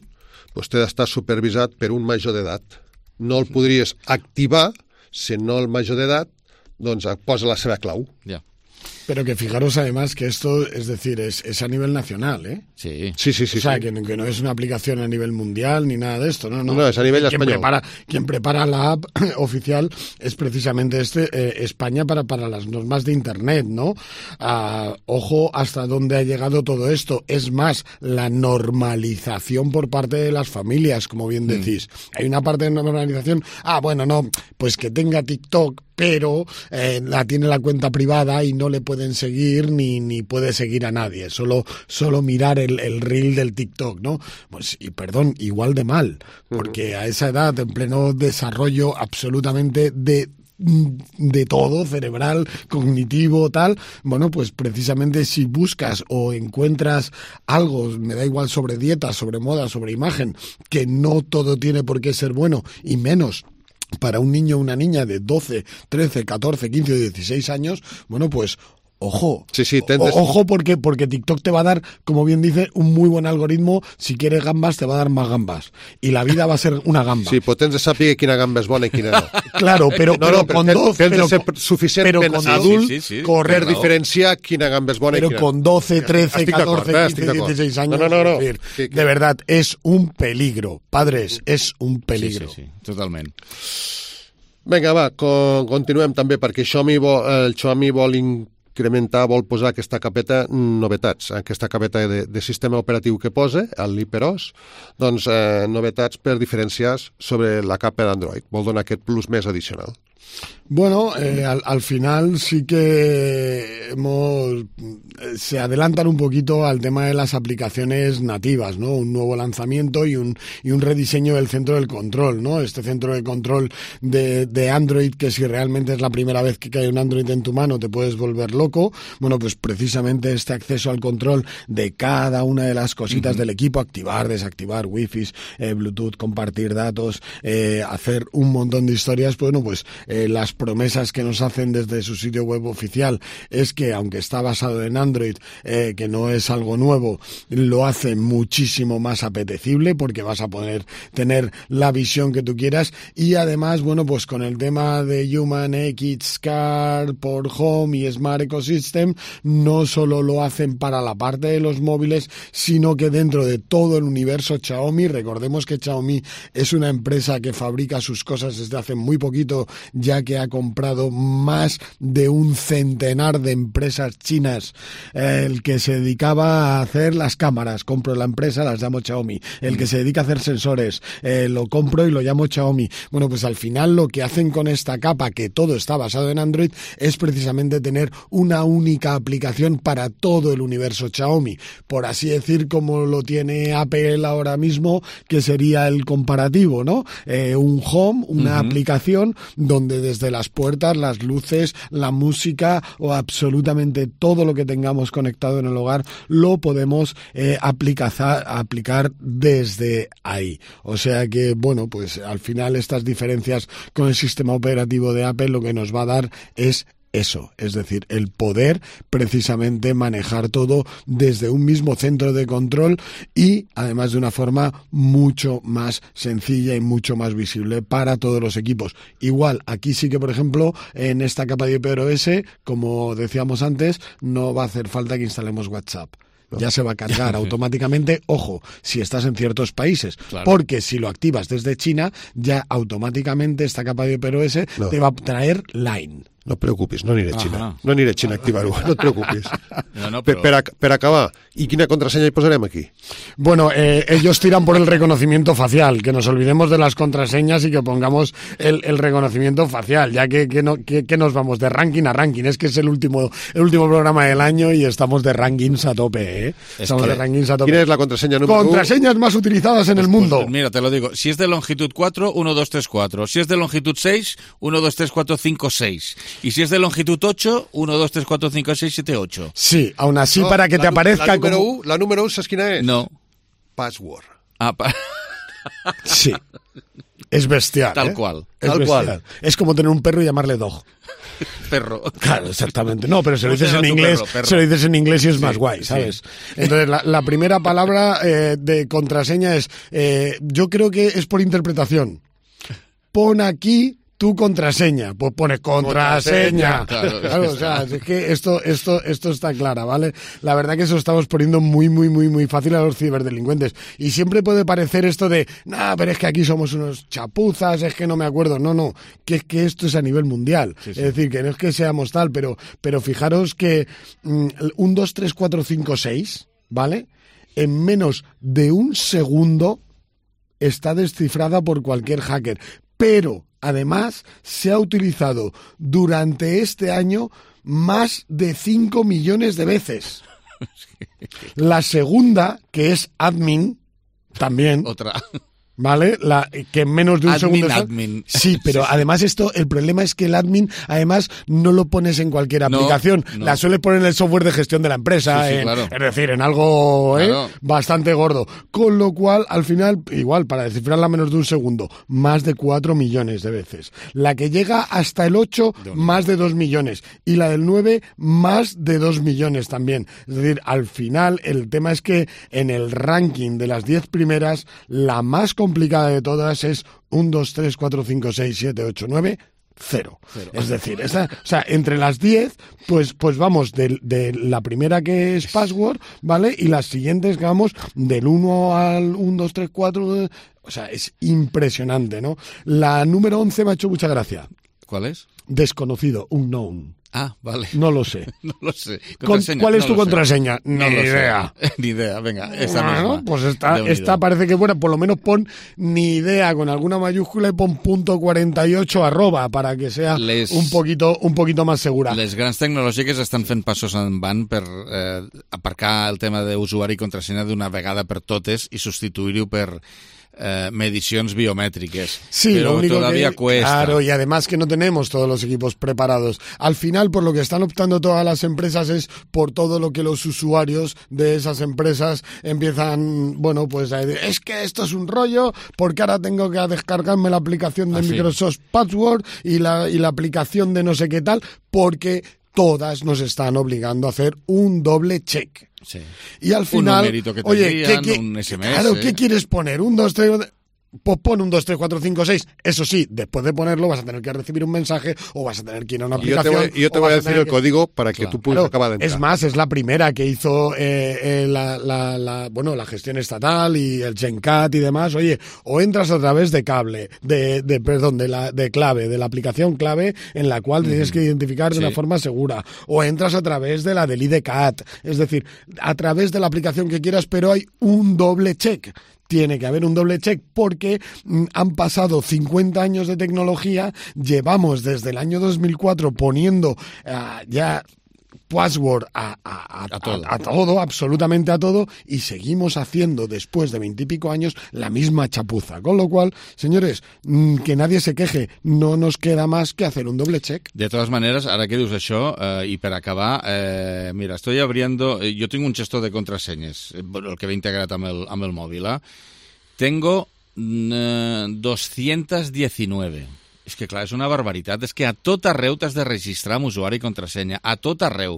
doncs té d'estar supervisat per un major d'edat. No el podries activar si no el major d'edat doncs posa la seva clau. Ja. Pero que fijaros además que esto, es decir, es, es a nivel nacional, ¿eh? Sí. Sí, sí, sí. O sea, sí. Que, que no es una aplicación a nivel mundial ni nada de esto, no, no. No, es a nivel quien español. Prepara, quien prepara la app oficial es precisamente este eh, España para, para las normas de Internet, ¿no? Ah, ojo hasta dónde ha llegado todo esto. Es más, la normalización por parte de las familias, como bien decís. Mm. Hay una parte de normalización, ah, bueno, no, pues que tenga TikTok, pero eh, la tiene la cuenta privada y no le pueden seguir ni, ni puede seguir a nadie, solo, solo mirar el, el reel del TikTok, ¿no? Pues, y perdón, igual de mal, porque a esa edad, en pleno desarrollo absolutamente de de todo, cerebral, cognitivo, tal, bueno, pues precisamente si buscas o encuentras algo, me da igual sobre dieta, sobre moda, sobre imagen, que no todo tiene por qué ser bueno, y menos para un niño o una niña de doce, trece, catorce, quince o dieciséis años, bueno, pues ojo, sí, sí, o, ojo porque, porque TikTok te va a dar, como bien dice, un muy buen algoritmo. Si quieres gambas, te va a dar más gambas. Y la vida va a ser una gamba. Sí, pues tens de saber quina gamba és bona i quina no. Claro, pero, no, pero no, con tens, doce... Tens pero, de ser suficientment pero con adult sí, sí, sí, per claro. diferenciar quina gamba és bona pero i quina con doce, trece, estic catorce, eh? quince, dieciséis años, no, no, no, no. decir, sí, de verdad, es un peligro. Padres, es un peligro. Sí, sí, sí, totalment. Vinga, va, con, continuem també, perquè Xiaomi vol, el Xiaomi vol incrementar, vol posar aquesta capeta novetats, aquesta capeta de, de sistema operatiu que posa, el l'HyperOS, doncs eh, novetats per diferenciar sobre la capa d'Android. Vol donar aquest plus més addicional. Bueno, eh, al, al final sí que hemos, se adelantan un poquito al tema de las aplicaciones nativas, ¿no? Un nuevo lanzamiento y un, y un rediseño del centro del control, ¿no? Este centro de control de, de Android, que si realmente es la primera vez que cae un Android en tu mano te puedes volver loco. Bueno, pues precisamente este acceso al control de cada una de las cositas uh-huh. del equipo, activar, desactivar, wifi, eh, Bluetooth, compartir datos, eh, hacer un montón de historias, bueno, pues eh, las promesas que nos hacen desde su sitio web oficial es que, aunque está basado en Android, eh, que no es algo nuevo, lo hace muchísimo más apetecible porque vas a poder tener la visión que tú quieras. Y además, bueno, pues con el tema de Human X Car por Home y Smart Ecosystem, no solo lo hacen para la parte de los móviles, sino que dentro de todo el universo Xiaomi, recordemos que Xiaomi es una empresa que fabrica sus cosas desde hace muy poquito, ya que ha comprado más de un centenar de empresas chinas. El que se dedicaba a hacer las cámaras, compro la empresa, las llamo Xiaomi. El que se dedica a hacer sensores, eh, lo compro y lo llamo Xiaomi. Bueno, pues al final lo que hacen con esta capa, que todo está basado en Android, es precisamente tener una única aplicación para todo el universo Xiaomi. Por así decir, como lo tiene Apple ahora mismo, que sería el comparativo, ¿no? Eh, un Home, una uh-huh. aplicación donde donde desde las puertas, las luces, la música o absolutamente todo lo que tengamos conectado en el hogar lo podemos eh, aplicar, aplicar desde ahí. O sea que, bueno, pues al final estas diferencias con el sistema operativo de Apple lo que nos va a dar es eso, es decir, el poder precisamente manejar todo desde un mismo centro de control y además de una forma mucho más sencilla y mucho más visible para todos los equipos. Igual, aquí sí que, por ejemplo, en esta capa de iPadOS, como decíamos antes, no va a hacer falta que instalemos WhatsApp. Ya se va a cargar automáticamente, ojo, si estás en ciertos países, claro. Porque si lo activas desde China, ya automáticamente esta capa de iPadOS no. te va a traer Line. No et preocupis, no aniré a Xina. Ahà. No aniré a Xina a activar-ho, no et preocupis. No, no, però... per, per, per acabar, ¿y quina contraseña hi posarem aquí? Bueno, eh, ellos tiran por el reconocimiento facial, que nos olvidemos de las contraseñas y que pongamos el, el reconocimiento facial, ya que, que, no, que, que nos vamos de ranking a ranking. Es que es el último el último programa del año y estamos de rankings a tope, ¿eh? Estamos de rankings a tope. ¿Quién es la contraseña número uno? Contraseñas más utilizadas en pues, el mundo. Pues, mira, te lo digo. Si es de longitud cuatro, uno, dos, tres, cuatro. Si es de longitud seis, uno, dos, tres, cuatro, cinco, seis. Y si es de longitud ocho, uno, dos, tres, cuatro, cinco, seis, siete, ocho. Sí, aún así no, para que te aparezca la número como... U, la número uno, ¿sabes quién es? No. Password. Ah, pa... Sí. Es bestial, Tal ¿eh? cual. Es Tal bestial. cual. Es como tener un perro y llamarle dog. Perro. Claro, exactamente. No, pero se lo dices en inglés, perro, perro. se lo dices en inglés y es sí, más guay, ¿sabes? Sí. Entonces, la, la primera palabra eh, de contraseña es, eh, yo creo que es por interpretación. Pon aquí tu contraseña, pues pone contraseña. contraseña. Claro, claro, es, que o sea, es que esto, esto, esto está clara, ¿vale? La verdad que eso estamos poniendo muy, muy, muy, muy fácil a los ciberdelincuentes. Y siempre puede parecer esto de, nah, pero es que aquí somos unos chapuzas, es que no me acuerdo. No, no, que es que esto es a nivel mundial. Sí, sí. Es decir, que no es que seamos tal, pero, pero fijaros que mmm, un, dos, tres, cuatro, cinco, seis, ¿vale? En menos de un segundo está descifrada por cualquier hacker. Pero además, se ha utilizado durante este año más de cinco millones de veces. La segunda, que es admin, también. Otra. ¿Vale? La, que en menos de un admin, segundo... Está... Admin. Sí, pero sí, además esto, el problema es que el admin, además, no lo pones en cualquier aplicación. No, no. La sueles poner en el software de gestión de la empresa, sí, sí, en, claro. Es decir, en algo claro. ¿eh? bastante gordo. Con lo cual, al final, igual, para descifrarla menos de un segundo, más de cuatro millones de veces. La que llega hasta el ocho, más de dos millones. Y la del nueve, más de dos millones también. Es decir, al final, el tema es que en el ranking de las diez primeras, la más complicada de todas es uno, dos, tres, cuatro, cinco, seis, siete, ocho, nueve, cero. Cero. Es decir, esa, o sea, entre las diez, pues, pues vamos de, de la primera que es password, ¿vale? Y las siguientes que vamos del uno al uno, dos, tres, cuatro. O sea, es impresionante, ¿no? La número once me ha hecho mucha gracia. ¿Cuál es? Desconocido, unknown. Ah, vale. No lo sé. No lo sé. ¿Cuál es no tu contraseña? Ni no idea. Ni idea, venga, esa bueno, misma. Pues esta, esta parece que buena. Por lo menos pon ni idea con alguna mayúscula y pon punto cuarenta y ocho arroba para que sea les, un poquito un poquito más segura. Les grans tecnològiques estan fent passos endavant per eh, aparcar el tema d'usuari i contrasenya d'una vegada per totes i substituir-ho per Eh, mediciones biométricas. Sí, pero lo único todavía que, cuesta. Claro, y además que no tenemos todos los equipos preparados. Al final, por lo que están optando todas las empresas es por todo lo que los usuarios de esas empresas empiezan, bueno, pues a decir, es que esto es un rollo, porque ahora tengo que descargarme la aplicación de ah, Microsoft sí. Password y la, y la aplicación de no sé qué tal, porque todas nos están obligando a hacer un doble check. Sí. Y al final, un que oye, envían, ¿qué, qué, un S M S. Claro, ¿qué quieres poner? Un, dos, tres... Pues pon un dos, tres, cuatro, cinco, seis. Eso sí, después de ponerlo vas a tener que recibir un mensaje o vas a tener que ir a una aplicación. Yo te voy, yo te voy a decir el que... código para que claro. tú puedas claro. acabar de entrar. Es más, es la primera que hizo eh, eh, la, la, la, bueno, la gestión estatal y el GenCat y demás. Oye, o entras a través de cable, de, de perdón, de la de clave, de la aplicación clave en la cual mm. tienes que identificar de sí. una forma segura. O entras a través de la del I D C A T. Es decir, a través de la aplicación que quieras, pero hay un doble check. Tiene que haber un doble check porque mm, han pasado cincuenta años de tecnología, llevamos desde el año dos mil cuatro poniendo uh, ya password a, a, a, a, todo. A, a todo, absolutamente a todo, y seguimos haciendo después de veintipico años la misma chapuza. Con lo cual, señores, que nadie se queje, no nos queda más que hacer un doble check. De todas maneras, ara que dius això, eh, i per acabar, eh, mira, estoy abriendo, eh, yo tengo un gestor de contraseñas, el que ve integrat amb el, amb el mòbil, eh? Tengo eh, doscientos diecinueve. És que, clar, és una barbaritat. És que a tot arreu t'has de registrar amb usuari i contrasenya. A tot arreu.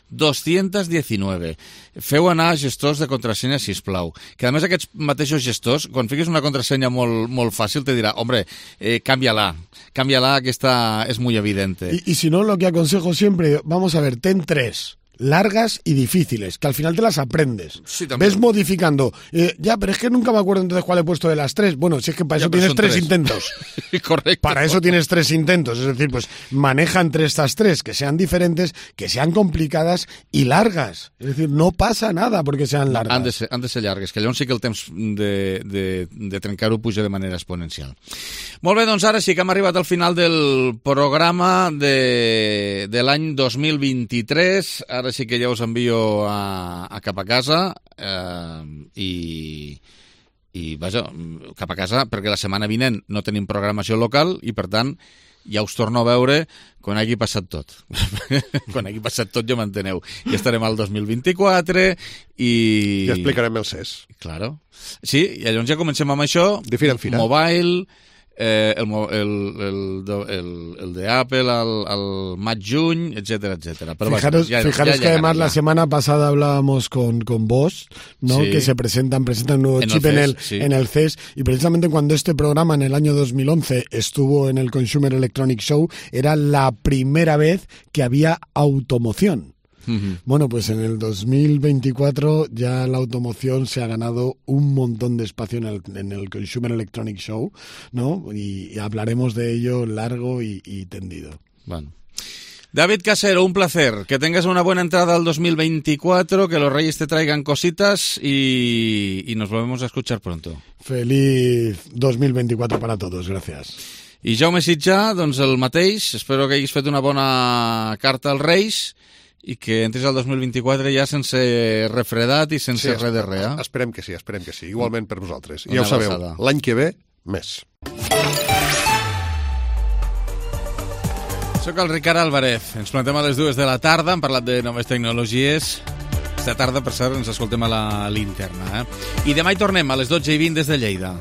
doscientos diecinueve. Feu anar gestors de contrasenya, sisplau. Que, a més, aquests mateixos gestors, quan fiquis una contrasenya molt, molt fàcil, te dirà, hombre, eh, cámbiala. Cámbiala, que esta es muy evidente. Y, y si no, lo que aconsejo siempre, vamos a ver, ten tres. Largas y difíciles, que al final te las aprendes. Sí, ves modificando. Eh, ya, pero es que nunca me acuerdo entonces cuál he puesto de las tres. Bueno, si es que para ya, eso tienes tres, tres intentos. Correcto. Para eso tienes tres intentos. Es decir, pues maneja entre estas tres, que sean diferentes, que sean complicadas y largas. Es decir, no pasa nada porque sean largas. Han de ser, han de ser llargues, que llavors sí que el temps de, de, de trencar-ho puja de manera exponencial. Molt bé, doncs ara sí que hem arribat al final del programa de, de l'any dos mil vint-i-tres. Ara sí que ja us envio a, a cap a casa eh, i, i vaja, cap a casa perquè la setmana vinent no tenim programació local i per tant ja us torno a veure quan hagi passat tot. Quan hagi passat tot ja m'enteneu. Ja estarem al dos mil vint-i-quatre i... Ja explicarem el C E S. Claro. Sí, i llavors ja comencem amb això. De fira en fira. Mobile... Eh, el, el, el, el, el de Apple al, al maig-juny, etcétera, etcétera. Pero fijaros ya, fijaros ya que además ya. la semana pasada hablábamos con, con Bosch, ¿no? Sí. Que se presentan, presentan un nuevo en chip el en, el, sí. en el C E S, y precisamente cuando este programa en el año dos mil once estuvo en el Consumer Electronics Show, era la primera vez que había automoción. Uh-huh. Bueno, pues en el dos mil veinticuatro ya la automoción se ha ganado un montón de espacio en el, en el Consumer Electronics Show, ¿no? Y, y hablaremos de ello largo y, y tendido. Bueno. David Casero, un placer. Que tengas una buena entrada al dos mil veinticuatro, que los Reyes te traigan cositas y, y nos volvemos a escuchar pronto. Feliz dos mil veinticuatro para todos, gracias. I Jaume Sitjà, doncs el mateix. Espero que hagis fet una bona carta als Reis i que entris al dos mil vint-i-quatre ja sense refredat i sense sí, res de res. Eh? Esperem que sí, esperem que sí. Igualment per vosaltres. I Una ja ho sabeu, abraçada. l'any que ve, més. Soc el Ricard Álvarez. Ens plantem a les dues de la tarda. Hem parlat de noves tecnologies. Esta tarda, per cert, ens escoltem a la linterna. Eh? I demà hi tornem a les dotze i vint des de Lleida.